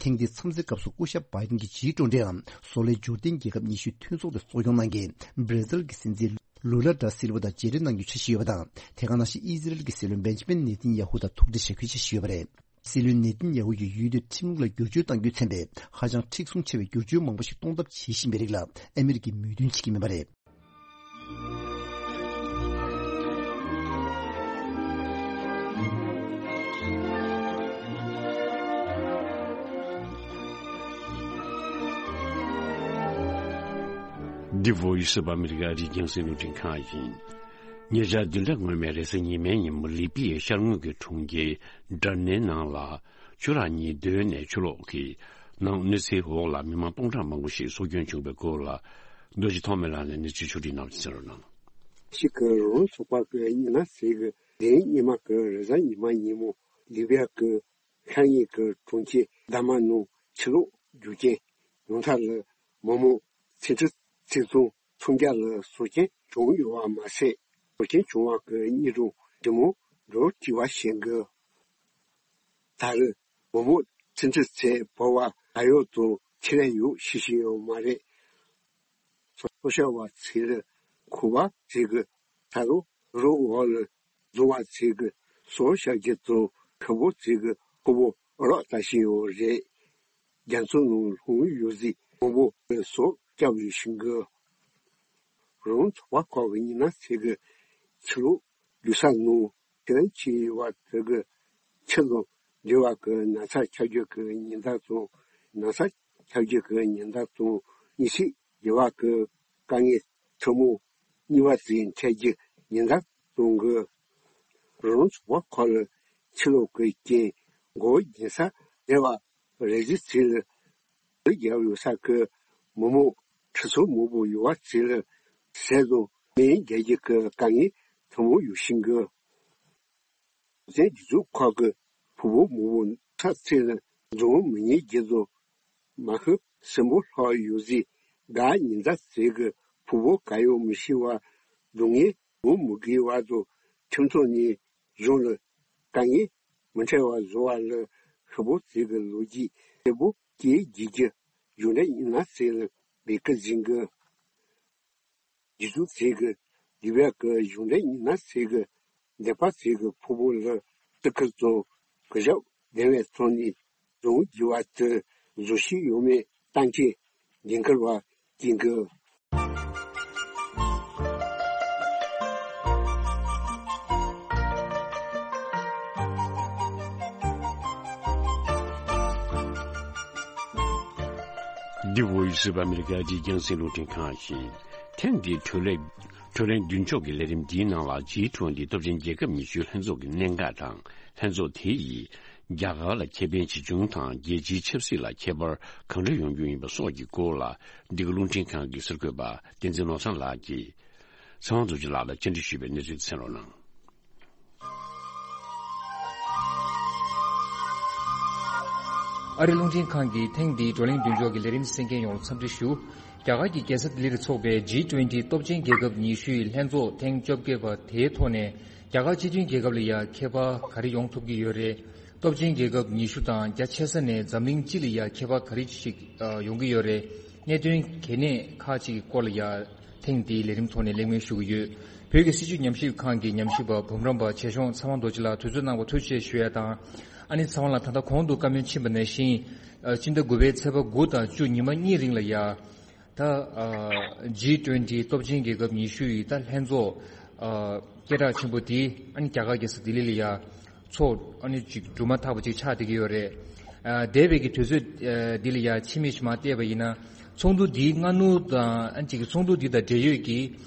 ཐེངས་འདིའི་འཚམས་གཟིགས་སྐབས་སུ་སྐུ་ཞབས་བྷའི་ཏིན་གྱི་རྗེས་འགྲོ་འདྲའམ་བཟོ་ལས་འབྱོར་ལྡན་རྒྱལ་ཁབ་ཉི་ཤུའི་མཐུན་ཚོགས་དེ་གཙོ་སྐྱོང་གནང་མཁན་བྷི་ར་ཛིལ་གྱི་སྲིད་འཛིན་ལུ་ལ་ད་སིལ་ཝ་དང་མཇལ་འཕྲད་གནང་རྒྱུའི་འཆར་གཞི་ཡོད་པ་དང་། དེ་ག་ནང་བཞིན་ཨི་ཟི་རལ་གྱི་སྲིད་བློན་བེན་ཇི་མིན་ནེ་ཐན་ཡ་ཧུ་དང་ཐུག་འཕྲད་བྱ་རྒྱུའི་འཆར་གཞི་ཡོད་པ་རེད། སྲིད་བློན་ནེ་ཐན་ཡ་ཧུ་ཡིས་ཡུལ་དེར་ཁྲིམས་ལུགས་ལ་བསྒྱུར་བཅོས་གཏང་རྒྱུས་མཚོན་པའི་ཧ་ཅང་མཁྲེགས་བཟུང་ཆེ་བའི་བསྒྱུར་བཅོས་མང་པོ་ཞིག་གཏོང་ཐབས་བྱེད་བཞིན་པའི་རིགས་ལ་ཨ་མི་རི་ཀས་མོས་མཐུན་བྱེད་ཀྱི་མེད་པ་རེད། འདི་Voice of America རྒྱང་སྲིང་རླུང་འཕྲིན་ཁང་ཡིན། ཉེ་ཆར་བདུན་ཕྲག་སྔོན་མའི་རེས་གཟའ་ཉི་མའི་ཉིན་མོ་ལི་པི་ཡའི་ཤར་ངོས་ཀྱི་གྲོང་ཁྱེར་ཌར་ནའི་ནང་ལ། ཆུ་རགས་གཉིས་བརྡོལ་ནས་ཆུ་ལོག་གི་ནང་གནོད་འཚེའི་འོག་ལ་མི་མང་སྟོང་ཕྲག་མང་པོ་ཞིག་སྲོག་སྐྱོན་བྱུང་བའི་སྐོར་ལ། རྡོ་རྗེ་ཐོགས་མེད་ལགས་ནས་གནས་ཚུལ་ཕྱོགས་བསྒྲིགས་གནང་བ་གསན་རོགས་གནང་། ཞིག་གི་རོང་ཚོགས་པ་གི་ཉི་ན་ཟེར་གི་དེ་རིང་སྙེ་མ་གི་རེས་གཟའ་ཉི་མ་ཉིན་མོ་ལི་བི་ཡ་གི་ཤར་ཉེ་གི་གྲོང་ཁྱེར་དཱ་མ་ནང་ཆུ་ལོག་རྒྱུ་རྐྱེན་ཡོང་ཐབས་ལ་མི་མང་ཚན་ཁྲི་ཚན་ཚོང་ཚོང་རྒྱག་ལ་སྲོག་སྐྱོན་བྱུང་ཡོད་པ་མ་ཟད། སྲོག་སྐྱོན་བྱུང་བ་གི་གཉིས་རུང་འབྲི་མོ་འགྲོ་བྲིས་པ་བྱེད་གི། ད་རེས་མི་མང་ཚན་ཁྲི་ཚན་བོད་པ་ད་ཡོད་དང་ཆེད་ལས་ཡོད་ཤེས་ཤེས་ཡོད་མ་རེད། སོ་སོ་བ་ཚེ་ལ་ཁུ་བ་ཚེ་གི་ད་རུང་རོགས་འོག་ལ་བཟུང་བ་ཚེ་གི་སོ་ཤ་གི་དང་ཁུ་བོ་ཚེ་གི་ཁུ་བོ་རོགས་ལྟ་ཤེས་ཡོད་རེད། རྒྱ་མཚོ་ནང་ལྷུང་ཡོད་ཟིག་མང་པོ་སོགས་སྐྱབས་ཡོད་ཤིང་གི། རང་ཚོགས་པ་ཁག་གི་ཉི་ན་ཚེ་གི་ཆུ་ལོག་རྒྱུ་ས་ནང་ཁྱེད་རང་ཆེ་བ་ཚེ་གི་ཆུ་དང་འབྲེལ་བ་གི་ན་ཚ་ཁྱབ་རྒྱུ་གི་ཉེན་བརྡ་དང་ན་ཚ་ཁྱབ་རྒྱུ་གི་ཉེན་བརྡ་དང་གཉིད་སད་རྒྱུ་བ་གི་དཀའ་ངལ་ཐུན་མོང་གཉིས་པ་ཚེ་འཕྲད་རྒྱུ་ཉེན་བརྡ་གཏོང་གི། རང་ཚོགས་པ་ཁག་ལ་ཆུ་ལོག་གི་རྐྱེན་མགོ་བོ་འགྱིང་ས་རེ་བ་རེ་ཟི་ཚིལ་ལ་རྒྱབ་ཡོད་ས་གི་མི་མང་ཁྲི་ཚོ་མང་པོ་ཡོད་པ་ཚིལ་ལ་ཟས་དང་མེ་རྒྱལ་རྒྱུ་གི་དཀའ་ངལ་ཐུན་མོང་ཡོད་ཤིང་གི། བཙན་སྒྲིག་འཛུགས་ཁག་གི་ཕུ་བོ་མང་པོ་ཚ་ཚིལ་ལ་འཛོམས་མི་ཉན་རྒྱུ་དང་མ་ཤི་སྲིན་པོ་ལྷག་ཡོད་ཟིག་དགའ་ཉིན་ཟླ་ཚིལ་གི་ཕུ་བོ་ག་ཡོད་མི་ཤེས་པ་སྡུག་བསྔལ་འོང་མི་དགོས་བར་དུ་ཁྱིམ་ཚང་ནས་གཞུང་ལ་དཀའ་ངལ་མི་འཕྲད་པ་བཟོ་བ་ལ་ཤི་བོ་ཚིག་གི་ལོ་རྒྱུས་གསལ་པོ་སྐྱེས་རྒྱུ་རྒྱུ་གཞུང་འབྲེལ་ཉི་ན་ཚེ་ལ་བེད་ཀི་འཛིན་གི། རྒྱུ་ཚུལ་ཚིག་གི་ལི་བ་གི་གཞུང་འབྲེལ་ཉི་ན་ཚེ་གི་འདས་པ་ཚིག་གི་ཕུ་བོ་ལ་ཏི་ཁིར་ཚོ་གི་ཞབས་བདེ་བའི་ཚོགས་ནས་རྫོང་རྒྱུ་བ་དུ་བཟོ་ཤེས་ཡོད་མེད་ལྟ་མཁན་ཉིན་དཀར་བ་ཀིང་གི། འདི་Voice of America རྒྱང་སྲིང་རླུང་འཕྲིན་ཁང་ཡིན། ཐེངས་འདིའི་གྲོས་ལས། གྲོས་གླེང་མདུན་ཕྱོགས་ཀྱི་ལས་རིམ་འདིའི་ནང་ལ་ཇི་ཊུ་ཝེན་ཊི་སྟོབས་ཆེན་རྒྱལ་ཁབ་ཉི་ཤུའི་ལྷན་ཚོགས་ཀྱི་གནད་འགག་དང་ལྷན་ཚོགས་དེ་ཡིས་རྒྱ་གར་ལ་ཁེ་ཕན་ཇི་བྱུང་དང་རྒྱལ་སྤྱིའི་ཆབ་སྲིད་ལ་ཁྱད་པར་གང་འདྲ་ཡོང་རྒྱུ་ཡིན་པ་སོགས་ཀྱི་སྐོར་ལ་འདི་ག་རླུང་འཕྲིན་ཁང་གི་གསར་འགོད་པ་བསྟན་འཛིན་ནོར་བཟང་ལགས་ཀྱིས་ཚེ་དབང་རྡོ་རྗེ་ལགས་ལ་བཅར་འདྲི་ཞུས་པའི་གནས་ཚུལ་གསན་རོགས་གནང་། ཨ་རི་རླུང་འཕྲིན་ཁང་གི་ཐེངས་འདིའི་བགྲོ་གླེང་མདུན་ཅོག་གི་ལས་རིམ་གསན་མཁན་ཡོངས་ལ་འཚམས་འདྲི་ཞུ། རྒྱ་གར་གྱི་རྒྱལ་ས་ལྡི་ལིར་འཚོགས་པའི་ཇི་ཊུ་ཝེན་ཊི་སྟོབས་ཆེན་རྒྱལ་ཁབ་ཉི་ཤུའི་ལྷན་ཚོགས་ཐེངས་བཅོ་བརྒྱད་པ་དེའི་ཐོག་ནས། རྒྱ་གར་སྤྱི་མཐུན་རྒྱལ་ཁབ་ལ་ཡང་ཁྱད་པར་ག་རེ་ཡོང་ཐུབ་ཀྱི་ཡོད་རེད། སྟོབས་ཆེན་རྒྱལ་ཁབ་ཉི་ཤུ་དང་རྒྱ་ཆེ་ས་ནས་འཛམ་གླིང་སྤྱི་ལ་ཡང་ཁྱད་པར་ག་རེ་ཞིག་ཡོང་གི་ཡོད་རེད། གནད་དོན་གལ་གནད་ཁག་ཅིག་གི་སྐོར་ལ་ཡང་ཐེངས་འདིའི་ལས་རིམ་ཐོག་ནས་གླེང་མོལ་ཞུ་གི་ཡོད། བོད་ཀྱི་སྲིད་བྱུས་ཉམས་ཞིབ་ཁང་གི་ཉམས་ཞིབ་པ་འབུམ་རམས་པ་ཆེ་ཤོས་ཚེ་དབང་རྡོ་རྗེ་ལགས་དུས་ཚོད་གནང་བར་ཐུགས་རྗེ་ཆེ་ཞུ་ཡ་དང་། ཨ་ནི་ཚེ་དབང་ལགས་ད་ལྟ་གོང་དུ་བཀའ་མོལ་ཕྱིན་པ་ནང་བཞིན། ཨ། སྤྱི་ཟླ་དགུ་པའི་ཚེས་པ་དགུ་དང་བཅུ་ཉི་མ་གཉིས་རིང་ལ་ཡ། ད། ཨ། ཇི་ཊུ་ཝེན་ཊི་སྟོབས་ཆེན་རྒྱལ་ཁབ་ཉི་ཤུ་ཡི་ད་ལྷན་ཚོགས། ཨ། སྐད་གྲགས་ཆེན་པོ་དེ་ཨ་ནི་རྒྱ་གར་རྒྱལ་ས་ལྡི་ལི་ལ་ཡ་ཚོགས་ཨ་ནི་ཅིག་གྲུབ་མ་ཐག་པ་ཅིག་ཆགས་བསྡད་ཀྱི་ཡོད་རེད། ཨ། འདས་པའི་གི་དུས་ཚོད་ཨ་འདི་ལ་ཡ་ཕྱི་མིག་ཅིག་མར་བལྟས་པ་ཡིན་ན། ཚོགས་འདུ་འདིའི་སྔ་སྣུར་དང་ཨ་ནི་ཅིག་ཚོགས་འདུ་འདི་དང་འབྲེལ་ཡོད་ཀྱི་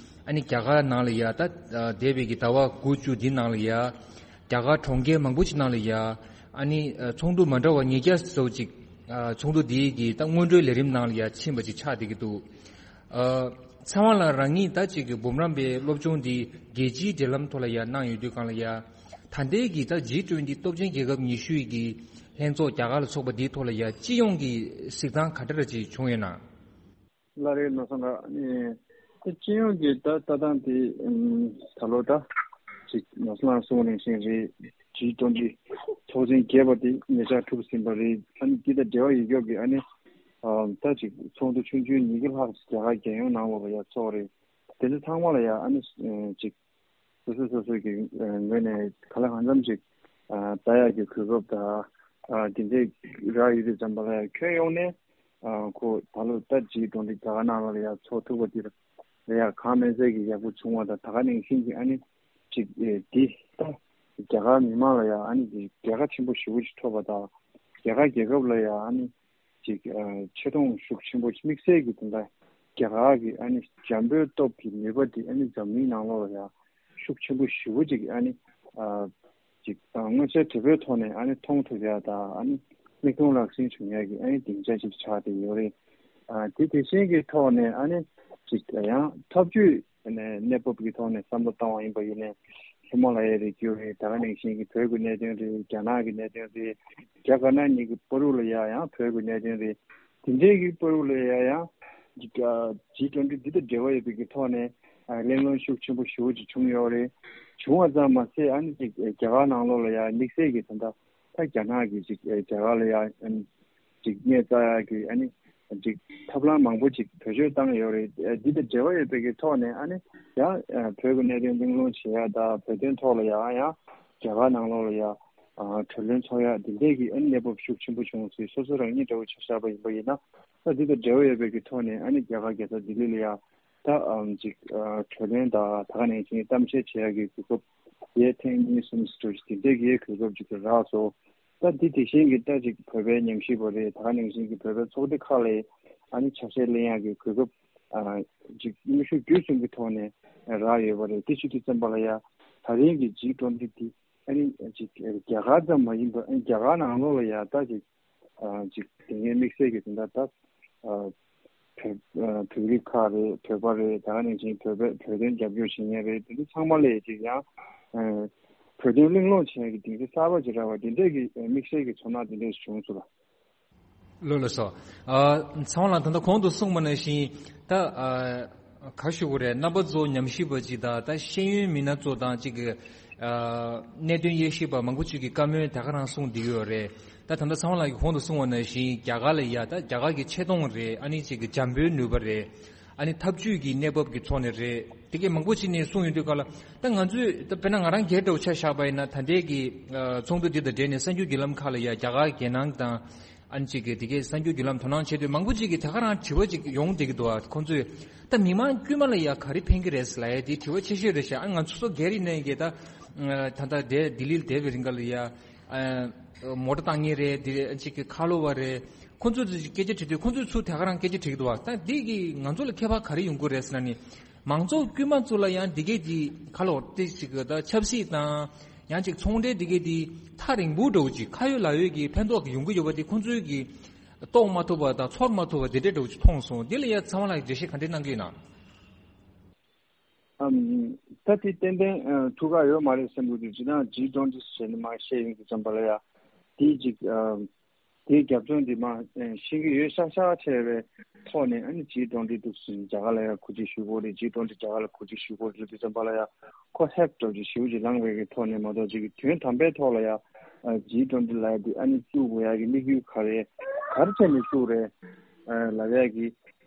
ཨ་ནི་རྒྱ་གར་ནང་ལ་ཡ་ད་ཨ་འདས་པའི་གི་ཟླ་བ་དགུ་བཅུ་འདི་ནང་ལ་ཡ། རྒྱ་གར་གྲོང་ཁྱེར་མང་པོ་ཅིག་ནང་ལ་ཡ། ཨ་ནི་ཨ་ཚོགས་འདུ་མ་འདྲ་བ་ཉིས་བརྒྱ་ཙམ་ཅིག་ཨ་ཚོགས་འདུ་འདིའི་གི་ད་སྔོན་འགྲོའི་ལས་རིམ་ནང་ལ་ཡ་ཕྱིན་པ་ཅིག་ཆགས་བསྡད་ཀྱི་འདུག། ཨ། ཚེ་དབང་ལགས་རང་ཉིད་ད་ཅིག་གི་འབུམ་རམས་པའི་སློབ་སྦྱོང་འདི་རྒྱལ་སྤྱིའི་འབྲེལ་ལམ་ཐོག་ལ་ཡ་གནང་ཡོད་དུས་སྒང་ལ་ཡ། ད་ལྟའི་གི་ད་ཇི་ཊུ་ཝེན་ཊི་སྟོབས་ཆེན་རྒྱལ་ཁབ་ཉི་ཤུ་ཡི་གི་ལྷན་ཚོགས་རྒྱ་གར་ལ་འཚོགས་པ་འདིའི་ཐོག་ལ་ཡ་སྤྱི་ཡོངས་ཀྱི་གཟིགས་སྟངས་ག་འདྲ་ཅིག་བྱུང་ཡོད་ན། ལགས་རེད། ནོར་བཟང་ལགས། ཨ་ནི་སྤྱི་ཡོངས་ཀྱི་ད་ལྟ་སྟངས་དེ་ཨམ་ད་ལོ་ད་ཅིག་ནོར་བཟང་ལགས་གསུངས་པ་ནང་བཞིན་རེད། ཇི་ཊུ་ཝེན་ཊི་ཚོགས་ཆེན་བརྒྱད་པ་དེ་ཉེ་ཆར་གྲུབ་ཟིན་པ་རེད། ཨ་ནི་འདི་དང་འབྲེལ་བ་ཡོད་སྐབས་ཀྱི་ཨ་ནི་ཨམ་ད་ཅིག་ཚོགས་འདུ་ཆུང་ཆུང་ཉིས་བརྒྱ་ལྷག་ཅིག་རྒྱ་གར་རྒྱལ་ཡོངས་ནང་ལོགས་ལ་ཡ་ཚོགས་རེད། དེ་ཚོ་ཚང་མ་ལ་ཡ་ཨ་ནི་ཨ་ཅིག་སོ་སོ་སོ་སོ་གི་ཨ་ངོས་ནས་ག་ལ་གང་འཚམ་ཅིག་ཨ་ལྟ་ཡག་གི་གོ་སྐབས་དང་། ཨ་དེ་འདྲས་རག་ཡོད་དུས་ཙམ་པ་ལ་ཡ་ཁྱོན་ཡོངས་ནས་ཨ་ཁོ་ད་ལོ་ད་ཇི་ཊུ་ཝེན་ཊི་རྒྱ་གར་ནང་ལ་ཡ་ཚོགས་ཐུབ་པ་དེ་ལ་ཡ་གང་མིན་ཚད་ཀྱི་ཡག་པོ་བྱུང་བ་དང་། ད་ག་ནང་བཞིན་གྱི་ཨ་ནི་ཅིག་ཨེ་འདི་ད་རྒྱ་གར་མི་མང་ལ་ཡ་ཨ་ནི་འདི་རྒྱལ་ཁ་ཆེན་པོ་ཞེ་པོ་ཅིག་ཐོབ་པ་དང་། རྒྱ་གར་རྒྱལ་ཁབ་ལ་ཡ་ཨ་ནི་ཅིག་ཨ་ཆེ་མཐོང་ཤུགས་ཆེན་པོ་དམིགས་བསལ་གྱི་དེ་འདྲ་རྒྱ་གར་གྱི་ཨ་ནི་འཇམ་པོའི་སྟོབས་ཀྱི་ནུས་པ་དེ་ཨ་ནི་འཛམ་གླིང་ནང་ལོགས་ལ་ཡ་ཤུགས་ཆེན་པོ་ཞེ་པོ་ཅིག་ཨ་ནི་ཨ་ཅིག་ཨ་མངོན་གསལ་དོད་པོའི་ཐོག་ནས་ཨ་ནི་མཐོང་ཐུབ་ཡ་དང་། ཨ་ནི་མིག་མཐོང་ལག་ཟིན་བྱུང་ཡ་གི་ཨ་ནི་སྡིངས་ཆ་ཅིག་ཆགས་བསྡད་ཡོད་རེད། ཨ་དེ་དེ་བཞིན་གྱི་ཐོག་ནས་ཨ་ནི་ཅིག་ཡང་འཐབ་ཇུས་ནས་གནས་བབ་ཀྱི་ཐོག་ནས་བསམ་བློ་བཏང་བ་ཡིན་པ་ཡིན་ནའི། ཧི་མ་ལ་ཡའི་རི་རྒྱུད་རེད། ད་ག་ནང་བཞིན་གྱི་བོད་ཀྱི་གནད་དོན་རེད། རྒྱ་ནག་གི་གནད་དོན་རེད། རྒྱ་དཀར་ནག་གཉིས་ཀྱི་བར་དུ་ལ་ཡ་ཡང་བོད་ཀྱི་གནད་དོན་རེད། དེ་འདྲའི་གི་བར་དུ་ལ་ཡ་ཡང་ཇི་ཊུ་ཝེན་ཊི་འདི་དང་འབྲེལ་བ་ཡོད་པའི་གི་ཐོག་ནས་ཨ་གླེང་སློང་ཤུགས་ཆེན་པོ་ཞེ་པོ་ཅིག་བྱུང་ཡོད་རེད། བྱུང་བ་ཙམ་མ་ཟད་ཨ་ནི་ཅིག་རྒྱ་གར་ནང་ལོགས་ལ་ཡ་དམིགས་བསལ་གྱི་ད་ལྟ་ད་རྒྱ་ནག་གིས་ཅིག་རྒྱ་གར་ལ་ཡ་ཨ་ནི་ཅིག་སྣེ་རྩ་ཡག་གི་ཨ་ནི་ཅིག་ཐབས་ལམ་མང་པོ་ཅིག་བེད་སྤྱོད་བཏང་ཡོད་རེད། འདི་དང་འབྲེལ་བ་ཡོད་པའི་གི་ཐོག་ནས་ཨ་ནི་ཡང་བོད་ཀྱི་གནད་དོན་གླེང་སློང་བྱེད་ཡ་དང་། བོད་དོན་ཐོག་ལ་ཡང་ཡང་རྒྱ་གར་ནང་ལོགས་ལ་ཡ་གྲོས་གླེང་ཚོགས་ཡ་འདི་འདྲས་ཀྱི་ཨ་ནི་གནས་བབ་ཤུགས་ཆེན་པོ་བྱུང་ཟེར། སོ་སོ་རང་ཉིད་འདྲ་བོ་ཆ་བཞག་པ་ཡིན་པ་ཡིན་ན། ད་འདི་དང་འབྲེལ་བ་ཡོད་པའི་གི་ཐོག་ནས་ཨ་ནི་རྒྱ་གར་རྒྱལ་ས་ལྡི་ལི་ལ་ཡ་ད་ཨམ་ཅིག་གྲོས་གླེང་དང་ད་ག་ནང་བཞིན་གཏམ་བཤད་བྱེད་ཡ་གི་གོ་སྐབས་ཡས་ཐེངས་གཉིས་གསུམ་ཙམ་འདི་འདྲས་ཀྱི་གོ་སྐབས་ཅིག་རག་སོང་། ད་འདི་དེ་བཞིན་གྱི་ད་ཅིག་བོད་པའི་ཉམས་ཞིབ་པ་རེད། ད་ག་ནང་བཞིན་གྱི་བོད་པའི་ཚོགས་སྡེ་ཁག་ལ་ཨ་ནི་ཆ་ཤས་ལེན་ཡག་གི་གོ་སྐབས་ཨ་ཅིག་དངོས་ཤུགས་བརྒྱུད་གསུམ་གྱི་ཐོག་ནས་རག་ཡོད་པ་རེད། དེ་ཞུ་དུས་ཙམ་པ་ལ་ཡ་ད་རིང་གི་ཇི་ཊུ་ཝེན་ཊི་འདི་ཨ་ནི་ཅིག་རྒྱ་གར་ཙམ་མ་ཡིན་པར་ཨ་ནི་རྒྱ་གར་ནང་ལོགས་ལ་ཡ་ད་ཅིག་ཨ་ཅིག་དེ་སྔའི་དམིགས་བསལ་གྱི་དེ་འདྲ་ད་ཨ་བོད་ཨ་བོད་རིགས་ཁག་རེད། བོད་པ་རེད། ད་ག་ནང་བཞིན་བོད་པའི་བོད་དོན་རྒྱབ་སྐྱོར་བྱེད་མཁན་རེད། དེ་ཚོ་ཚང་མ་ལ་ཅིག་ཡང་ཨ་བོད་དོན་གླེང་སློང་བྱེད་མཁན་གྱི་སྡིངས་ཆ་གསར་པ་ཅིག་རག་པ་དེ་འདྲས་ཀྱི་དམིགས་བསལ་གྱི་ཚོར་སྣང་དེ་འདྲས་བྱུང་སོང་ལ། ལགས་ལགས་སོ། ཨ་ཚེ་དབང་ལགས་ད་ལྟ་གོང་དུ་གསུངས་པ་ནང་བཞིན་ད་ཨ་ག་ཞུ་དགོས་རེད། རྣམ་པ་ཚོ་ཉམས་ཞིབ་པ་ཅིག་དང་ད་ཤེས་ཡོན་མི་སྣ་ཚོ་དང་ཅིག་གི་ཨ་གནད་དོན་དབྱེ་ཞིབ་པ་མང་པོ་ཅིག་གི་བཀའ་མོལ་ད་ག་རང་གསུངས་བསྡད་ཡོད་རེད། ད་ད་ལྟ་ཚེ་དབང་ལགས་ཀྱིས་གོང་དུ་གསུངས་པ་ནང་བཞིན་རྒྱ་གར་ལ་ཡ་ད་རྒྱ་གར་གྱི་ཆེ་མཐོང་རེད། ཨ་ནི་ཅིག་གི་འཇམ་པོའི་ནུས་པ་རེད། ཨ་ནི་འཐབ་ཇུས་ཀྱི་གནས་བབ་ཀྱི་ཐོག་ནས་རེད། དེ་གས་མང་པོ་ཅིག་ནས་གསུངས་ཡོང་དུས་སྐབས་ལ་ད་ང་ཚོས་ད་དཔེར་ན་ང་རང་སྒེར་འདྲ་བོ་ཆ་བཞག་པ་ཡིན་ན། ད་ལྟའི་གི་ཨ་ཚོགས་འདུ་འདི་དང་འབྲེལ་ནས་གསར་འགྱུར་བརྒྱུད་ལམ་ཁག་ལ་ཡ་རྒྱ་གར་རྒྱལ་ནང་དང་ཨ་ནི་ཅིག་གི་དེ་གས་གསར་འགྱུར་བརྒྱུད་ལམ་དོ་སྣང་བྱེད་དུས་མང་པོ་ཅིག་གིས་ད་ག་རང་དྲི་བ་ཅིག་ཡོང་བསྡད་ཀྱི་འདུག་ཨ། ཁོང་ཚོས་ད་མི་མང་དཀྱུས་མ་ལ་ཡ་ག་རེ་ཕན་གྱི་རེད་ཟེར་ལབ་ཡ་དེ་དྲི་བ་ཆེ་ཤོས་རེད་ཤག། ཨ་ང་ཚོ་སོ་སྒེར་ཡིན་ནའི་གི་ད་ད་ལྟ་དེ་ལྡི་ལིར་བསྡད་པའི་རིང་ག་ལ་ཡ། ཨ་མོ་ཊ་བཏང་མཁན་རེད། དེ་ཅིག་གི་ཁ་ལོ་བ་རེད། ཁོང་ཚོས་དེ་སྐད་ཆ་དྲིས་དུས་ཁོང་ཚོས་ཚུར་དེ་ག་རང་སྐད་ཆ་དྲིས་ཀྱི་འདུག་བ། ད་འདི་གིས་ང་ཚོ་ལ་ཁྱད་པར་ག་རེ་ཡོང་གི་རེད་ཟེར་ན་ནི། མང་ཚོགས་དཀྱུས་མ་ཚོ་ལ་ཡང་འདི་གས་ཀྱི་ཁ་ལོ་དེ་ཅིག་གི་ད་ཆབ་སྲིད་དང་ཡང་ཅིག་ཚོང་འབྲེལ་འདི་གས་དེ་ཐག་རིང་པོ་འདྲ་བོ་ཅིག་ཁ་ཡོད་ལག་ཡོད་ཀྱི་ཕན་ཐོགས་ཀྱི་ཡོང་གི་ཡོད་པ་དེ་ཁོང་ཚོས་ཀྱི་རྟོགས་མ་ཐུབ་པ་དང་ཚོར་མ་ཐུབ་པ་དེ་འདྲས་འདྲ་བོ་ཅིག་མཐོང་སོང་། འདི་ལ་ཡང་ཚེ་དབང་ལགས་ཀྱིས་འགྲེལ་བཤད་ག་འདྲས་གནང་གི་ཡོད་ན། ཨམ། ད་དེ་ཏན་ཏན་ཨ་ཐུགས་ཁག་ཡོད་མ་རེད་བསམ་གྱི་འདུག། ཅི་ན་ཇི་ཊུ་ཝེན་ཊི་ཟེར་ནས་མར་བཤད་ཡོང་དུས་ཙམ་པ་ལ་ཡ། དེ་ཅིག་ཨ་ དེའི་རྒྱབ་ལྗོངས་འདི་མ་ཤེས་ཀྱི་ཡོད་ཤག་ཤག་བྱས་པའི་ཐོག་ནས། ཨ་ནི་ཇི་ཊུ་ཝེན་ཊི་འདུག་ཟིན་རྒྱ་གར་ལ་ཡང་གོ་སྒྲིག་ཞུ་དགོས་རེད། ཇི་ཊུ་ཝེན་ཊི་རྒྱ་གར་ལ་གོ་སྒྲིག་ཞུ་དགོས་རེད་ལབ་དུས་ཙམ་པ་ལ་ཡང་ཁོ་ཧེབ་འདྲ་བོ་ཅིག་ཞེ་པོ་ཅིག་ལངས་པའི་གི་ཐོག་ནས་མ་གཏོགས། ཅིག་དོན་དམ་པའི་ཐོག་ལ་ཡང་ཇི་ཊུ་ཝེན་ཊི་ལབ་ཡ་འདི་ཨ་ནི་བཙུགས་དགོས་ཡ་གི་དམིགས་ཡུལ་ག་རེ། ག་རེ་བྱས་ནས་བཙུགས་རེད་ལབ་ཡ་གི་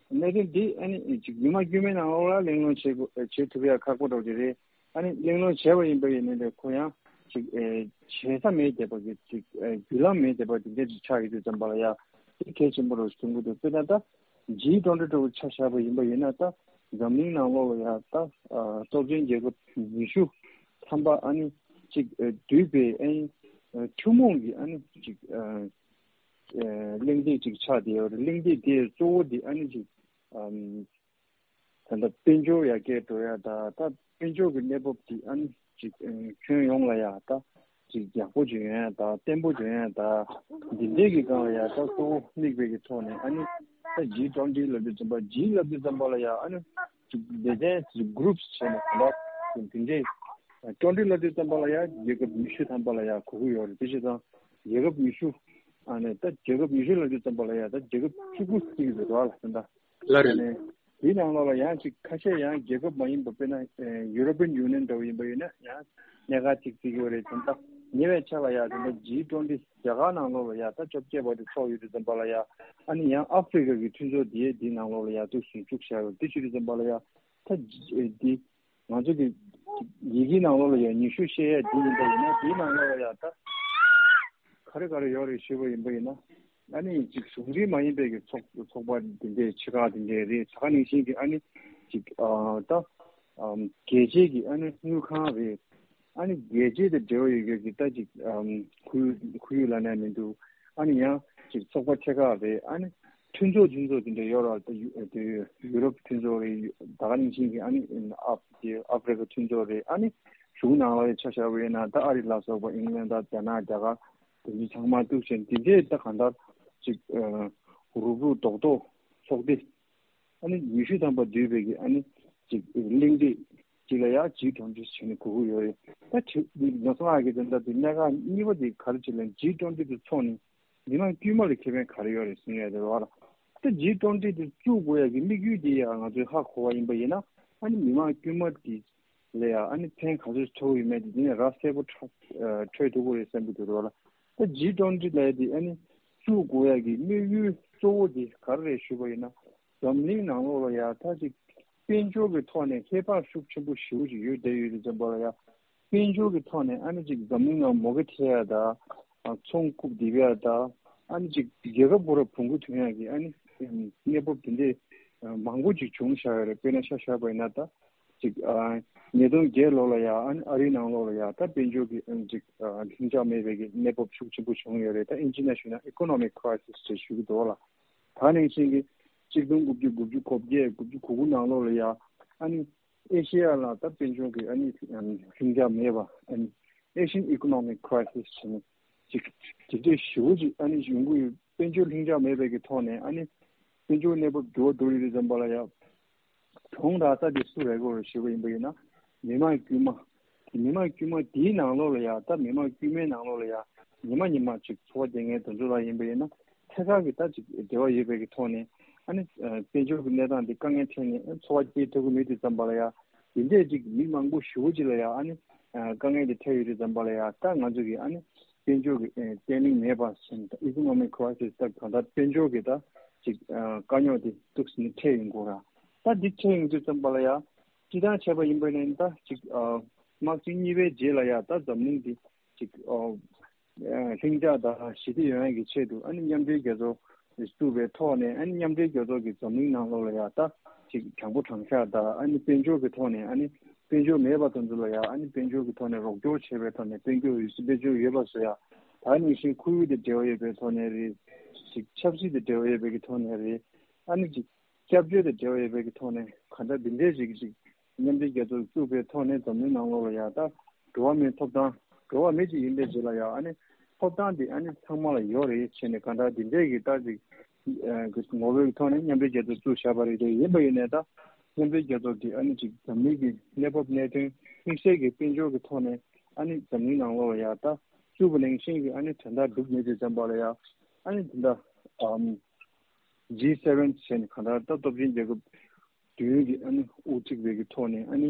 གནད་དོན་འདི་ཨ་ནི་ཅིག་མི་མང་དཀྱུས་མའི་ནང་ལོགས་ལ་གླེང་སློང་བྱེད་དགོས་བྱེད་ཐུབ་ཡ་ཁག་པོ་འདྲ་བོ་ཅིག་རེད། ཨ་ནི་གླེང་སློང་བྱས་པ་ཡིན་པ་ཡིན་ནའི་ཁོ་ཡང་ཅིག་ཨེ་བྱེད་ས་མེད་བསྡད་པ་གི་ཅིག་ཨེ་བརྒྱུད་ལམ་མེད་བསྡད་པ་དེ་འདྲ་ཅིག་ཆགས་ཡོད་དུས་ཙམ་པ་ལ་ཡ་དེ་གལ་ཆེན་པོ་རུ་གསུང་གི་འདུག་དཔེར་ན་ད་ཇི་ཊུ་ཝེན་ཊི་འདྲ་བོ་ཆ་བཞག་པ་ཡིན་པ་ཡིན་ན། ད་འཛམ་གླིང་ནང་ལོགས་ལ་ཡ་ད་ཨ་སྟོབས་ཆེན་རྒྱལ་ཁབ་ཉི་ཤུ་ཐམ་པ་ཨ་ནི་ཅིག་ཨེ་འདུས་པའི་ཨ་ནི་ཨེ་ཐུན་མོང་གི་ཨ་ནི་ཅིག་ཨེ་ཨེ་གླེང་སྟེགས་ཅིག་ཆགས་བསྡད་ཡོད་རེད། གླེང་སྟེགས་དེ་གཙོ་བོ་དེ་ཨ་ནི་ཅིག་ཨམ། ད་ལྟ་དཔལ་འབྱོར་ཡར་རྒྱས་འགྲོ་ཡ་དང་། ད་དཔལ་འབྱོར་གྱི་གནས་བབ་འདི་ཨ་ནི་ཅིག་ཨ་ཁྱོན་ཡོངས་ལ་ཡ་ད་ཅིག་ཡག་པོ་ཅིག་ཡོང་ཡ་དང་བརྟན་པོ་ཅིག་ཡོང་ཡ་དང་། འདི་འདྲའི་གི་སྒང་ལ་ཡ་ད་གཙོ་བོ་དམིགས་པའི་གི་ཐོག་ནས། ཨ་ནི་ད་ཇི་ཊུ་ཝེན་ཊི་ལབ་དུས་ཙམ་པ། ཇི་ལབ་དུས་ཙམ་པ་ལ་ཡ་ཨ་ནི་ཅིག་སྡེ་ཚན་ཅིག་གུ་རུབ་བྱས་ནས་གང་ལྟར་དེ་འདྲའི། ཊུ་ཝེན་ཊི་ལབ་དུས་ཙམ་པ་ལ་ཡ་རྒྱལ་ཁབ་ཉི་ཤུ་ཐམ་པ་ལ་ཡ་གོ་གི་ཡོད་རེད། དེ་བྱས་ཙང་རྒྱལ་ཁབ་ཉི་ཤུ། ཨ་ནི་ད་རྒྱལ་ཁབ་ཉི་ཤུ་ལབ་དུས་ཙམ་པ་ལ་ཡ་ད་རྒྱལ་ཁབ་བཅུ་དགུ་ཟེར་གི་འདུག་ར་ལ། ད་ལྟ་ལ་ཨ་རེད། ནི་དེའི་ནང་ལོགས་ལ་ཡང་ཅིག་ཁ་ཤས་ཡང་རྒྱལ་ཁབ་མ་ཡིན་པ། དཔེར་ན་ཨེ་ཡུ་རོ་པི་ཡན་ཡུ་ནི་ཡན་འདྲ་བོ་ཡིན་པ་ཡིན་ན་ཡང་གནད་འགག་ཅིག་བརྩི་གི་ཡོད་རེད། དེ་ད་ཉེ་བའི་ཆར་ལ་ཡ་དེ་འདྲ་ཇི་ཊུ་ཝེན་ཊི་རྒྱ་གར་ནང་ལོགས་ལ་ཡ་ད་བཅོ་བརྒྱད་པ་དེ་ཚོགས་ཡོད་དུས་ཙམ་པ་ལ་ཡ། ཨ་ནི་ཡང་ཨ་ཧྥེ་རི་ཀ་གི་མཐུན་ཚོགས་དེ་དེའི་ནང་ལོགས་ལ་ཡ་འདུག་སེ་བཅུག་བཞག་ཡོད། དེ་བྱེད་དུས་ཙམ་པ་ལ་ཡ་ད་ཇི་ཨེ་འདི་ང་ཚོ་གི་ཡི་གེའི་ནང་ལོགས་ལ་ཡ་ཉི་ཤུ་བཤད་ཡ་འདི་ཡིན་པ་ཡིན་ན། དེའི་ནང་ལོགས་ལ་ཡ་ད་ག་རེ་ག་རེ་ཡོད་རེད་ཞུས་པ་ཡིན་པ་ཡིན་ན། ཨ་ནི་ཅིག་གཞུང་འབྲེལ་མ་ཡིན་པའི་གི་ཚོགས་ཚོགས་པ་དེ་འདྲའི་ཆེ་ཁག་དེ་འདྲའི་རེད། ད་ག་ནང་བཞིན་གི་ཨ་ནི་ཅིག་ཨ་ད་ཨམ་རྒྱལ་སྤྱིའི་གི་ཨ་ནི་དངུལ་ཁང་རེད། ཨ་ནི་རྒྱལ་སྤྱི་དང་འབྲེལ་བ་ཡོད་མཁན་གྱི་ད་ཅིག་ཨམ་ཁོར་ཡུག་ཁོར་ཡུག་ལབ་ན་མི་འདུག་ཨ་ནི་ཡང་ཅིག་ཚོགས་པ་ཆེ་ཁག་རེད། ཨ་ནི་མཐུན་ཚོགས་མཐུན་ཚོགས་དེ་འདྲ་ཡོད་ར། ད་ཡུ་དེ་ཡུ་རོབ་མཐུན་ཚོགས་རེད། ད་ག་ནང་བཞིན་གྱི་ཨ་ནི་ཨ་དེ་ཨ་ཧྥེ་རི་ཀ་མཐུན་ཚོགས་རེད། ཨ་ནི་གཞུང་ནང་ལ་ཡང་ཆ་བཞག་པ་ཡིན་ན། ད་ཨ་རི་ལ་སོགས་པ། ཨིང་ལན་ད། རྒྱ་ནག། རྒྱ་གར། དེ་ཚོ་ཚང་མ་འདུག་བྱས་དེ་འདྲས་ད་གང་ལྟར་ཅིག་ཨ་རུག་རུག་རྡོག་རྡོག་ཚོགས་སྡེ་ཨ་ནི་ཉི་ཤུ་ཐམ་པ་འདུས་པའི་གི་ཨ་ནི་ཅིག་གླེང་སྟེགས་ཅིག་ལ་ཡ་ཇི་ཊུ་ཝེན་ཊི་བྱས་ནས་གོ་གི་ཡོད་རེད། ད་དེ་ནོར་སོང་ཨ་གི་དོན་དག་དེ་གནད་འགག་གཉིས་པ་དེ་ག་རེ་བྱས་ལབ་ན། ཇི་ཊུ་ཝེན་ཊི་དེ་ཚོགས་ནས་མི་མང་དཀྱུས་མ་ལ་ཁེ་ཕན་ག་རེ་ཡོད་རེད་གསུང་ཡ་དེ་རེད་བ་ལ། ད་ཇི་ཊུ་ཝེན་ཊི་དེ་བཙུགས་དགོས་ཡ་གི་དམིགས་ཡུལ་དེ་ཡ་ང་ཚོས་ཧ་གོ་བ་ཡིན་པ་ཡིན་ན། ཨ་ནི་མི་མང་དཀྱུས་མ་དེ་ལ་ཡ་ཨ་ནི་ཕན་ག་ཚོད་ཐོགས་ཡོད་མེད་དེ་དེ་ནས་ར་གསལ་པོ་འཕྲོད་འཕྲོད་ཐུབ་ཀྱི་རེད་བསམ་གྱི་འདུག་རོགས་ལ། ད་ཇི་ཊུ་ཝེན་ཊི་ལབ་ཡ་དེ་ཨ་ནི་བཙུགས་དགོས་ཡ་གི་དམིགས་ཡུལ་གཙོ་བོ་དེ་ག་རེ་རེད་ཞུས་པ་ཡིན་ན། འཛམ་གླིང་ནང་ལོགས་ལ་ཡ་ད་ཅིག་དཔལ་འབྱོར་གྱི་ཐོག་ནས་ཧེ་བག་ཤུགས་ཆེན་པོ་ཞེ་པོ་ཅིག་ཡོད་བསྡད་ཡོད་དུས་ཙམ་པ་ལ་ཡ། དཔལ་འབྱོར་གྱི་ཐོག་ནས་ཨ་ནི་ཅིག་འཛམ་གླིང་ནང་མུ་གེ་ཐེབས་ཡ་དང་། ཨ་ཚོང་རྐུབ་རྡིབ་ཡ་དང་། ཨ་ནི་ཅིག་རྒྱལ་ཁབ་ཁོ་ར་བོང་གུ་ཐོན་ཡ་གི་ཨ་ནི་གནས་བབ་དེ་འདྲས་མང་པོ་ཅིག་བྱུང་བཞག་ཡོད་རེད། དཔེར་ན་ཆ་བཞག་པ་ཡིན་ན། ད་ཅིག་ཨ་ཉིས་སྟོང་བརྒྱད་ལོ་ལ་ཡ་ཨ་ནི་ཨ་རིའི་ནང་ལོགས་ལ་ཡ་ད་དཔལ་འབྱོར་གྱི་ཨ་ཅིག་ཨ་ལྷིང་འཇགས་མེད་པའི་གི་གནས་བབ་ཤུགས་ཆེན་པོ་བྱུང་ཡོད་རེད། ད་ཨིན་ཇི་ནང་ཞུས་ན་ཨི་ཀོ་ནོ་མིག་ཁི་རའི་སིས་ཅེས་ཞུ་གི་འདུག་ལ། ད་ནང་བཞིན་གྱི་གཅིག་སྟོང་དགུ་བརྒྱ་དགུ་བཅུ་གོ་བརྒྱད་དགུ་བཅུ་གོ་དགུ་ནང་ལོགས་ལ་ཡ་ཨ་ནི་ཨེ་ཤེ་ཡ་ལ་ད་དཔལ་འབྱོར་གྱི་ཨ་ནི་ལྷིང་འཇགས་མེད་པ། ཨ་ནི་Asian Economic Crisis་བྱས་ནས་ཅིག་དེ་འདྲའི་ཞེ་པོ་ཅིག་ཨ་ནི་ཡོང་གི་ཡོད། དཔལ་འབྱོར་ལྷིང་འཇགས་མེད་པའི་གི་ཐོག་ནས་ཨ་ནི་དཔལ་འབྱོར་གནས་བབ་འགྱུར་བ་འགྲོ་ཡོད་དུས་ཙམ་པ་ལ་ཡ། གྲོང་རག་ས་དེ་སུ་རེད་གོ་ཞུས་པ་ཡིན་པ་ཡིན་ན། མི་མང་དཀྱུས་མ། མི་མང་དཀྱུས་མ་དེའི་ནང་ལོགས་ལ་ཡ། ད་མི་མང་དཀྱུས་མའི་ནང་ལོགས་ལ་ཡ་ཉི་མ་ཉི་མ་ཅིག་འཚོ་བ་སྐྱེལ་མཁན་དེ་ཚོ་ལ་ཡིན་པ་ཡིན་ན། ཐད་ཀར་གྱི་ད་ཅིག་འབྲེལ་བ་ཡོད་པའི་གི་ཐོག་ནས་ཨ་ནི་ཨ་དཔལ་འབྱོར་གྱི་གནས་སྟངས་འདི་དཀའ་ངལ་འཕྲད་ནས་ཨ་འཚོ་བ་སྐྱེལ་ཐུབ་ཀྱི་མེད་དུས་ཙམ་པ་ལ་ཡ། དེ་འདྲས་ཅིག་མི་མང་པོ་ཞེ་པོ་ཅིག་ལ་ཡ་ཨ་ནི་ཨ་དཀའ་ངལ་དེ་འཕྲད་ཡོད་དུས་ཙམ་པ་ལ་ཡ། ད་ང་ཚོ་གི་ཨ་ནི་དཔལ་འབྱོར་གྱི་ཨ་བརྟན་ལྷིང་མེད་པ་ཟེར་ནས། ད་Economic Crisis། ད་གང་ལྟར་དཔལ་འབྱོར་གྱི་ད་ཅིག་ཨ་དཀའ་རྙོག་དེ་འདུག་སེ་ནས་འཕྲད་ཡོང་གི་ར། ད་འདི་འཕྲད་ཡོང་དུས་ཙམ་པ་ལ་ཡ། སྤྱིར་བཏང་བྱས་པ་ཡིན་པ་ཡིན་ན། ད་ཅིག་ཨ་དམག་ཆེན་གཉིས་པའི་རྗེས་ལ་ཡ་ད་འཛམ་གླིང་འདི་ཅིག་ཨ་ལྷིང་འཇགས་དང་ཞི་བདེ་ཡོང་ཡ་གི་ཆེད་དུ་ཨ་ནི་མཉམ་འབྲེལ་རྒྱལ་ཚོགས་བཙུགས་པའི་ཐོག་ནས། ཨ་ནི་མཉམ་འབྲེལ་རྒྱལ་ཚོགས་ཀྱིས་འཛམ་གླིང་ནང་ལོགས་ལ་ཡ་ད་ཅིག་དྲང་པོ་དྲང་བཞག་དང་། ཨ་ནི་དཔལ་འབྱོར་གྱི་ཐོག་ནས། ཨ་ནི་དཔལ་འབྱོར་མེད་པ་དེ་ཚོ་ལ་ཡ་ཨ་ནི་དཔལ་འབྱོར་གྱི་ཐོག་ནས་རོགས་སྐྱོར་བྱས་པའི་ཐོག་ནས། དཔལ་འབྱོར་ཡོད་ས་དཔལ་འབྱོར་ཡོད་པ་བཟོ་ཡ། ད་ནང་བཞིན་ཁོར་ཡུག་དང་འབྲེལ་བ་ཡོད་པའི་ཐོག་ནས་རེད། ཅིག་ཆབ་སྲིད་དང་འབྲེལ་བ་ཡོད་པའི་གི་ཐོག་ནས་རེད། ཨ་ནི་ཅིག་སྐྱབས་བཅོལ་དང་འབྲེལ་བ་ཡོད་པའི་གི་ཐོག་ནས། གང་ལྟར་འདི་འདྲའི་ཞིག་ཅིག་མཉམ་འབྲེལ་རྒྱལ་ཚོགས་བཙུགས་པའི་ཐོག་ནས་འཛམ་གླིང་ནང་ལོགས་ལ་ཡ་ད་འགྲོ་བ་མིའི་ཐོབ་ཐང་། འགྲོ་བ་མི་ཅིག་ཡིན་པའི་རྗེས་ལ་ཡ་ཨ་ནི་ཐོབ་ཐང་འདི་ཨ་ནི་ཚང་མ་ལ་ཡོད་རེད་བྱས་ནས། གང་ལྟར་འདི་འདྲའི་གི་ད་ཅིག་ཨ་གི་ངོ་བོའི་ཐོག་ནས་མཉམ་འབྲེལ་རྒྱལ་ཚོགས་བཙུགས་བཞག་པ་རེད། དེ་ཡིན་པ་ཡིན་ནའི་ད་མཉམ་འབྲེལ་རྒྱལ་ཚོགས་འདི་ཨ་ནི་ཅིག་འཛམ་གླིང་གི་གནས་བབ་གནད་དོན་དམིགས་བསལ་གྱི་དཔལ་འབྱོར་གྱི་ཐོག་ནས་ཨ་ནི་འཛམ་གླིང་ནང་ལོགས་ལ་ཡ་ད་བཙུགས་པ་ནང་བཞིན་གྱི་ཨ་ནི་དོན་དག་སྒྲུབ་མེད་དུས་ཙམ་པ་ལ་ཡ། ཨ་ནི་དེ་འདྲ་ཨམ་ཇི་སེ་ཝེན་ཟེར་ནས་གང་ལྟར་ད་སྟོབས་ཆེན་རྒྱལ་ཁབ་བདུན་གྱི་ཨ་ནི་དབུ་ཁྲིད་པའི་གི་ཐོག་ནས་ཨ་ནི་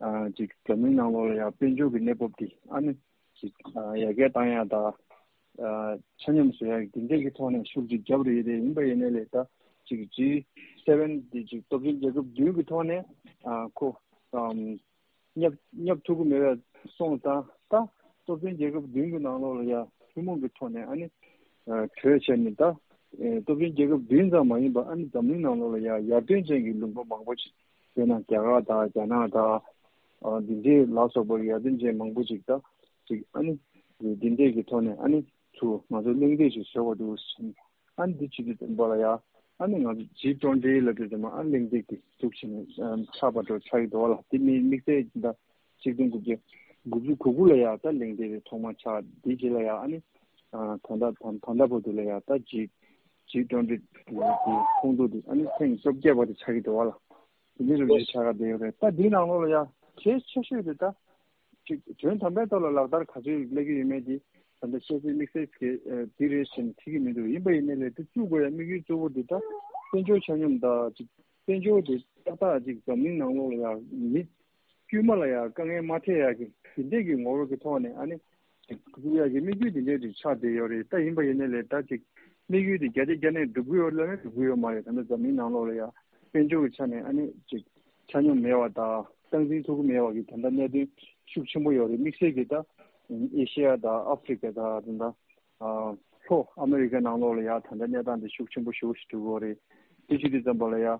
ཨ་ཅིག་འཛམ་གླིང་ནང་ལོགས་ལ་ཡང་དཔལ་འབྱོར་གྱི་གནས་བབ་དེ་ཨ་ནི་ཅིག་ཨ་ཡར་རྒྱས་བཏང་ཡག་དང་ཨ་ཆ་སྙོམས་བཟོ་ཡག་གི་དེ་འདྲས་ཀྱི་ཐོག་ནས་ཤུགས་ཅིག་བརྒྱབ་རེད་དེ། ཡིན་པ་ཡིན་ནའི་ལས་ད་ཅིག་ཇི་སེ་ཝེན་དེ་ཅིག་སྟོབས་ཆེན་རྒྱལ་ཁབ་བདུན་གྱི་ཐོག་ནས་ཨ་ཁོ་ཨམ་མཉམ་མཉམ་ཐུག་གི་མེད་པའི་སོང་ཙང་། ད་སྟོབས་ཆེན་རྒྱལ་ཁབ་བདུན་གྱི་ནང་ལོགས་ལ་ཡ་ཐུན་མོང་གི་ཐོག་ནས་ཨ་ནི་ཨ་གྲོས་བྱས་ནས། ད་ཨེ་སྟོབས་ཆེན་རྒྱལ་ཁབ་བདུན་ཙམ་མ་ཡིན་པ་ཨ་ནི་འཛམ་གླིང་ནང་ལོགས་ལ་ཡ་ཡར་ཐོན་ཅན་གྱི་ལུང་པ་མང་པོ་ཞིག་དཔེར་ན་རྒྱ་གར་དང་རྒྱ་ནག་དང་ཨ་འདི་འདྲའི་ལ་སོགས་པ་ཡར་ཐོན་ཅན་མང་པོ་ཞིག་ད་ཅིག་ཨ་ནི་འདི་འདྲས་ཀྱི་ཐོག་ནས་ཨ་ནི་ཚུར་ང་ཚོ་གླེང་སྟེགས་ཤིག་བཟོ་བ་འདུག་ཟེར། ཨ་ནི་འདི་བྱེད་དུས་ཙམ་པ་ལ་ཡ་ཨ་ནི་ང་ཚོ་ཇི་ཊུ་ཝེན་ཊི་ལབ་དུས་ཙམ་པ་ཨ་ནི་གླེང་སྟེགས་དེ་འཛུགས་བྱས་ནས་ཨམ་ཆགས་པ་འདྲ་ཆགས་ཀྱི་འདུག་བ་ལ། དེ་མིན་དམིགས་བསལ་ད་ཆིག་སྟོང་དགུ་བརྒྱ་དགུ་བཅུ་གོ་དགུ་ལ་ཡ་ད་གླེང་སྟེགས་དེ་ཐོག་མ་ཆགས། དེའི་རྗེས་ལ་ཡ་ཨ་ནི་ཨ་ད་ལྟ་ད་ད་ལྟ་བར་དུ་ལ་ཡ་ད་ཇི་ཇི་ཊུ་ཝེན་ཊི་དེ་ཁོངས་གཏོགས་དེ་ཨ་ནི་ཐེངས་བཅོ་བརྒྱད་པ་དེ་ཆགས་ཀྱི་འདུག་བ་ལ། དེ་འདྲའི་རིགས་ཆགས་ཀྱི་བསྡད་ཡོད་རེད། ད་འདིའི་ནང་ལོགས་ལ་ཡ་གལ་ཆེ་ཤོས་དེ་ད་ཅིག་དོན་དམ་པའི་ཐོག་ལ་ལག་བསྟར་ག་ཚོད་སླེབས་ཀྱི་ཡོད་མེད་དེ་ད་ལྟ་བཤད་ཚོད་དམིགས་བསལ་གྱི་ཨ་འདི་རེད་ཟེར་ནས་ཁྲིད་ཀྱི་མི་འདུག་ཡིན་པ་ཡིན་ནའི་ལས་དེ་བཙུགས་དགོས་ཡ་དམིགས་ཡུལ་གཙོ་བོ་དེ་ད་དཔལ་འབྱོར་ཆ་སྙོམས་དང་ཅིག་དཔལ་འབྱོར་དེ་ཏག་ཏག་ཅིག་འཛམ་གླིང་ནང་ལོགས་ལ་ཡ་མི་དཀྱུས་མ་ལ་ཡ་དཀའ་ངལ་མ་འཕྲད་ཡ་གི་དེ་འདྲས་ཀྱི་ངོ་བོ་གི་ཐོག་ནས་ཨ་ནི་ཅིག་བཙུགས་ཡ་གི་དམིགས་ཡུལ་དེ་འདྲས་ཅིག་ཆགས་བསྡད་ཡོད་རེད། ད་ཡིན་པ་ཡིན་ནའི་ལས་ད་ཅིག་དམིགས་ཡུལ་དེ་བརྒྱ་ཆ་བརྒྱ་ནས་འགྲུབ་ཀྱི་ཡོད་ལབ་ན་འགྲུབ་ཀྱི་ཡོད་མ་རེད། ད་ལྟ་འཛམ་གླིང་ནང་ལོགས་ལ་ཡ་དཔལ་འབྱོར་གྱི་ཆ་ནས་ཨ་ནི་ཅིག་ཆ་སྙོམས་མེད་པ་དང་སྟངས་འཛིན་ཐུབ་ཀྱི་མེད་པ་གི་ད་ལྟ་གནད་དོན་ཤུགས་ཆེན་པོ་ཡོད་རེད། དམིགས་བསལ་གྱི་ད་ཨེ་ཤེ་ཡ་དང་ཨ་ཧྥེ་རི་ཀ་དང་ད་ལྟ་ཨ་ལྷོ་ཨ་མེ་རི་ཀ་ནང་ལོགས་ལ་ཡ་ད་ལྟ་གནས་སྟངས་དེ་ཤུགས་ཆེན་པོ་ཞེ་པོ་ཞིག་འགྲོ་གི་ཡོད་རེད། དེ་བྱེད་དུས་ཙམ་པ་ལ་ཡ་ཨ་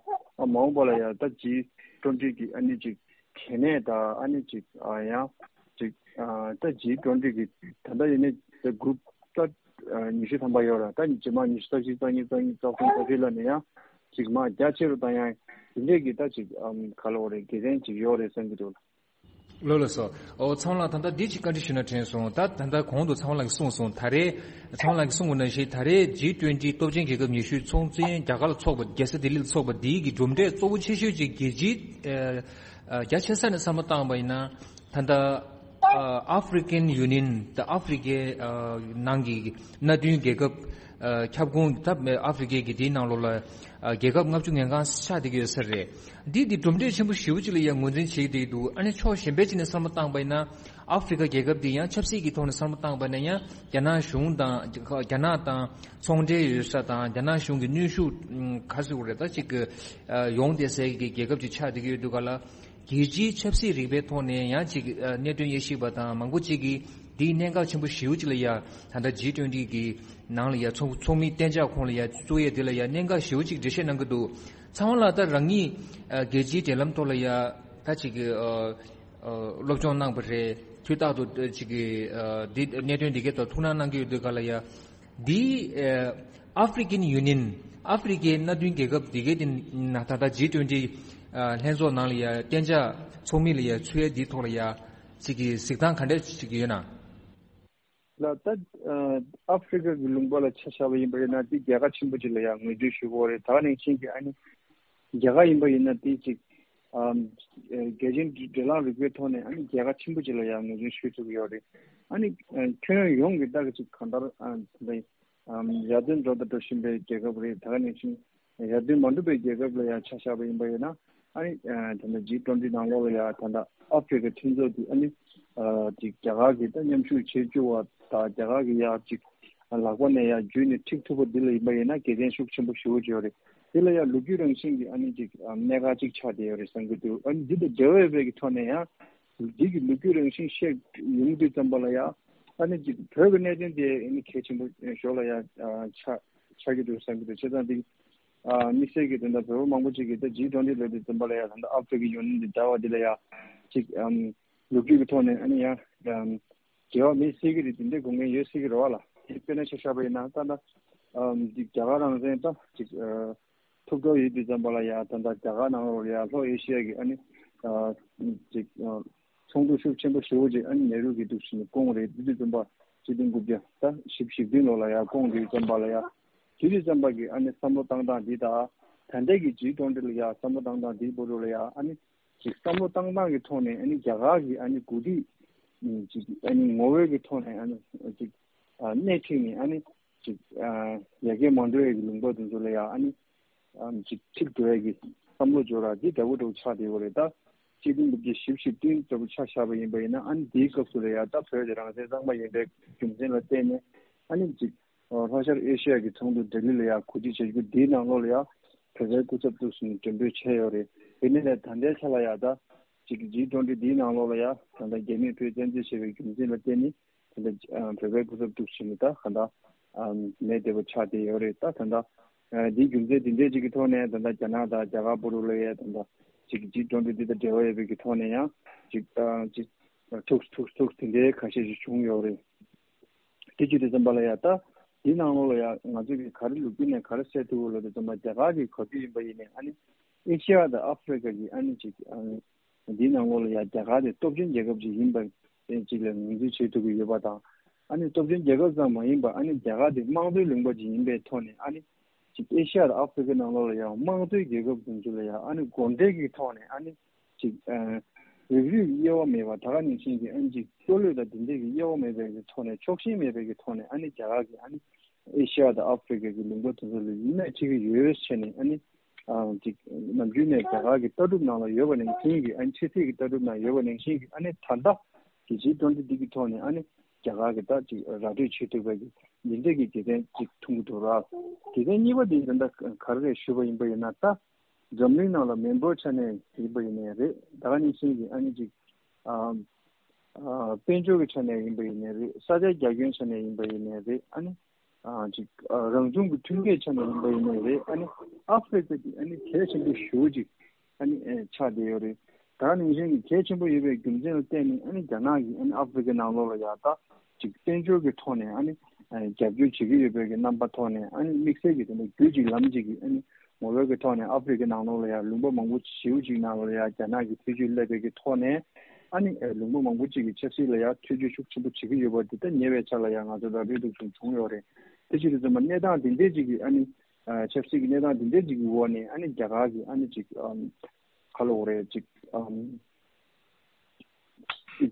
མ་འོངས་པ་ལ་ཡ་ད་ཇི་ཊུ་ཝེན་ཊི་གི་ཨ་ནི་ཅིག་གལ་གནད་དང་ཨ་ནི་ཅིག་ཨ་ཡང་ཅིག་ཨ་ད་ཇི་ཊུ་ཝེན་ཊི་གི་ད་ལྟ་ཡིན་ནའི་ད་གུ་རུབ་ད་ཉི་ཤུ་ཐམ་པ་ཡོད་ར། ད་རྗེས་མ་ཉི་ཤུ་རྩ་གཅིག་རྩ་གཉིས་རྩ་གཉིས་རྩ་གསུམ་རྩ་བཞི་ལ་ནི་ཡང་ཅིག་མ་རྒྱ་ཆེ་རུ་བཏང་ཡ་དེ་འདྲས་ཀྱི་ད་ཅིག་ཨམ་ག་ལབ་དགོས་རེད། དགེ་མཚན་ཅིག་ཡོད་རེད་བསམ་གྱི་འདུག་ལ། ལགས་ལགས་སོ། ཨོ་ཚེ་དབང་ལགས་ད་ལྟ་འདི་ཅིག་བཀའ་འདྲི་ཞུ་ན་དྲན་སོང་། ད་ད་ལྟ་གོང་དུ་ཚེ་དབང་ལགས་ཀྱིས་གསུངས་སོང་། ད་རེས་ཚེ་དབང་ལགས་ཀྱིས་གསུངས་པ་ནང་བཞིན་ད་རེས་ཇི་ཊུ་ཝེན་ཊི་སྟོབས་ཆེན་རྒྱལ་ཁབ་ཉི་ཤུའི་ཚོགས་ཆེན་རྒྱ་གར་ལ་ཚོགས་པ་རྒྱལ་ས་ལྡི་ལི་ལ་ཚོགས་པ་འདིའི་གི་གྲུབ་འབྲས་གཙོ་བོ་ཆེ་ཤོས་ཅིག་རྒྱལ་སྤྱིའི་ཨ་ཨ་རྒྱ་ཆེ་ས་ནས་བསམ་བློ་བཏང་བ་ཡིན་ན་ད་ལྟ་ཨ་ཨ་ཧྥེ་རི་ཀན་ཡུ་ནི་ཡན་ད་ཨ་ཧྥེ་རི་ཀའི་ཨ་ནང་གི་མནའ་མཐུན་རྒྱལ་ཁབ་ཨ་ཁྱབ་ཁོངས་ད་ཨ་ཧྥེ་རི་ཀའི་གི་དེའི་ནང་ལོགས་ལ་ཨ་རྒྱལ་ཁབ་ལྔ་བཅུ་ང་ལྔ་ཆགས་བསྡད་ཀྱི་ཡོད་ས་རེད། འདི་འདི་གྲུབ་འབྲས་ཆེན་པོ་ཞེ་པོ་ཅིག་ལ་ཡང་ངོས་འཛིན་བྱེད་ཀྱི་འདུག་ཨ་ནི་ཕྱོགས་གཞན་པའི་ཅིག་ནས་བསམ་བློ་བཏང་པ་ཡིན་ན་ཨ་ཧྥེ་རི་ཀ་རྒྱལ་ཁབ་འདི་ཡང་ཆབ་སྲིད་ཀྱི་ཐོག་ནས་བསམ་བློ་བཏང་པ་ཡིན་ན་ཡང་རྒྱ་ནག་གཞུང་དང་རྒྱ་ནག་དང་ཚོང་འབྲེལ་ཡོད་ས་དང་རྒྱ་ནག་གཞུང་གི་གནོན་ཤུགས་ག་ཟེར་དགོས་རེད། ད་ཅིག་གི་ཡོང་བསྡད་སའི་གི་རྒྱལ་ཁབ་ཅིག་ཆགས་བསྡད་ཀྱི་ཡོད་འདུག་ག་ལ། རྒྱལ་སྤྱིའི་ཆབ་སྲིད་རིག་པའི་ཐོག་ནས་ཡང་ཅིག་གནད་དོན་དབྱེ་ཞིབ་པ་དང་མང་པོ་ཅིག་གིས་འདིའི་གནད་འགག་ཆེན་པོ་ཞེ་པོ་ཅིག་ལ་ཡ་ད་ལྟ་ཇི་ཊུ་ཝེན་ཊི་གི་ནང་ལ་ཡ་ཚོགས་ཚོགས་མིའི་གཏན་འཇགས་ཁོངས་ལ་ཡ་བཙུགས་ཡས་འདི་ལ་ཡ་གནད་འགག་ཞེ་པོ་ཅིག་འགྲེལ་བཤད་གནང་གི་འདུག་ཚེ་དབང་ལགས་ད་རང་ཉིད་ཨ་རྒྱལ་སྤྱིའི་འབྲེལ་ལམ་ཐོག་ལ་ཡ་ད་ཅིག་གི་ཨ་ཨ་སློབ་སྦྱོང་གནང་བ་རེད། དུས་རྟག་ཏུ་ཨ་ཅིག་གི་ཨ་འདི་གནད་དོན་འདི་གའི་ཐོག་ཐུགས་སྣང་གནང་གི་ཡོད་དུས་ག་ལ་ཡ། འདི་ཨ་ཨ་ཧྥེ་རི་ཀན་ཡུ་ནི་ཡན་ཨ་ཧྥེ་རི་ཀའི་མནའ་མཐུན་རྒྱལ་ཁབ་འདི་གའི་དེ་ན་ད་ལྟ་ཇི་ཊུ་ཝེན་ཊི་ཨ་ལྷན་ཚོགས་ནང་ལ་ཡ་གཏན་འཇགས་ཚོགས་མི་ལ་ཡ་ཚུད་ཡས་འདིའི་ཐོག་ལ་ཡ་ཅིག་གི་གཟིགས་སྟངས་ག་འདྲ་ཅིག་ཡོད་ན། ལགས་ད་ཨ་ཨ་ཧྥེ་རི་ཀ་གི་ལུང་པ་ལ་ཆ་བཞག་པ་ཡིན་པ་ཡིན་ན་དེ་རྒྱལ་ཁ་ཆེན་པོ་ཅིག་ལ་ཡང་ངོས་འཛིན་ཞུ་དགོས་རེད། ད་ག་ནང་བཞིན་གྱི་ཨ་ནི་རྒྱ་གར་ཡིན་པ་ཡིན་ན་དེ་ཅིག་ཨམ་ཨེ་རྒྱལ་སྤྱིའི་འབྲེལ་ལམ་རིག་པའི་ཐོག་ནས་ཨ་ནི་རྒྱལ་ཁ་ཆེན་པོ་ཅིག་ལ་ཡང་ངོས་འཛིན་ཞུ་ཐུབ་ཀྱི་ཡོད་རེད། ཨ་ནི་ཨ་ཁྱོན་ཡོངས་ཀྱི་ད་ག་ཅིག་གང་ལྟར་ཨ་དེ་འདྲ་ཨམ་ཡར་ཐོན་འགྲོ་དང་འགྲོ་བཞིན་པའི་རྒྱལ་ཁབ་རེད། ད་ག་ནང་བཞིན་ཡར་ཐོན་མ་འགྲོ་བའི་རྒྱལ་ཁབ་ལ་ཡང་ཆ་བཞག་པ་ཡིན་པ་ཡིན་ན་ཨ་ནི་ཨ་ད་ལྟ་ཇི་ཊུ་ཝེན་ཊི་ནང་ལོགས་ལ་ཡང་ད་ལྟ་ཨ་ཧྥེ་རི་ཀ་མཐུན་ཚོགས་དེ་ཨ་ནི་ཨ་ཅིག་རྒྱ་གར་གྱིས་ད་མཉམ་ཞུགས་བྱེད་བཅུག་པ་དང་རྒྱ་གར་གྱིས་ཡང་ཅིག་ལག་པ་ནས་ཡང་འཇུས་ནས་འཁྲིད་ཐུབ་པ་འདི་ལ་ཡིན་པ་ཡིན་ན་དགེ་མཚན་ཤུགས་ཆེན་པོ་ཞེ་པོ་ཅིག་ཡོད་རེད། འདི་ལ་ཡང་ལོ་རྒྱུས་རང་བཞིན་གྱི་ཨ་ནི་ཅིག་ཨ་གནད་འགག་ཅིག་ཆགས་བསྡད་ཡོད་རེད་བསམ་གྱི་འདུག་ཨ་ནི་འདི་དང་འབྲེལ་བ་ཡོད་པའི་གི་ཐོག་ནས་ཡང་འདི་གི་ལོ་རྒྱུས་རང་བཞིན་བཤད་ཡོང་དུས་ཙམ་པ་ལ་ཡང་ཨ་ནི་ཅིག་བོད་ཀྱི་གནད་དོན་དེ་ཨ་ནི་གལ་ཆེན་པོ་ཞོར་ལ་ཡང་ཨ་ཆགས་ཆགས་ཀྱི་འདུག་བསམ་གྱི་འདུག་བྱས་ཙང་འདི་ཨ་དམིགས་བསལ་གྱི་དོན་དག་བོད་པ་མང་པོ་ཅིག་གིས་ད་ཇི་ཊུ་ཝེན་ཊི་ལབ་དུས་ཙམ་པ་ལ་ཡང་ད་ལྟ་ཨ་ཧྥེ་རི་ཀའི་ཡུ་ནི་ཡན་འདི་འདྲ་བ་འདི་ལ་ཡང་ཅིག་ཨམ་ལོ་རྒྱུས་ཀྱི་ཐོག་ནས་ཨ་ནི་ཡང་ཨམ་འབྲེལ་བ་མེད་སྲིད་ཀྱི་རེད། དེ་འདྲའི་དགོངས་འགལ་ཡོད་སྲིད་ཀྱི་རེད་བ་ལ། དེ་དཔེར་ན་ཆ་བཞག་པ་ཡིན་ན་ད་ལྟ་ཨམ་ཅིག་རྒྱ་གར་རང་བཙན་ད་ཅིག་ཨ་ཐོབ་འགྲོ་ཡོད་དུས་ཙམ་པ་ལ་ཡང་ད་ལྟ་རྒྱ་གར་ནང་ལོགས་ལ་ཡང་ལྷོ་ཨེ་ཤི་ཡ་གི་ཨ་ནི་ཨ་ཅིག་ཨ་ཚོགས་འདུ་ཤུགས་ཆེན་པོ་ཞེ་པོ་ཅིག་ཨ་ནི་ནེ་རུ་གིས་འདུག་བྱས་ནས་བསྐོངས་རེད། དེ་དུས་ཙམ་པ་ཆིག་སྟོང་དགུ་བརྒྱ་ད་བཞི་བཅུ་ཞེ་བདུན་ལོ་ལ་ཡང་བསྐོངས་དུས་ཙམ་པ་ལ་ཡང་དེ་དུས་ཙམ་པ་གི་ཨ་ནི་བསམ་བློ་བཏང་སྟངས་འདི་དང་ད་ལྟའི་གི་ཇི་ཊུ་ཝེན་ཊི་ལ་ཡང་བསམ་བློ་བཏང་སྟངས་འདིའི་བར་དུ་ལ་ཡང་ཨ་ནི་ཅིག་བསམ་བློ་བཏང་སྟངས་ཀྱི་ཐོག་ནས་ཨ་ནི་རྒྱ་གར་གི་ཨ་ནི་འགོ་ཁྲིད་ཅིག་ཨ་ནི་ངོ་བོའི་གི་ཐོག་ནས་ཨ་ནི་ཅིག་ཨ་སྣེ་ཁྲིད་ནས་ཨ་ནི་ ཅིག་ཨ་ཡ་གི་མ་འགྲོ་ཡ་གི་ལུང་པ་དེ་ཚོ་ལ་ཡ་ཨ་ནི་ཨམ་ཅིག་ཁྲིད་འགྲོ་ཡ་གི་བསམ་བློ་འབྱོར་ར་འདི་འདྲ་བོ་འདྲ་བོ་ཆགས་བསྡད་ཡོད་རེད་ད། སྤྱི་ལོ་འབུམ་གྱི་བཞི་བཅུ་ཞེ་བདུན་ལྟ་བུ་ཆ་བཞག་པ་ཡིན་པ་ཡིན་ན་ཨ་ནི་དེའི་སྐབས་སུ་ལ་ཡ་ད་བོད་དེ་རང་བཙན་གཙང་མ་ཡིན་པའི་རྒྱུ་མཚན་ལ་བརྟེན་ནས་ཨ་ནི་ཅིག་ལྷོ་ཤར་ཨེ་ཤི་ཡ་གི་ཚོགས་འདུ་ལྡི་ལི་ལ་ཡ་གོ་སྒྲིག་བྱེད་རྒྱུ་འདིའི་ནང་ལོགས་ལ་ཡ་བོད་པའི་སྐུ་ཚབ་ཐུག་སོང་ནས་མགྲོན་འབོད་བྱས་ཡོད་རེད། དེ་ནས་ད་ལྟའི་ཆ་ལ་ཡ་ད་ཅིག་ཇི་ཊུ་ཝེན་ཊི་འདིའི་ནང་ལོགས་ལ་ཡ་ད་ལྟ་རྒྱ་མིས་བོད་བཙན་འཛུལ་བྱས་པའི་རྒྱུ་མཚན་ལ་བརྟེན་ནས་ད་ལྟ་བོད་པའི་སྐུ་ཚབ་ཐུག་སོང་ནས་ད་ག་ད་མེད་བསྡད་པ་ཆགས་བསྡད་ཡོད་རེད་ད། ད་ལྟ་འདིའི་རྒྱུ་མཚན་འདི་འདྲས་ཅིག་གི་ཐོག་ནས་ད་ལྟ་རྒྱ་ནག་དང་རྒྱ་གར་བར་དུ་ལ་ཡ་ད་ལྟ་ཅིག་ཇི་ཊུ་ཝེན་ཊི་འདི་དང་འབྲེལ་བ་ཡོད་པའི་གི་ཐོག་ནས་ཡང་ཅིག་ཅིག་ཐུག་ཐུག་ཐུག་དེ་འདྲའི་ཁ་ཤས་ཤིག་བྱུང་ཡོད་རེད། དེ་བྱེད་དུས་ཙམ་པ་ལ་ཡ་ད་འདི་ནང་ལོགས་ལ་ཡ་ང་ཚོ་གི་ག་རེ་ལོ་རྒྱུས་ནས་ག་རེ་གསལ་ཐུབ་ལོ་དུས་ཙམ་པ་རྒྱ་གར་གྱི་ག་དུས་ཡིན་པ་ཡིན་ནའི་ཨ་ནི་ཨེ་ཤི་ཡ་དང་ཨ་ཧྥེ་རི་ཀ་གི་ཨ་ནི་ཅིག་ཨ་ནི་འདི་ནང་ལོགས་ལ་ཡ་རྒྱ་གར་དེ་སྟོབས་ཆེན་རྒྱལ་ཁབ་ཅིག་ཡིན་པ་ཅིག་ལ་ངོས་འཛིན་བྱེད་ཐུབ་ཀྱི་ཡོད་པ་དང་ཨ་ནི་སྟོབས་ཆེན་རྒྱལ་ཁབ་ཙམ་མ་ཡིན་པ་ཨ་ནི་རྒྱ་གར་དེ་དམངས་གཙོའི་ལུང་པ་ཅིག་ཡིན་པའི་ཐོག་ནས་ཨ་ནི་ཅིག་ཨེ་ཤི་ཡ་དང་ཨ་ཧྥེ་རི་ཀའི་ནང་ལོགས་ལ་ཡང་དམངས་གཙོའི་རྒྱལ་ཁབ་དེ་ཚོ་ལ་ཡང་ཨ་ནི་དགོངས་འགྲེལ་གྱི་ཐོག་ནས་ཨ་ནི་ཅིག་ཨ་རིགས་རུས་དབྱེ་བ་མེད་པ་ད་ག་ནང་བཞིན་གྱི་ཨ་ནི་ཅིག་ཆོས་ལུགས་དང་དེ་འདྲས་ཀྱི་དབྱེ་བ་མེད་པའི་གི་ཐོག་ནས་ཕྱོགས་ཞེན་མེད་པའི་གི་ཐོག་ནས་ཨ་ནི་རྒྱ་གར་གྱི་ཨ་ནི་ཨེ་ཤི་ཡ་དང་ཨ་ཧྥེ་རི་ཀ་གི་ལུང་པ་དེ་ཚོ་ལ་ཡིན་ན་ཁྲིད་ཀྱི་ཡོད་ཟེར་ནས་ཨ་ནི་ཨ་ཅིག་ནམ་རྒྱུན་ནས་རྒྱ་གར་གྱི་ལྟ་གྲུབ་ནང་ལ་ཡོད་པ་ནང་བཞིན་གྱི་ཨ་ནི་ཕྱི་སྲིད་ཀྱི་ལྟ་གྲུབ་ནང་ཡོད་པ་ནང་བཞིན་གྱི་ཨ་ནི་ད་ལྟ་གི་ཇི་ཊུ་ཝེན་ཊི་འདི་གི་ཐོག་ནས་ཨ་ནི་རྒྱ་གར་གྱི་ད་ཅིག་ར་སྤྲོད་བྱེད་ཐུབ་པའི་གི་འདི་འདྲས་ཀྱི་རྒྱལ་མཚན་ཅིག་མཐོང་གི་འདུག་ར། རྒྱལ་མཚན་གཉིས་པ་དེ་ད་ལྟ་ག་རེ་རེད་ཞུས་པ་ཡིན་པ་ཡིན་ན་ད་འཛམ་གླིང་ནང་ལ་མི་འབོར་ཆ་ནས་ཡིན་པ་ཡིན་ནའི་རེད། ད་ག་ནང་བཞིན་གྱི་ཨ་ནི་ཅིག་ཨ་ཨ་དཔལ་འབྱོར་གྱི་ཆ་ནས་ཡིན་པ་ཡིན་ནའི་རེད། ས་ཆ་རྒྱ་ཁྱོན་ཆ་ནས་ཡིན་པ་ཡིན་ནའི་རེད། ཨ་ནི་ཨ་ཅིག་ཨ་རང་བྱུང་གི་མཐུན་རྐྱེན་ཆ་ནས་ཡིན་པ་ཡིན་ནའི་རེད། ཨ་ནི་ཨ་ཧྥེ་རི་ཀ་དེ་ཨ་ནི་གལ་ཆེན་པོ་ཞེ་པོ་ཅིག་ཨ་ནི་ཨེ་ཆགས་བསྡད་ཡོད་རེད། ད་ནང་བཞིན་གྱི་གལ་ཆེན་པོ་ཡོད་པའི་རྒྱུ་མཚན་ལ་བརྟེན་ནས་ཨ་ནི་རྒྱ་ནག་གིས་ཨ་ནི་ཨ་ཧྥེ་རི་ཀའི་ནང་ལོགས་ལ་ཡ་ད་ཅིག་དཔལ་འབྱོར་གྱི་ཐོག་ནས་ཨ་ནི་ཨེ་རྒྱབ་སྐྱོར་བྱེད་ཀྱི་ཡོད་པའི་གི་རྣམ་པ་ཐོག་ནས་ཨ་ནི་དམིགས་བསལ་གྱི་དེ་འདྲ་རྒྱུད་གཅིག་ལམ་གཅིག་གི་ཨ་ནི་ངོ་བོའི་གི་ཐོག་ནས་ཨ་ཧྥེ་རི་ཀའི་ནང་ལོགས་ལ་ཡ་ལུང་པ་མང་པོ་ཞེ་པོ་ཅིག་ནང་ལ་ཡ་རྒྱ་ནག་གིས་ཐེ་བྱུས་སླེབས་པའི་གི་ཐོག་ནས་ཨ་ནི་ཨེ་ལུང་པ་མང་པོ་ཅིག་གི་ཆབ་སྲིད་ལ་ཡ་ཐེ་བྱུས་ཤུགས་ཆེན་པོ་བྱེད་ཀྱི་ཡོད་པ་འདི་ལྟ་ཉེ་བའི་ཆར་ལ་ཡ་ང་ཚོ་ར་སྤྲོད་འདུག་བྱུང་བྱུང་ཡོད་རེད། དེ་ཕྱིར་དུ་ཙམ་པ་གནས་སྟངས་འདི་འདྲས་ཅིག་གི་ཨ་ནི་ཨ་ཆབ་སྲིད་ཀྱི་གནས་སྟངས་འདི་འདྲས་ཅིག་གི་འོག་ནས་ཨ་ནི་རྒྱ་གར་གྱི་ཨ་ནི་ཅིག་ཨམ་ག་ལབ་དགོས་རེད། ཅིག་ཨམ་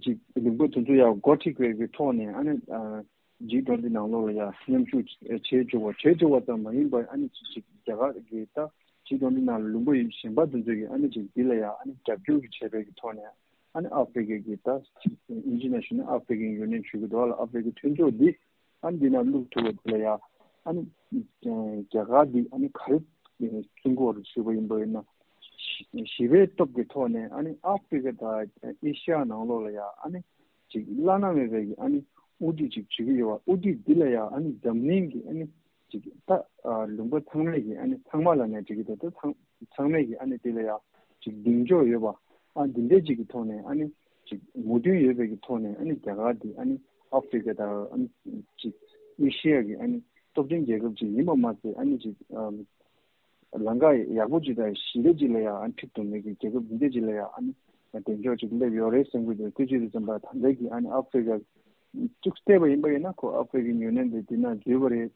ཅིག་ལུང་པ་དེ་ཚོ་ཡང་འགོ་ཁྲིད་པའི་གི་ཐོག་ནས་ཨ་ནི་ཨ་ཇི་ཊུ་ཝེན་ཊི་ནང་ལོགས་ལ་ཡང་མཉམ་ཞུགས་བྱེད་བཅུག་པ་བྱེད་བཅུག་པ་ཙམ་མ་ཡིན་པར་ཨ་ནི་ཅིག་ཅིག་རྒྱ་གར་གྱི་ད་ཇི་ཊུ་ཝེན་ཊི་ནང་ལ་ལུང་པ་གཞན་པ་དེ་ཚོ་གི་ཨ་ནི་ཅིག་འདི་ལ་ཡང་ཨ་ནི་རྒྱབ་སྐྱོར་གྱི་བྱས་པའི་གི་ཐོག་ནས། ཨ་ནི་ཨ་ཧྥེ་རི་ཀའི་གི་ད་ཨིན་ཇི་ནས་ཞུས་ན་ཨ་ཧྥེ་རི་ཀན་ཡུ་ནི་ཡན་ཞུ་གི་འདུག་ལ། ཨ་ཧྥེ་རི་ཀའི་མཐུན་ཚོགས་འདི་ཨ་ནི་འདི་ན་བླུག་ཐུབ་པ་འདི་ལ་ཡ་ཨ་ནི་རྒྱ་གར་འདི་ཨ་ནི་ག་རེ་བཙུན་གོ་རུ་ཞུས་པ་ཡིན་པ་ཡིན་ན་ཞི་བའི་སྟོབས་ཀྱི་ཐོག་ནས་ཨ་ནི་ཨ་ཧྥེ་རི་ཀ་དང་ཨེ་ཤ་ཡ་ནང་ལོགས་ལ་ཡ་ཨ་ནི་ཅིག་བླ་ན་མེད་པའི་གི་ཨ་ནི་དབུ་ཁྲིད་ཅིག་བྱེད་ཀྱི་ཡོད་པ། དབུ་ཁྲིད་འདི་ལ་ཡ་ཨ་ནི་འཛམ་གླིང་གི་ཨ་ནི་ཅིག་ད་ལུང་པ་ཚང་མས་ཀྱི་ཨ་ནི་ཚང་མ་ལ་ནས་ཅིག་གི་ད་ད་ཚང་ཚང་མས་ཀྱི་ཨ་ནི་དེ་ལ་ཡ་ཅིག་གདེང་འཇོག་ཡོད་པ། ཨ་འདི་འདྲས་ཅིག་གི་ཐོག་ནས་ཨ་ནི་ཅིག་མོས་མཐུན་ཡོད་པའི་གི་ཐོག་ནས་ཨ་ནི་རྒྱ་གར་འདི་ཨ་ནི་ཨ་ཧྥེ་རི་ཀ་དང་ཨ་ནི་ཅིག་ཨེ་ཤེ་ཡ་གི་ཨ་ནི་སྟོབས་ཆེན་རྒྱལ་ཁབ་ཅིག་ཡིན་པ་མ་ཟད་ཨ་ནི་ཅིག་ཨམ་ལམ་ཁ་ཡག་པོ་ཅིག་དང་ཞི་བདེ་ཅིག་ལ་ཡ་ཨ་ནི་ཁྲིད་ཐུབ་མཁན་གྱི་རྒྱལ་ཁབ་འདི་འདྲས་ཅིག་ལ་ཡ་ཨ་ནི་གདེང་འཇོག་ཅིག་སླེབས་ཡོད་རེད་བསམ་གྱི་འདུག་དེ་ཅིག་རེད་བསམ་པ་ད་ལྟ་གི་ཨ་ནི་ཨ་ཧྥེ་རི་ཀ་ཅིག་བལྟས་པ་ཡིན་པ་ཡིན་ན་ཁོ་ཨ་ཧྥེ་རི་ཀན་ཡུ་ནི་ཡན་དེ་འདི་ན་འཛུལ་བ་རེད།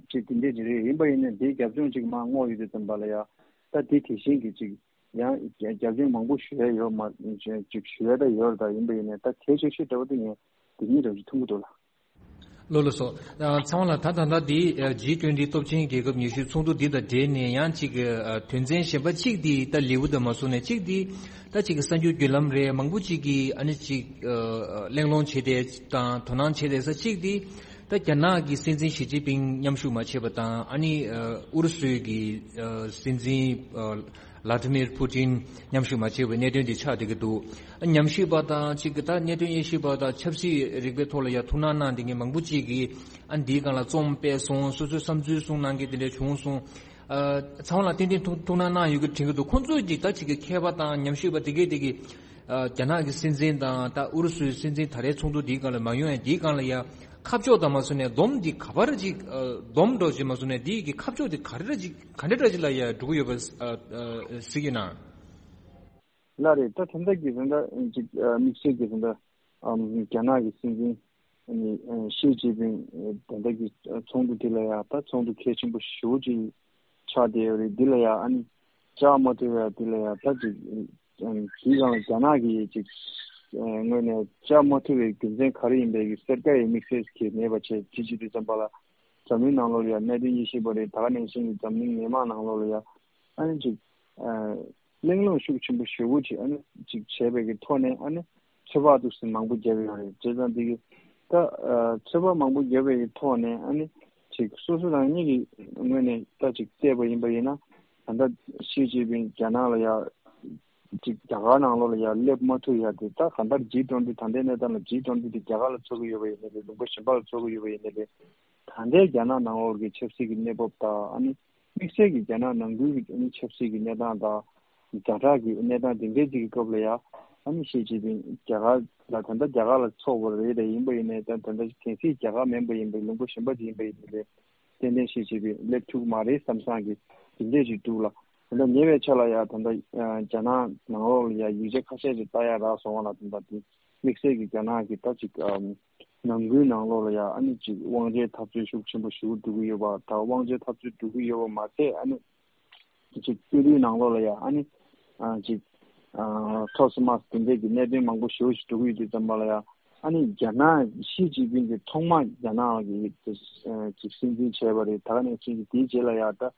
ཅིག་དེ་འདྲས་ཅིག་རེད། ཡིན་པ་ཡིན་ན་དེའི་རྒྱབ་ལྗོངས་ཅིག་མར་བསྔོག་ཡོད་དུས་ཙམ་པ་ལ་ཡ་ད་དེ་དེ་བཞིན་གྱི་ཅིག་ཡང་རྒྱབ་ལྗོངས་མང་པོ་ཞུ་ཡ་ཡོད་མ་ཅིག་ཞུ་ཡ་ད་ཡོད་རེད། ད་ཡིན་པ་ཡིན་ན་ད་གལ་ཆེ་ཤོས་འདྲ་བོ་དེ་ངས་དེ་གཉིས་འདྲ་བོ་ཅིག་མཐོང་གི་འདུག་ལ། ལགས་ལགས་སོ། ཨ་ཚང་མ་ལ་ད་ད་ལྟ་འདི་ཇི་ཊུ་ཝེན་ཊི་སྟོབས་ཆེན་རྒྱལ་ཁབ་ཉི་ཤུའི་ཚོགས་འདུ་འདི་དང་འབྲེལ་ནས་ཡང་ཅིག་ཨ་དོན་ཚན་གཞན་པ་གཅིག་འདི་ད་ལེའུ་དང་མ་སོང་ནས་གཅིག་འདི་ད་ཅིག་གསར་འགྱུར་བརྒྱུད་ལམ་རེད། མང་པོ་ཅིག་གིས་ཨ་ནི་ཅིག་ཨ་གླེང་སློང་བྱས་ཏེ་དང་དོ་སྣང་བྱས་ཏེ་ས་གཅིག་འདི། ད་རྒྱ་ནག་གི་སྲིད་འཛིན་ཞི་ཅིན་ཕིང་མཉམ་ཞུགས་མ་བྱས་པ་དང་ཨ་ནི་ཨ་ཨུ་རུ་སུའི་གི་ཨ་སྲིད་འཛིན་ཨ་ཝ་ལ་ཏི་མིར་ཕུ་ཏིན་མཉམ་ཞུགས་མ་བྱས་པའི་གནད་དོན་དེ་ཆགས་བསྡད་ཀྱི་འདུག་ཨ་ཉམས་ཞིབ་པ་དང་གཅིག་གི་ད་གནད་དོན་དབྱེ་ཞིབ་པ་དང་ཆབ་སྲིད་རིག་པའི་ཐོག་ལ་ཡ་ཐུགས་སྣང་གནང་བསྡད་མཁན་མང་པོ་ཅིག་གིས་ཨ་འདིའི་སྒང་ལ་རྩོམ་སྤེལ་སོང་། སོ་སོའི་བསམ་ཚུལ་གསུང་གནང་མཁན་དེ་འདྲ་བྱུང་སོང་། ཨ་ཚང་མ་ལ་ཏན་ཏན་ཐུགས་ཐུགས་སྣང་གནང་ཡོད་ཀྱི་དྲན་གྱི་འདུག་ཁོང་ཚོས་ཀྱིས་ད་ཅིག་གི་མཁས་པ་དང་ཉམས་ཞིབ་པ་དེ་གས་དེ་གིས་ཨ་རྒྱ་ནག་གི་སྲིད་འཛིན་དང་ད་ཨུ་རུ་སུའི་སྲིད་འཛིན་ད་རེས་ཚོགས་འདུ་འདིའི་སྒང་ལ་མ་ཡོང་ཡ་འདིའི་སྒང་ལ་ཡ་ཁ་ཕྱོགས་དང་མ་སོང་ནས་སྡོམ་འདི་ག་པར་ཅིག་ཨ་སྡོམ་འགྲོ་ཅིག་མ་སོང་ནས་འདིའི་གི་ཁ་ཕྱོགས་འདི་ག་རེ་ར་ཅིག་ག་འདྲ་འདྲ་ཅིག་ལ་ཡ་འགྲོ་གི་ཡོད་པ་ཨ་ཨ་གཟིགས་ཀྱི་ན། ལགས་རེད། ད་ད་ལྟ་གི་ད་ལྟ་ཅིག་ཨ་དམིགས་བསལ་གྱི་ད་ལྟ་ཨམ་རྒྱ་ནག་གི་སྲིད་འཛིན་ཨ་ནི་ཨ་ཞི་ཅིན་ཕིང་ཨ་ད་ལྟ་གི་ཨ་ཚོགས་འདུ་དེ་ལ་ཡ་ད་ཚོགས་འདུ་གལ་ཆེན་པོ་ཞེ་པོ་ཅིག་ཆགས་བསྡད་ཡོད་རེད། འདི་ལ་ཡ་ཨ་ནི་བཅར་མ་ཐུབ་ཡ་དེ་ལ་ཡ་ད་ཅིག་ཨ་དེའི་སྒང་ལ་རྒྱ་ནག་གི་ཅིག་ཨ་ངོས་ནས་བཅར་མ་ཐུབ་པའི་རྒྱུ་མཚན་ག་རེ་ཡིན་པའི་གི་གསལ་ཁ་ཡི་དམིགས་བསལ་གྱི་མེད་པ་བྱས་དེ་བྱེད་དུས་ཙམ་པ་ལ་ འཛམ་གླིང་ནང་ལོགས་ལ་ཡ་གནད་དོན་དབྱེ་ཞིབ་པ་རེད། ད་ག་ནང་བཞིན་གྱི་འཛམ་གླིང་མི་མང་ནང་ལོགས་ལ་ཡ་ཨ་ནི་ཅིག་ཨ་གླེང་སློང་ཤུགས་ཆེན་པོ་ཞེ་པོ་ཅིག་ཨ་ནི་ཅིག་བྱས་པའི་གི་ཐོག་ནས་ཨ་ནི་ཚོད་དཔག་འདུག་སེ་མང་པོ་བརྒྱབ་ཡོད་རེད། བྱས་ཙང་འདི་གི་ད་ཨ་ཚོད་དཔག་མང་པོ་བརྒྱབ་པའི་གི་ཐོག་ནས་ཨ་ནི་ཅིག་སོ་སོ་རང་ཉིད་ཀྱི་ངོས་ནས་ད་ཅིག་བལྟས་པ་ཡིན་པ་ཡིན་ན། ད་ལྟ་ཞི་ཅིན་ཕིང་རྒྱ་ནག་ལ་ཡ་ཅིག་རྒྱ་གར་ནང་ལོགས་ལ་ཡ་སླེབས་མ་ཐུབ་ཡ་དེ། ད་གང་ལྟར་ཇི་ཊུ་ཝེན་ཊི་ད་ལྟའི་གནས་སྟངས་ལ་ཇི་ཊུ་ཝེན་ཊི་དེ་རྒྱ་གར་ལ་ཚོགས་ཀྱི་ཡོད་པ་ཡིན་ནའི་རེད། ལུང་པ་གཞན་པ་ལ་ཚོགས་ཀྱི་ཡོད་པ་ཡིན་ནའི་རེད། ད་ལྟའི་རྒྱ་ནག་ནང་ལོགས་ཀྱི་ཆབ་སྲིད་ཀྱི་གནས་བབ་དང་ཨ་ནི་དམིགས་བསལ་གྱི་རྒྱ་ནག་ནང་ཁུལ་གྱི་ཨ་ནི་ཆབ་སྲིད་ཀྱི་གནས་སྟངས་དང་ཛ་དྲག་གི་གནས་སྟངས་དེ་འདྲའི་ཅིག་གི་སྐབས་ལ་ཡ་ཨ་ནི་ཞི་ཅིན་ཕིང་རྒྱ་གར་ལ་ད་ལྟ་རྒྱ་གར་ལ་ཚོགས་པ་རེད། དེ་ཡིན་པ་ཡིན་ནའི་ད་ད་ལྟ་གལ་སྲིད་རྒྱ་གར་མིན་པ་ཡིན་པའི་ལུང་པ་གཞན་པ་ཅིག་ཡིན་པ་ཡིན་ནའི་རེད། ཏན་ཏན་ཞིག་བྱས་པའི་སླེབས་ཐུབ་མ་རེད་བསམ་བསམ་གྱི་དེ་འདྲས་ཅིག་འདུག་ལ། ད་ལྟ་ཉེ་བའི་ཆར་ལ་ཡ་ད་ལྟ་རྒྱ་ནག་ནང་ལོགས་ལ་ཡ་ཡིག་ཆ་ཁ་ཤས་ཅིག་ལྟ་ཡ་རག་སོང་བ་ལ། ད་ལྟ་དེ་དམིགས་བསལ་གྱི་རྒྱ་ནག་གི་ད་ཅིག་ནང་ཁུལ་ནང་ལོགས་ལ་ཡ་ཨ་ནི་ཅིག་དབང་ཆའི་འཐབ་རྩོད་ཤུགས་ཆེན་པོ་ཞིག་འགྲོ་གི་ཡོད་པ་དང་། དབང་ཆའི་འཐབ་རྩོད་འགྲོ་གི་ཡོད་པ་མ་ཟད་ཨ་ནི། ཅིག་སྤྱི་འཐུས་ནང་ལོགས་ལ་ཡ་ཨ་ནི་ཨ་ཅིག་ཨ་ཐོག་སོ་མ་དེ་འདྲས་ཀྱི་གནད་དོན་མང་པོ་ཞེ་པོ་ཞིག་འགྲོ་གི་ཡོད་དུས་ཙམ་པ་ལ་ཡ་ཨ་ནི་རྒྱ་ནག་ཞི་ཅིན་ཕིང་གིས་ཐོག་མ་རྒྱ་ནག་གི་ཨ་ཅིག་སྲིད་འཛིན་བྱས་པ་རེད། ད་ག་ནང་བཞིན་གྱི་དེའི་རྗེས་ལ་ཡ་ད་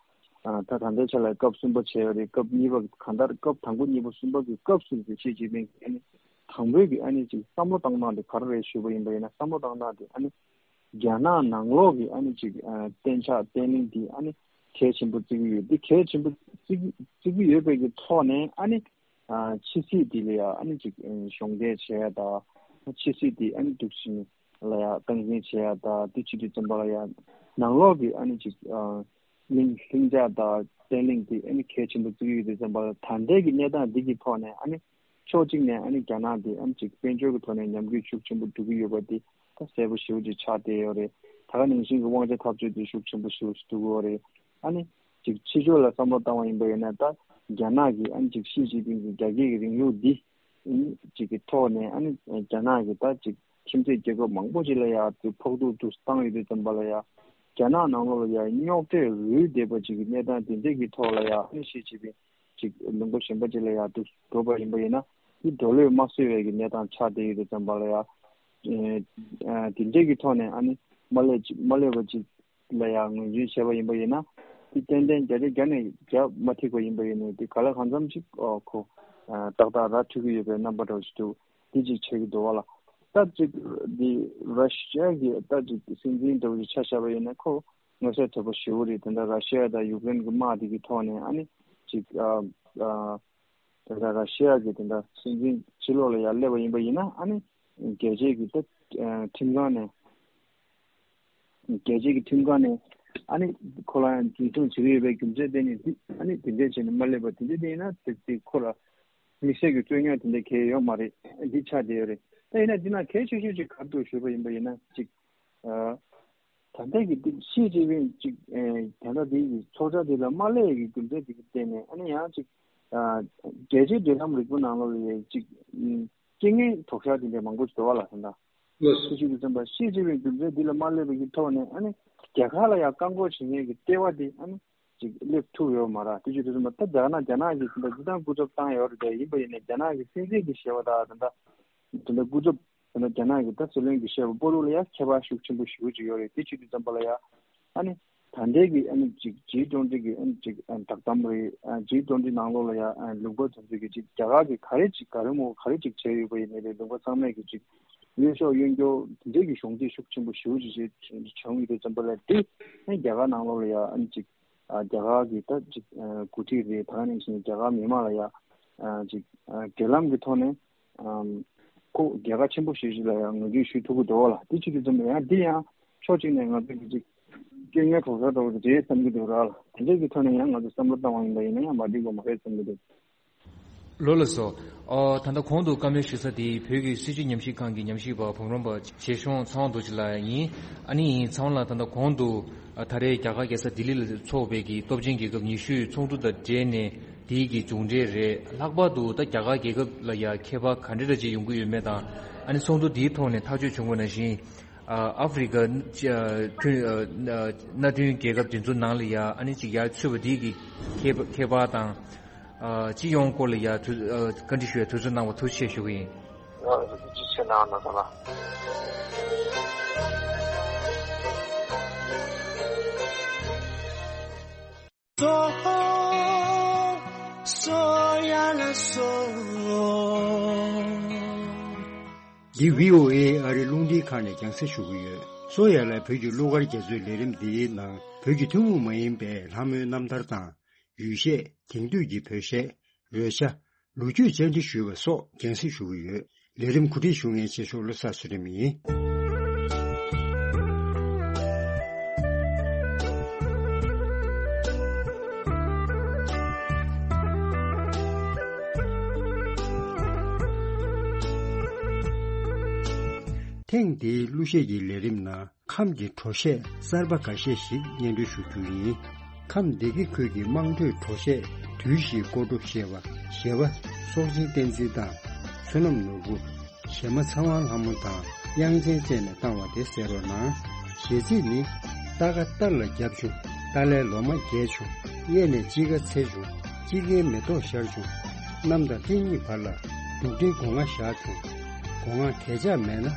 ཨ་ད་ད་ལྟའི་ཆ་ལ་སྐབས་གསུམ་པ་བྱས་པ་རེད། སྐབས་གཉིས་པ་གང་ལྟར་སྐབས་དང་པོ་གཉིས་པ་གསུམ་པ་གི་སྐབས་སུ་ཞི་ཅིན་ཕིང་གིས་ཨ་ནི་དང་པོའི་གི་ཨ་ནི་ཅིག་བསམ་བློ་བཏང་སྟངས་དེ་ག་རེ་རེད་ཞུས་པ་ཡིན་པ་ཡིན་ན། བསམ་བློ་བཏང་སྟངས་དེ་ཨ་ནི། རྒྱ་ནག་ནང་ལོགས་ཀྱི་ཨ་ནི་ཅིག་ཨ་གཏན་འཇགས་བརྟན་ལྷིང་འདི་ཨ་ནི་གལ་ཆེན་པོ་བརྩི་གི་ཡོད། འདི་གལ་ཆེན་པོ་བརྩི་གི་བརྩི་གི་ཡོད་པའི་གི་ཐོག་ནས་ཨ་ནི་ཨ་ཕྱི་སྲིད་འདི་ལ་ཡ་ཨ་ནི་ཅིག་ཨ་གཞོགས་འདེགས་བྱེད་ཡ་དང་། ཕྱི་སྲིད་འདི་ཨ་ནི་འདུག་བཞིན་ལ་ཡ་སྟངས་འཛིན་བྱེད་ཡ་དང་། འདི་བྱེད་དུས་ཙམ་པ་ལ་ཡ་ནང་ལོགས་ཀྱི་ཨ་ནི་ཅིག་ཨ་ལྷིང་ལྷིང་འཇགས་དང་བརྟན་ལྷིང་འདི་ཨ་ནི་གལ་ཆེན་པོ་བརྩི་གི་ཡོད་དུས་ཙམ་པ་ལ། ད་ལྟའི་གི་གནས་སྟངས་འདི་གི་ཐོག་ནས་ཨ་ནི། ཕྱོགས་གཅིག་ནས་ཨ་ནི་རྒྱ་ནག་དེ་ཨ་ནི་ཅིག་དཔལ་འབྱོར་གྱི་ཐོག་ནས་ཉམས་རྒུད་ཤུགས་ཆེན་པོ་འགྲོ་གི་ཡོད་པ་དེ་ད་གསལ་པོ་ཞེ་པོ་ཅིག་ཆགས་བསྡད་ཡོད་རེད། ད་ག་ནང་བཞིན་གྱི་དབང་ཆ་འཐབ་རྩོད་དེ་ཤུགས་ཆེན་པོ་ཞེ་པོ་ཞིག་འགྲོ་གི་ཡོད་རེད། ཨ་ནི་ཅིག་ཕྱི་ཕྱོགས་ལ་བསམ་བློ་བཏང་བ་ཡིན་པ་ཡིན་ན། ད་རྒྱ་ནག་གི་ཨ་ནི་ཅིག་ཞི་ཅིན་ཕིང་གི་རྒྱ་སྐྱེད་ཀྱི་རིང་ལུགས་འདི་ཨ་ནི་ཅིག་གི་ཐོག་ནས་ཨ་ནི་རྒྱ་ནག་གི་ད་ཅིག་ཁྱིམ་མཚེས་རྒྱལ་ཁབ་མང་པོ་ཅིག་ལ་ཡ་དེ་ཕོག་ཐུག་ཐུག་བཏང་ཡོད་དུས་ཙམ་པ་ལ་ཡ། རྒྱ་ནག་ནང་ལོགས་ལ་ཡ་རྙོག་དྲས་རུལ་བསྡད་པ་ཅིག་གི་གནས་སྟངས་དེ་འདྲས་ཀྱི་ཐོག་ལ་ཡ་ཨ་ནི་ཞི་ཅིན་ཕིང་ཅིག་ལུང་པ་གཞན་པ་ཅིག་ལ་ཡ་འདུག་འགྲོ་བ་ཡིན་པ་ཡིན་ན། དེ་འགྲོ་ལོས་མ་བཟོད་པའི་གི་གནས་སྟངས་ཆགས་བསྡད་ཡོད་དུས་ཙམ་པ་ལ་ཡ། ཨེ་ཨ་དེ་འདྲས་ཀྱི་ཐོག་ནས་ཨ་ནི་མ་སླེབས་ཅིག་མ་སླེབས་པ་ཅིག་ལ་ཡ་ངོས་འཛིན་བྱས་པ་ཡིན་པ་ཡིན་ན། དེ་ཏན་ཏན་བརྒྱ་ཆ་བརྒྱ་ནས་བརྒྱ་མ་ཐིག་པ་ཡིན་པ་ཡིན་ནའི་དེ་ག་ལ་གང་འཚམ་ཅིག་ཨོ་ཁོ་ཨ་ཏག་ཏག་ར་འཕྲོད་ཀྱི་ཡོད་པའི་རྣམ་པ་འདྲ་བོ་ཞིག་འདུག། དེ་ཅིག་བྱེད་ཀྱི་འདུག་བ་ལ། ད་ཅིག་འདི་ར་ཤི་ཡ་གི་ད་ཅིག་སྲིད་འཛིན་འདྲ་བོ་ཅིག་ཆ་བཞག་པ་ཡིན་ན་ཁོ་མངོན་གསལ་དོད་པོ་ཞེ་པོ་རེད། དེ་འདྲ་ར་ཤི་ཡ་དང་ཡུཀ་རེན་གྱི་དམག་དེ་གི་ཐོག་ནས་ཨ་ནི་ཅིག་ཨ་ཨ་དེ་འདྲ་ར་ཤི་ཡ་གི་དེ་འདྲ་སྲིད་འཛིན་ཕྱི་ལོགས་ལ་ཡར་སླེབས་པ་ཡིན་པ་ཡིན་ན། ཨ་ནི་རྒྱལ་སྤྱིའི་གི་ད་ཨ་ཁྲིམས་ཁང་ནས་རྒྱལ་སྤྱིའི་གི་ཁྲིམས་ཁང་ནས་ཨ་ནི་ཁོ་ལ་ཡང་འཛིན་བཟུང་བྱེད་ཀྱི་ཡོད་པའི་རྒྱུ་མཚན་དེ་ནི་འདི་ཨ་ནི་དེ་འདྲས་བྱས་ནས་མ་སླེབས་པ་དེ་འདྲས་དེ་ཡིན་ན་དེ་དེ་ཁོ་ལ་དམིགས་བསལ་གྱི་རྩོད་རྙོག་དེ་འདྲ་གང་ཡང་ཡོད་མ་རེད། འདི་ཆགས་བསྡད་ཡོད་རེད། ད་ཡིན་ན་འདི་ན་གལ་ཆེ་ཤོས་ཅིག་ག་རེ་འདུག་ཞུས་པ་ཡིན་པ་ཡིན་ན། ཅིག་ཨ་ད་ལྟའི་གི་འདི་ཞི་ཅིན་ཕིང་ཅིག་ཨེ་ད་ལྟ་འདི་གི་ཚོགས་བཅར་འདི་ལ་མ་སླེབས་ཀྱི་རྒྱུ་མཚན་དེ་གི་བརྟེན་ནས་ཨ་ནི་ཡང་ཅིག་ཨ་རྒྱལ་སྤྱིའི་འབྲེལ་ལམ་རིག་པ་ནང་ལོགས་ལ་ཡང་ཅིག་ཨ་རྐྱེན་ངན་དོགས་ཤར་དེ་འདྲ་མང་པོ་ཞིག་འགྲོ་བ་ལ་ད་ལྟ། ལགས་སོ། ཞི་ཅིན་ཕིང་ཞི་ཅིན་ཕིང་རྒྱུ་མཚན་འདི་ལ་མ་སླེབས་པའི་གི་ཐོག་ནས་ཨ་ནི་རྒྱ་གར་ལ་ཡང་བཀག་འགོག་བྱེད་མཁན་གྱི་ལྟེ་བ་དེ་ཨ་ནི་ཅིག་སླེབས་ཐུབ་ཡོད་མ་རེད། དེ་བྱེད་དུས་ཙམ་པ་ད་རྒྱ་ནག་རྒྱ་ནག་གིས་ད་ལྟ་སྤྱིར་བཏང་སྐུ་ཚབ་བཏང་ཡོད་རེད། དེ་ཡིན་པ་ཡིན་ནའི་རྒྱ་ནག་གི་སྲིད་འཛིན་གྱི་ཞལ་པར་དང་ད་ལྟ་ད་ལྟ་སྐུ་ཚབ་ད་ལྟ་རྒྱ་ནག་གི་ད་སྲིད་བློན་གྱི་ཞལ་པར་པོ་ལུ་ལ་ཡང་ཁྱད་པར་ཤུགས་ཆེན་པོ་ཞེ་པོ་ཅིག་ཡོད་རེད། དེ་བྱེད་དུས་ཙམ་པ་ལ་ཡང་ཨ་ནི་ད་ལྟའི་གི་ཨ་ནི་ཅིག་ཇི་ཊུ་ཝེན་ཊི་གི་ཨ་ནི་ཅིག་ཨ་བསྒྲགས་གཏམ་རེད། ཨ་ཇི་ཊུ་ཝེན་ཊི་ནང་ལོགས་ལ་ཡང་ཨ་ལུང་པ་དེ་ཚོ་གི་ཅིག་རྒྱ་གར་གྱིས་ག་རེ་ཅིག་ག་རེ་མོ་ག་རེ་ཅིག་བྱས་ཡོད་པ་ཡིན་ནའི་རེད། ལུང་པ་ཚང་མས་ཀྱི་ཅིག་གཡོ་ཞོག་གཡོ་འགྱོག་དེ་འདྲའི་གི་གཞོགས་འདེགས་ཤུགས་ཆེན་པོ་ཞེ་པོ་ཅིག་བྱས་བྱུང་ཡོད་དུས་ཙམ་པ་ལ་དེ་ཨ་ནི་རྒྱ་གར་ནང་ལོགས་ལ་ཡང་ཨ་ནི་ཅིག་ཨ་རྒྱ་གར་གྱི་ད་ཅིག་ཨ་འགོ་ཁྲིད་རེད། ད་ག་ནང་བཞིན་རྒྱ་གར་མི་མང་ལ་ཡང་ཨ་ཅིག་ཨ་འབྲེལ་ལམ་གྱི་ཐོག་ནས་ཨམ་ཁོ་རྒྱལ་ཁ་ཆེན་པོ་ཞེ་ཅིག་ལ་ཡང་ངོས་འཛིན་ཞུ་ཐུབ་ཀྱི་འདུག་བ་ལ། དེ་བྱེད་དུས་ཙམ་པ་ཡང་འདི་ཡང་ཕྱོགས་གཅིག་ནས་ང་ཚོ་གི་ཅིག་སྐྱེ་དངོས་གྲོགས་ས་འདྲ་བོ་རེད་བསམ་གྱི་འདུག་ར་ལ། དེ་འདྲ་གི་ཐོག་ནས་ཡང་ང་ཚོ་བསམ་བློ་བཏང་བ་ཡིན་པ་ཡིན་ན་ཡང་མ་འགྲིག་པ་མ་རེད་བསམ་གྱི་འདུག། ལགས་སོ། ཨོ་ད་ལྟ་གོང་དུ་བཀའ་མོལ་ཞུ་ས་དེ་བོད་ཀྱི་སྲིད་བྱུས་ཉམས་ཞིབ་ཁང་གི་ཉམས་ཞིབ་པ་བུམ་རམས་པ་རྗེ་གཞུང་ཚངས་དབང་རྡོ་རྗེ་ལགས་ཡིན། ཨ་ནི་ཚངས་དབང་ལགས་ད་ལྟ་གོང་དུ་ཨ་ད་རེས་རྒྱ་གར་རྒྱལ་ས་ལྡི་ལི་ལ་འཚོགས་པའི་གི་སྟོབས་ཆེན་རྒྱལ་ཁབ་ཉི་ཤུའི་ཚོགས་འདུ་དང་འབྲེལ་ནས་དེའི་གི་མཇུག་འབྲས་རེད། ལྷག་པར་དུ་ད་རྒྱ་གར་རྒྱལ་ཁབ་ལ་ཡ་ཁྱད་པར་ག་འདྲ་འདྲ་ཅིག་ཡོང་གི་ཡོད་མེད་དང་། ཨ་ནི་ཚོགས་འདུ་དེའི་ཐོག་ནས་ཐག་གཅོད་བྱུང་བ་ནང་བཞིན། ཨ་ཨ་ཧྥེ་རི་ཁ་ཨ་མཐུན་ཨ་མནའ་མཐུན་རྒྱལ་ཁབ་དེ་ཚོ་ནང་ལ་ཡ་ཨ་ནི་ཅིག་ཡར་ཚུད་པ་དེ་གི་ཁྱད་ཁྱད་པར་དང་། ཨ་སྤྱི་ཡོངས་སྐོར་ལ་ཡ་དུ་ཨ་བཀའ་འདྲི་ཞུ་ཡ་དུས་ཚོད་གནང་བ་ཐུགས་རྗེ་ཆེ་ཞུ་གི་ཡིན། ཡང་ཐུགས་རྗེ་ཆེ་གནང་ན་ཟེར་ལ། སོ་སོ་ཡ་ལ་སོ། འདི་བྷི་ཨོ་ཨེ་ཨ་རི་རླུང་འཕྲིན་ཁང་ནས་རྒྱང་སྲིང་ཞུ་གི་ཡོད། སོ་ཡ་ལ་བོད་ཀྱི་གླུ་གར་རྒྱ་མཚོའི་ལས་རིམ་འདིའི་ནང་བོད་ཀྱི་ཐུན་མོང་མ་ཡིན་པའི་ལྷ་མོའི་རྣམ་ཐར་དང་། ཡུལ་གཞས། དེང་དུས་ཀྱི་བོད་གཞས། རོལ་ཆ། ལོ་རྒྱུས་བཅར་འདྲི་ཞུས་པ་སོགས་རྒྱང་སྲིང་ཞུ་གི་ཡོད། ལས་རིམ་གོ་སྒྲིག་ཞུ་མཁན་ཆེ་ཤོས་བློ་བཟང་ཚུལ་ཁྲིམས་ཡིན། ཐེངས་འདིའི་གླུ་གཞས་ཀྱི་ལས་རིམ་ནང་ཁམས་ཀྱི་བྲོ་གཞས་གསར་པ་འགའ་ཤས་ཤིག་སྙན་སྒྲོན་ཞུ་རྒྱུ་ཡིན། ཁམས་སྡེ་དགེ་ཁུལ་གྱི་དམངས་ཁྲོད་བྲོ་གཞས་དུས་བཞིའི་སྐོར་བྲོ་ཞེས་པ་གཞས་པ་སྲོག་ཆེན་བསྟན་འཛིན་དང་། བསོད་ནམས་ནོར་བུ། གཞས་མ་ཚེ་དབང་ལྷ་མོ་དང་དབྱངས་ཅན་བཅས་ནས་བཏང་བ་དེ་གསན་རོགས་གནང་། གཞས་ཚིག་ནི། རྟ་ཁ་སྟར་ལ་བརྒྱབ་བྱུང་། རྟ་ལའི་ལོ་མ་རྒྱས་བྱུང་། གཡས་ནས་དཔྱིད་ཀ་ཚེས་བྱུང་། དཔྱིད་ཀའི་མེ་ཏོག་ཤར་བྱུང་། གནམ་དང་སྤྲིན་གཉིས་བར་ལ། འབྲུག་སྤྲིན་སྒོ་ང་བཞག་བྱུང་། སྒོ་ང་གས་ཆག་མེད་ན།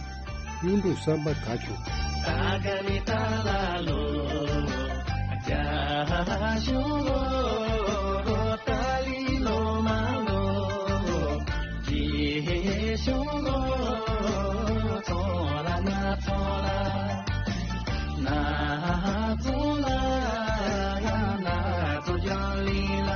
གཡུ་འབྲུག་བསམ་པ་དགའ་བྱུང་། ད་ག་ནི་ད་ལ་ལོ། རྒྱ་གཞུང་ལོ། ཏཱ་ལི་ལོ་མ་ལོ། རྗེ་གཞུང་ལོ། ཚོ་ལ་ན་ཚོ་ལ། ན་ཚོ་ལ། ཡ་ན་ཚོ་རྒྱ་ལི་ལ།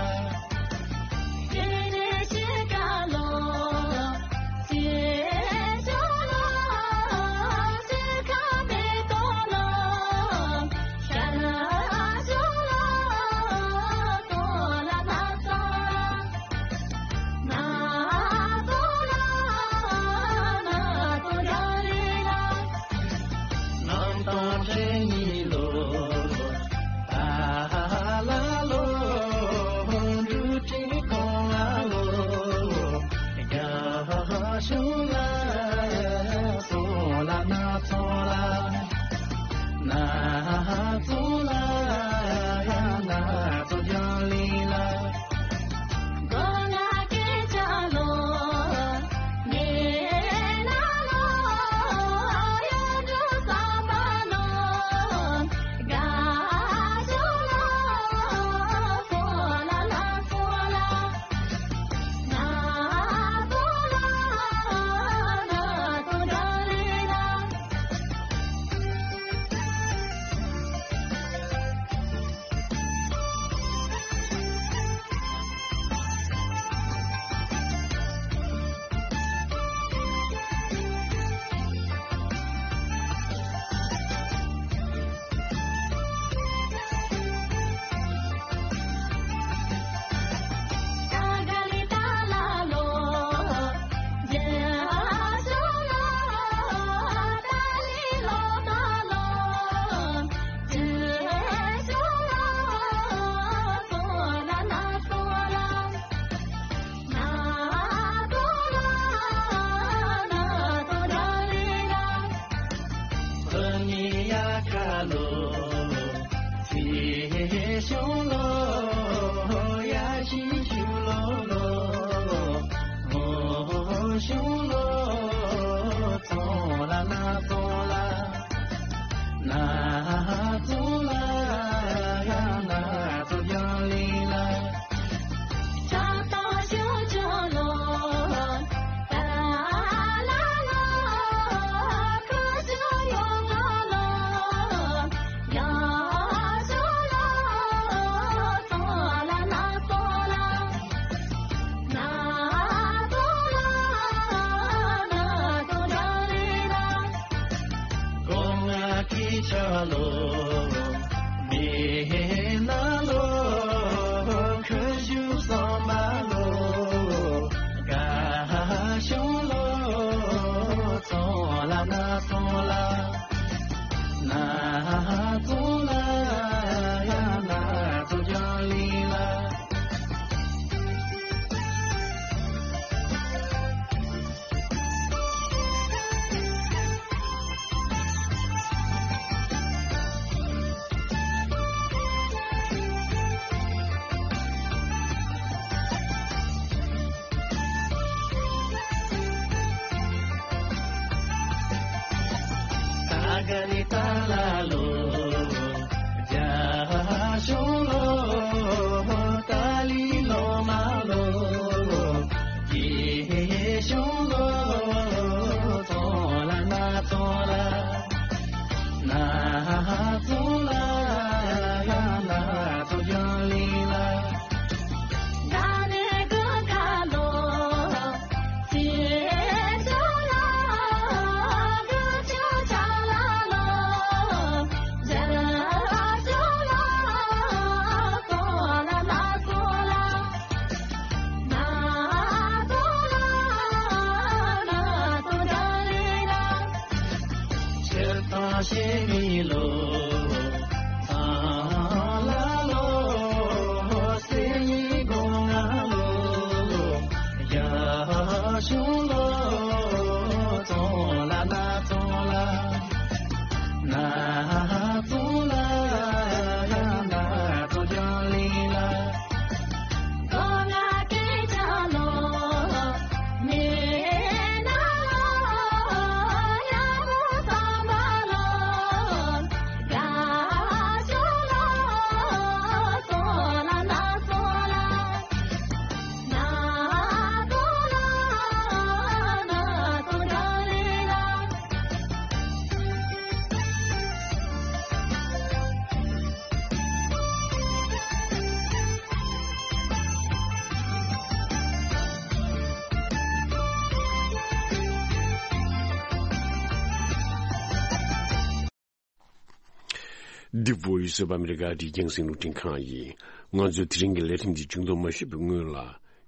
The Voice of America རྒྱང་སྲིང་རླུང་འཕྲིན་ཁང་ཡིན། ང་ཚོའི་དེ་རིང་གི་ལས་རིམ་འདི་མཇུག་བསྡོམས་མ་ཞུས་པའི་སྔོན་ལ།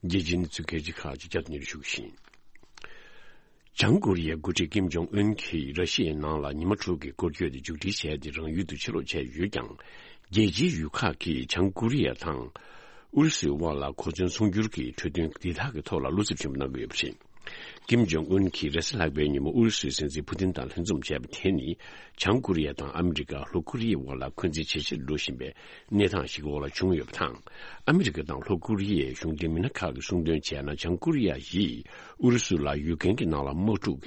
རྒྱལ་སྤྱིའི་གནས་ཚུལ་གལ་ཆེ་ཁག་ཅིག་བསྐྱར་དུ་སྙན་སྒྲོན་ཞུ་གི་ཡིན། བྱང་ཀོ་རི་ཡའི་འགོ་ཁྲིད་ཀིམ་ཇོང་ཨུན་གྱིས་ར་ཤི་ཡའི་ནང་ལ་ཉི་མ་དྲུག་གི་སྐོར་སྐྱོད་དེ་མཇུག་སྒྲིལ་བྱས་ཏེ་རང་ཡུལ་དུ་ཕྱིར་ལོག་བྱས་ཡོད་ཀྱང་། རྒྱལ་སྤྱིའི་ཡུལ་ཁག་གིས་བྱང་ཀོ་རི་ཡ་དང་ཨུ་རུ་སུའི་དབར་ལ་གོ་མཚོན་ཚོང་སྒྱུར་གྱི་གྲོས་མཐུན་འདི་དག་གི་ཐོག་ལ་བློ་འཚབ་ཆེན་པོ་གནང་གི་ཡོད་པ་རེད། ཀིམ་ཇོང་ཨུན་གྱིས་རེས་གཟའ་ལྷག་པའི་ཉིན་མོ་ཨུ་རུ་སུའི་སྲིད་འཛིན་ཕུ་ཏིན་དང་ལྷན་འཛོམས་བྱས་པ་དེ་ནི། བྱང་ཀོ་རི་ཡ་དང་ཨ་མི་རི་ཀ་ལྷོ་ཀོ་རི་ཡའི་དབར་ལ་འཁོན་འཛིན་ཇེ་ཆེར་འགྲོ་བཞིན་པའི་གནས་སྟངས་ཤིག་གི་འོག་ལ་བྱུང་ཡོད་པ་དང་། ཨ་མི་རི་ཀ་དང་ལྷོ་ཀོ་རི་ཡའི་གཞུང་འབྲེལ་མི་སྣ་ཁག་གིས་གསུངས་དོན་བྱས་ན། བྱང་ཀོ་རི་ཡ་ཡིས་ཨུ་རུ་སུ་ལ་ཡུཀ་རེན་གྱི་ནང་ལ་དམག་འཁྲུག་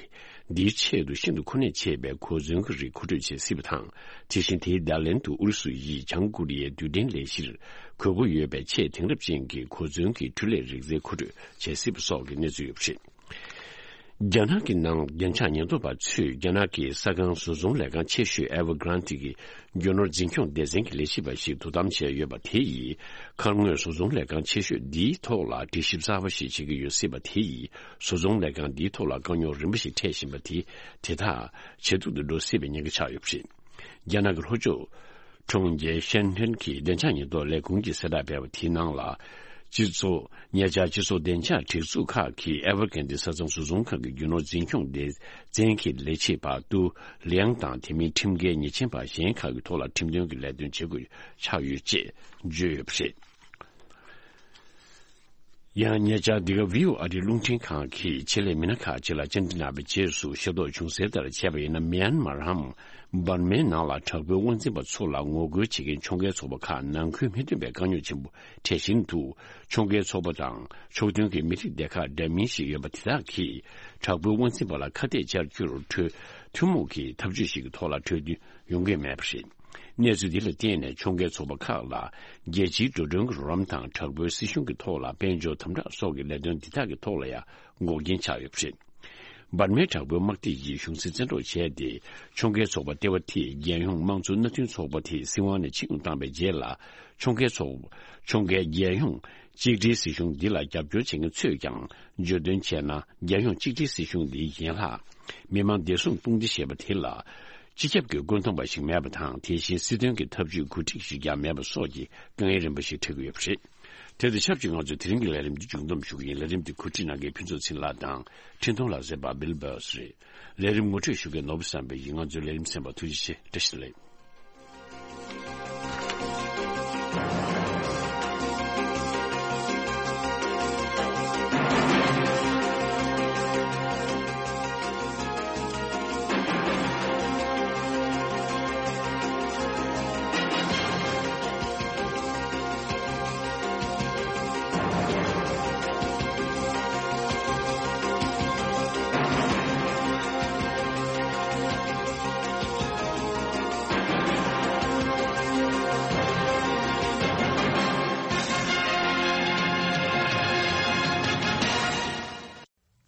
འདིའི་ཆེད་དུ་ཤིན་ཏུ་གོ་གནས་ཆེ་བའི་གོ་མཚོན་གྱི་རིགས་མཁོ་སྤྲོད་བྱེད་སྲིད་པ་དང་། དེ་བཞིན་དེའི་བརྡ་ལན་དུ་ཨུ་རུ་སུ་ཡིས་བྱང་ཀོ་རི་ཡའི་རྡུལ་ཕྲན་ལས་གཞིར་དགོས་མཁོ་ཡོད་པའི་ཆེས་དེང་རབས་ཅན་གྱི་གོ་མཚོན་གྱི་འཕྲུལ་ལས་རིག་རྩལ་མཁོ་སྤྲོད་བྱེད་སྲིད་པ་སོགས་ཀྱི་གནས་ཚུལ་ཡོད་པ་རེད། རྒྱ་ནག་གི་ནང་བདེ་འཇགས་ཉེན་རྟོག་པ་ཚོས་རྒྱ་ནག་གི་ས་ཁང་བཟོ་ཚོང་ལས་ཁང་ཆེ་ཤོས་Evergrande གི་རྒྱུ་ནོར་འཛིན་སྐྱོང་སྡེ་ཚན་གྱི་ལས་བྱེད་པ་ཞིག་དོ་དམ་བྱས་ཡོད་པ་དེ་ཡིས། ཁ་སྔོན་བཟོ་ཚོང་ལས་ཁང་ཆེ་ཤོས་འདིའི་ཐོག་ལ་འདྲི་ཞིབ་གསར་པ་ཞིག་བྱེད་ཀྱི་ཡོད་སྲིད་པ་དེ་ཡིས། བཟོ་ཚོང་ལས་ཁང་འདིའི་ཐོག་ལ་དཀའ་རྙོག་རིམ་པ་ཞིག་འཕྲད་བཞིན་པ་དེ་དེ་དག་ཇེ་སྡུག་ཏུ་འགྲོ་སྲིད་པའི་ཉེན་ཁ་ཆགས་ཡོད་པ་རེད། རྒྱ་ནག་གི་ལྷོ་ཕྱོགས། གྲོང་ཁྱེར་ཤན་ཐན་གྱི་བདེ་འཇགས་ཉེན་རྟོག་ལས་ཁུངས་ཀྱིས་གསལ་བསྒྲགས་སྤེལ་བ་དེའི་ནང་ལ། སྤྱི་ཚོགས་ཉེ་ཆར་སྤྱི་ཚོགས་བདེ་འཇགས་སྒྲིག་འཛུགས་ཁག་གིས་ཨེ་ཝར་གྷན་དི་ས་མཚམས་བཟོ་ཚོང་ཁང་གི་རྒྱུ་ནོར་འཛིན་སྐྱོང་སྡེ་ཚན་གྱི་ལས་བྱེད་པ་ཏུའུ་ལིའང་དང་དེ་མིན་ཁྲིམས་འགལ་ཉེས་ཅན་པ་གཞན་ཁག་གི་ཐོག་ལ་ཁྲིམས་དོན་གྱི་ལས་དོན་བྱེད་དགོས་ཆགས་ཡོད་ཅེས་བརྗོད་ཡོད་པ་རེད། ཡང་ཉེ་ཆར་འདི་ག་བྷི་ཨོ་ཨེ་རི་རླུང་འཕྲིན་ཁང་གིས་ཆེད་ལས་མི་སྣ་ཁག་ཅིག་ལ་བཅར་འདྲི་གནང་བའི་རྗེས་སུ་ཤེས་རྟོགས་བྱུང་གསལ་ལྟར་བྱས་པ་ཡིན་ན། མེན་མར་འམ་འབར་མའི་ནང་ལ་དྲག་པོའི་དབང་འཛིན་པ་ཚོ་ལ་ངོ་རྒོལ་བྱེད་མཁན་ཕྱོགས་འགལ་ཚོགས་པ་ཁག་ནང་ཁུལ་མི་མཐུན་པའི་དཀའ་རྙོག་ཆེན་པོ་འཕྲད་བཞིན་དུ། ཕྱོགས་འགལ་ཚོགས་པ་དང་ཕྱོགས་མཐུན་གྱི་མི་རིགས་སྡེ་ཁག་འདྲ་མིན་ཞིག་ཡོད་པ་དེ་དག་གིས་དྲག་པོའི་དབང་འཛིན་པ་ལ་ཁ་གཏད་བཅར་རྒྱུར་གྲོས་ཐུན་མོང་གི་ཐབས་ཇུས་ཤིག་གི་ཐོག་ལ་གྲོས་མཐུན་ཡོང་གི་མེད་པ་རེད། གནས་ཚུལ་འདི་ལ་བརྟེན་ནས་ཕྱོགས་འགལ་ཚོགས་པ་ཁག་ལ་རྒྱལ་སྤྱིའི་འགྲོ་གྲོན་གྱི་རོགས་རམ་དང་དྲག་པོའི་སྲིད་གཞུང་གི་ཐོག་ལ་དཔལ་འབྱོར་དམ་དྲག་སོགས་ཀྱི་ལས་དོན་འདི་དག་གི་ཐོག་ལ་ཡང་འགོག་རྐྱེན་ཆགས་ཡོད་པ་རེད། འབར་མའི་དྲག་པོའི་དམག་སྡེ་ཡིས་གཞུང་སྲིད་བཙན་འཕྲོག་བྱས་ཏེ། ཕྱོགས་འགལ་ཚོགས་པ་ལྟེ་བ་དེ་རྒྱལ་ཡོངས་དམངས་གཙོ་མནའ་མཐུན་ཚོགས་པ་དེ་སྲིད་དབང་ནས་ཕྱིར་འབུད་བཏང་བའི་རྗེས་ལ། ཕྱོགས་འགལ་ཚོགས་ཕྱོགས་འགལ་རྒྱལ་ཡོངས་གཅིག་སྒྲིལ་སྲིད་གཞུང་འདི་ལ་རྒྱབ་སྐྱོར་བྱེད་མཁན་ཚོས་ཀྱང་། བརྗོད་དོན་བྱས་ན། རྒྱལ་ཡོངས་གཅིག་སྒྲིལ་སྲིད་གཞུང་འདིའི་ཡན་ལག་མི་དམངས་བདེ་སྲུང་དཔུང་སྡེ་ཞེས་པ་དེ་ལ། སྤྱི་ཁྱབ་ཀྱི་བཀོད་འདོམས་པ་ཞིག་མེད་པ་དང་། དེ་བཞིན་སྲིད་དོན་གྱི་ཐབས་ཇུས་གོ་སྒྲིག་ཞིག་ཀྱང་མེད་པ་སོགས་ཀྱི་དཀའ་ངལ་རིམ་པ་ཞིག་འཕྲད་ཀྱི་ཡོད་པ་རེད། དེ་དང་ཆབས་ཅིག་ང་ཚོས་དེ་རིང་གི་ལས་རིམ་འདི་མཇུག་བསྡོམས་ཞུ་གི་ཡིན། ལས་རིམ་འདི་གོ་སྒྲིག་གནང་མཁན་ཕུན་ཚོགས་ཚེ་ལགས་དང་། འཕྲིན་གཏོང་ལག་རྩལ་པ་བིལ་བྷར་སི་རེད། ལས་རིམ་ངོ་སྤྲོད་ཞུ་མཁན་ནོར་བུ་བསམ་འཕེལ་ཡིན། ང་ཚོའི་ལས་རིམ་གསན་པར་ཐུགས་རྗེ་ཆེ། བཀྲ་ཤིས་བདེ་ལེགས།